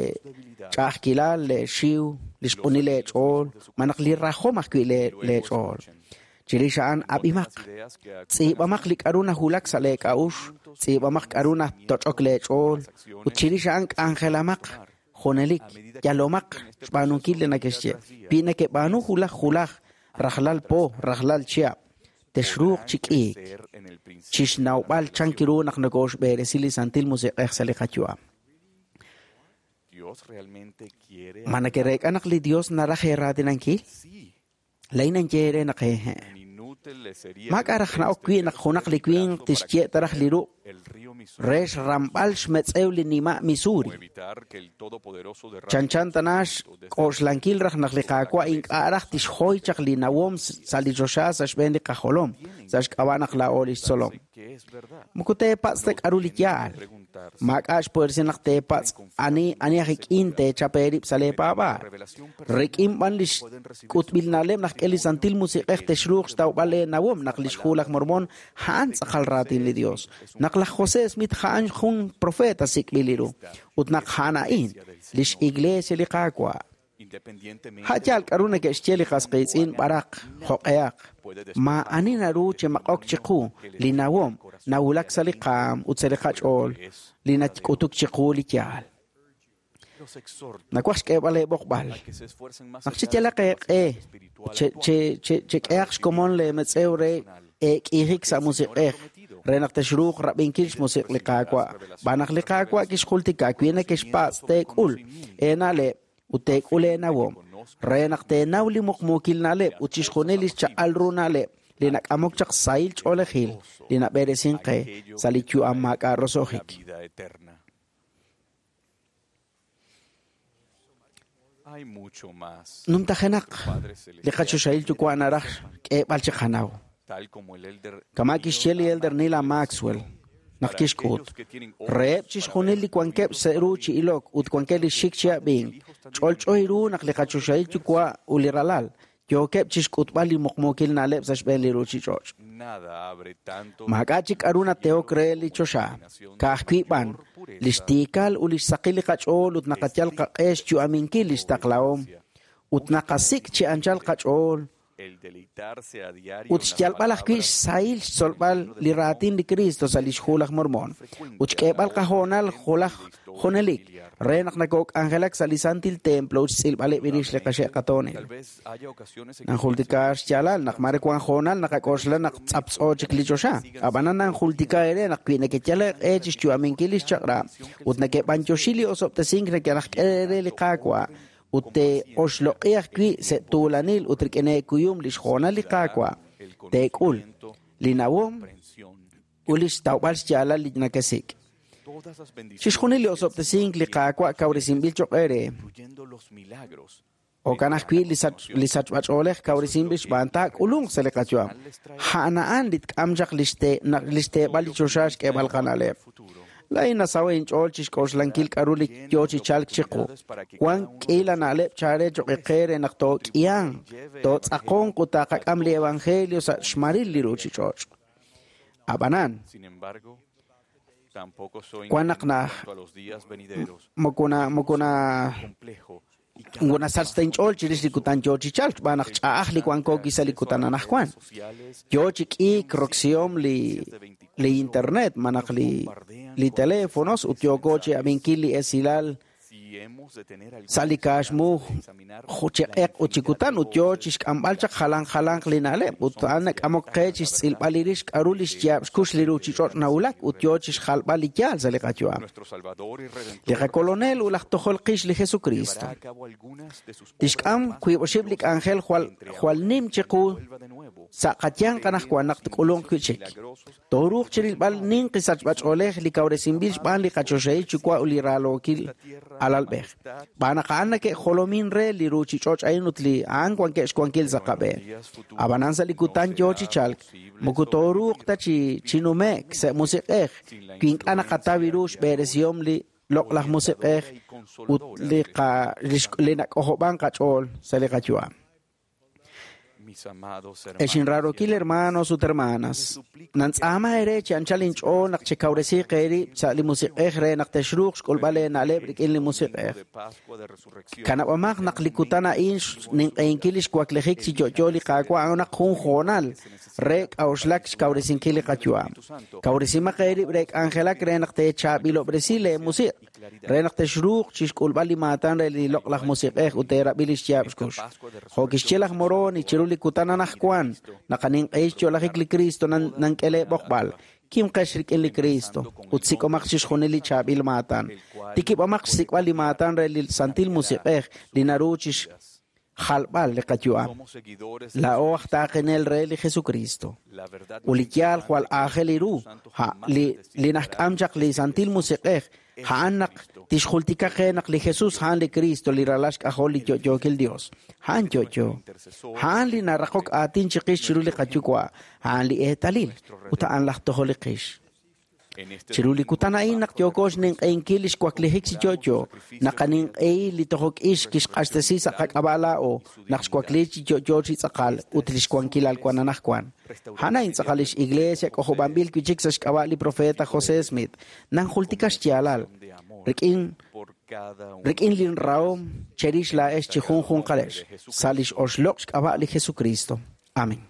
ch'a'ajkilal, le xiw, li xq'unil leech'ool, ma naq li rajom ajwi' leech'ool. Chirix a'an ab'imaq, tz'iib'amaq li k'a'ru najulak sa' leek'a'ux, tz'iib'amaq k'a'ru natoch'ok leech'ool, ut chirix a'an k'anjelamaq junelik, yalomaq xb'aanunkil li nakexye. Wi nakeb'aanu julaj julaj, rajlal po, rajlal chihab', texruuq chi k'iik, chixnawb'al chankiru naq nokoxb'eresi li Santil Musiq'ej sa' li qayu'am. Ma nakereek'a naq li Dios naraj eeraatinankil? Lain anche naq ehe. Maak'a' raj na'ok wi' naq junaq li winq tixye' ta raj li ruq' re xramb'al xmetz'ew li nima' Missouri. Chanchan tana xk'oxlankil raj naq li Qaawa' ink'a' raj tixjoy chaq li nawom sa' li choxa sa' xb'een li qajolom, sa' xk'ab'a' naq laa'o li xtzolom. Moko teepatz' ta k'a'ru li yaal. Maak'a' xpuersi naq teepatz' ani ani aj ik'in teechap eerib' sa' leepaab'aal. Rik'in b'an lix k'utb'il na'leb' naq k'e li Santil Musiq'ej texruuq xtawb'al eenawom naq lix Hu laj Mormon a'an tz'aqal raatin li Dios, naq laj José Smith a'an jun profeta sik'b'il ru, ut naq a'an a'in lix Iglesia li Qaawa'. A' yaal k'aru neke'xye li qas qiitz'in b'araq, jo'q'ehaq. Maa'ani naru chimaq'ok chiqu li nawom nawulak sa' li qaam ut sa' li qach'ool li nak'utuk chiqu li yaal. Nawaj xk'eeb'al eeb'oqb'al. Naq cheyalaq eeq'e chek'ehaq xkomon leemetz'ew re eek'iijik sa' musiq'ej re naq texruuq rab'inkil xmusiq' li Qaawa'. Xb'aan naq li Qaawa' kixjultika wi nekexpatz' teek'ul eena'leb' ut teek'ul eenawom re naq teenaw li muqmuukil na'leb' ut chixjunil li xchaq'al ru na'leb' li nak'amok chaq sahil ch'oolejil li nab'eresink qe sa' li yu'am maak'a' roso'jik. Numtajenaq li qachoxahil Yuwa' naraj xk'eeb'al chiqanaw. Kama' kixye li Elder Neal A. Maxwell naq kixk'ut, reheb' chixjunil li wankeb' sa' ru chi ilok ut wankeb' li xik chi ab'ink, ch'olch'o ru naq li qachoxahil Yuwa' ut li Ralal yookeb' chixk'utb'al li muqmuukil na'leb' sa' xb'een li ruchich'och'. Maak'a' chik k'aru natehok re li choxa, ka'ajwi' b'an li xtiikal ut li xsaqil li qach'ool ut naqayal qaq'e xyu'aminkil li xtaqlahom ut naqasik' chi anchal qach'ool ut xyalb'al ajwi' xsahil xtzolb'al li raatin li Kristo sa' lix Hu laj Mormon ut xk'eeb'al qahoonal julaj junelik re naq nakok'anjelak sa' li Santil Templo ut xtz'ilb'aleb' rix li qaxe' qatoonil. Nanjultika xyaalal naq mare wan hoonal naqak'oxla naq tz'aptz'o chik li choxa. Ab'anan nanjultika eere naq wi nekeyal eeq'e chi xyu'aminkil li xchaq'rab' ut nekeb'anyoxi li osob'tesink nekelajk'e re li Qaawa' ut te'oxloq'i ajwi' sa' tuulanil ut rik'in eekuyum li xhoonal li Qaawa' teek'ul li nawom ut li xtawb'al xyaalal li nakesik'. Chixjunil li osob'tesink li Qaawa' kawresinb'il cho'q eere. Jo'kan ajwi' li sachb'ach'oolej kawresinb'il xb'aan taak'ulunq sa' li qayu'am. A'an a'an li tk'am chaq li xteeb'al li choxa xk'eeb'al qana'leb'. Laa'in nasaho' inch'ool chi xk'oxlankil k'aru li yo chi chalk chiqu. Wank k'iila na'leb' chare cho'q qe re naq took'ihanq, tootz'aqonq ut taaqak'am li evangelio sa' xmaril li ruchich'och'. Ab'anan, wan naq moko nasach ta inch'ool chirix li kutan yo chi chalk xb'aan naq ch'a'aj li wanko wi' sa' li kutan anaqwan. Yo chi k'iik roksihom li internet malaj li teléfonos ut yooko chi ab'inkil li esilal sa' li kaaxmu chi q'eq ut chi kutan ut yo chi xk'amb'al chaq jalan jalanq li na'leb' ut a'an nak'amok qe chi xtz'ilb'al li rix k'aru li xyaab' xkux li ruchich'och' nawulak ut yo chi xjalb'al li yaal sa' li qayu'am. Li qakolonel ut laj tojol qix li Jesucristo tixk'am wiib' oxib' li k'anjel jwal nim chiqu sa' qayanq anaqwan naq tk'ulunq wi' chik. Tooruuq chirilb'al ninqi sachb'ach'oolej li kawresinb'il xb'aan li qachoxahil Yuwa' ut li raalookil alalb'ej. Xb'aan naq a'an nake'jolomin re li ruchich'och' a'in ut li a'an wankeb' xwankil sa' qab'een. Ab'anan sa' li kutan yo chi chalk, moko tooruuq ta chi nume'k sa' musiq'ej wi ink'a' naqataw ru xb'eresihom li loq'laj musiq'ej ut li nak'ojob'ank qach'ool sa' li qayu'am. Ex inraarokil hermanos ut hermanas, nantz'aama eere chi anchal inch'ool naq chekawresiiq eerib' sa' li musiq'ej re naq texruuq xk'ulb'al eena'leb' rik'in li musiq'ej. Kanab'amaq naq li kutan a'in xninq'ehinkil li xwaklejik chi yo'yo li Qaawa' a'anaq jun hoonal re k'a'uxlak xkawresinkil li qayu'am. Kawresimaq eerib' re k'anjelak re naq teechaab'ilob'resi leemusiq' re naq texruuq chi xk'ulb'al li maatan re li loq'laj musiq'ej ut teerab'i li xyaab' xkux. Jo' kixye laj Moroni chiru li kutan anaqwan naq aninq'ehi xyo'lajik li Kristo nank'e leeb'oqb'al. Kimqex rik'in li Kristo ut sik'omaq chixjunil li chaab'il maatan. Tikib'amaq xsik'b'al li maatan re li Santil Musiq'ej li naru chi xjalb'al li qayu'am. Laa'o aj taaqenel re li Jesucristo. Ut li yaal jwal aajel ru li naxk'am chaq li Santil Musiq'ej a'an naq tixjultika qe naq li Jesús a'an li Cristo li ralal xk'ajol li yo'yookil Dios. A'an yo'yo. A'an li naraqok aatin chiqix chiru li qayuwa'. A'an li eetalil ut a'an laj tojol li qix. Chiru li kutan a'in naq yooko xninq'ehinkil li xwaklijik chi yo'yo, naqaninq'ehi li tojok ix kixq'axtesi sa' qak'ab'a' laa'o naq xwakli chi yo'yo chi tz'aqal ut li xwankilal wan anaqwan. A'an a'in tz'aqal lix iglesia k'ojob'anb'il wi' chik sa' xk'ab'a' li profeta José Smith. Nanjultika xyaalal rik'in rik'in linrahom cherix laa'ex chi junjunqalex sa' lix oxloq' xk'ab'a' li Jesucristo. Amén.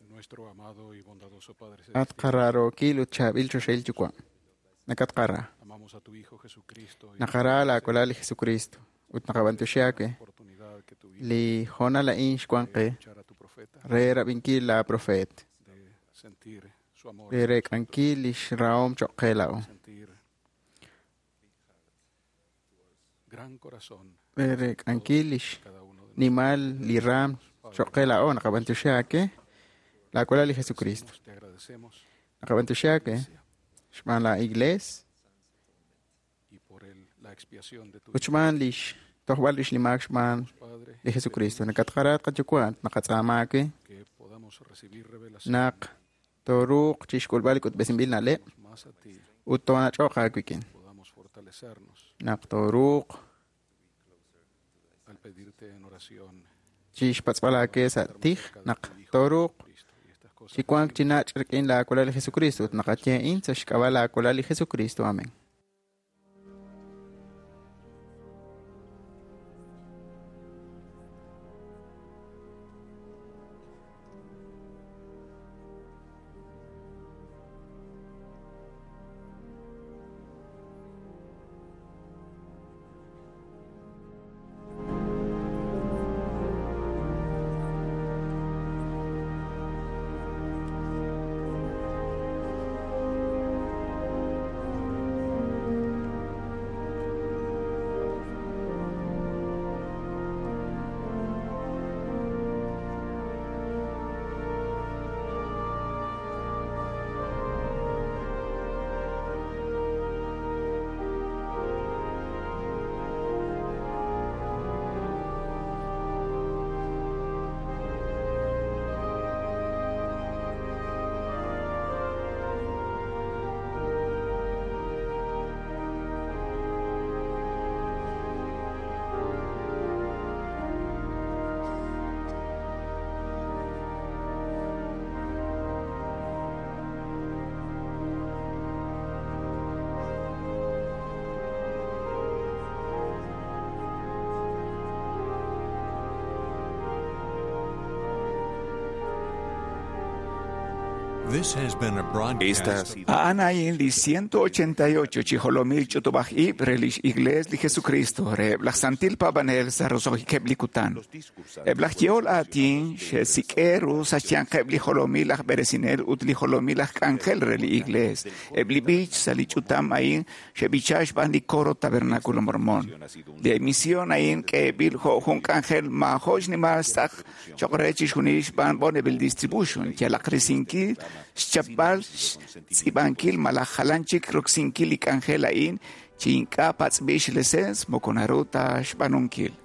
Nuestro amado y bondadoso Padre At qararokil ut chaab'il choxahil yuwa'. Nakatqara. Amamos a tu Hijo Jesucristo y Naqara laakolal li Jesucristo ut naqab'antuxi aawe li hoonal a'in xwan qe re rab'inkil la profeet de sentir su amor, re reek'ankil lix rahom choq' qe laa'o sentir gran corazón re reek'ankil lix nimal li raam choq' qe laa'o naqab'antuxi aawe laakolal li Jesucristo. Te agradecemos Naqab'antuxi aawe xb'aan la iglees y por el, la expiación de tu ut xb'aan lix tojb'al lix limaak xb'aan li Jesucristo. Nakatqara qayuwa' naqatz'aama aawe que podamos recibir revelación naq tooruuq chixk'ulb'al li k'utb'esinb'il na'leb' más a ti, ut toonach'oq aawik'in podamos fortalecernos naq tooruuq al pedirte en oración chixpatz'b'al aawe sa' tij naq tooruuq chi wank chi nach' rik'in laakolal li Jesucristo ut naqaye'in sa' xk'ab'a' laakolal li Jesucristo. Amén. This has been a broadcast. A'an a'in li 188 chi jolomil ch'utub'aj ib' re lix Iglees li Jesucristo reheb' laj Santil Paab'anel sa' roso'jikeb' li kutan. Eb' laj yehol aatin xe'sik'e ru sa' xyanqeb' li jolomil aj b'eresinel ut li jolomil aj k'anjel re li Iglees. Eb' li b'ich sa' li ch'utam a'in xe'b'icha xb'aan li coro Tabernáculo Mormón. Li emisión a'in k'eeb'il jo' jun k'anjel maajo' xnimal xtz'aq cho'q re chixjunil xb'aan Bonneville Distribution yalaq risinkil xchapb'al xtz'iib'ankil malaj jalan chik roksinkil li k'anjel a'in chi ink'a' patz'b'il xleseens moko naru ta xb'aanunkil.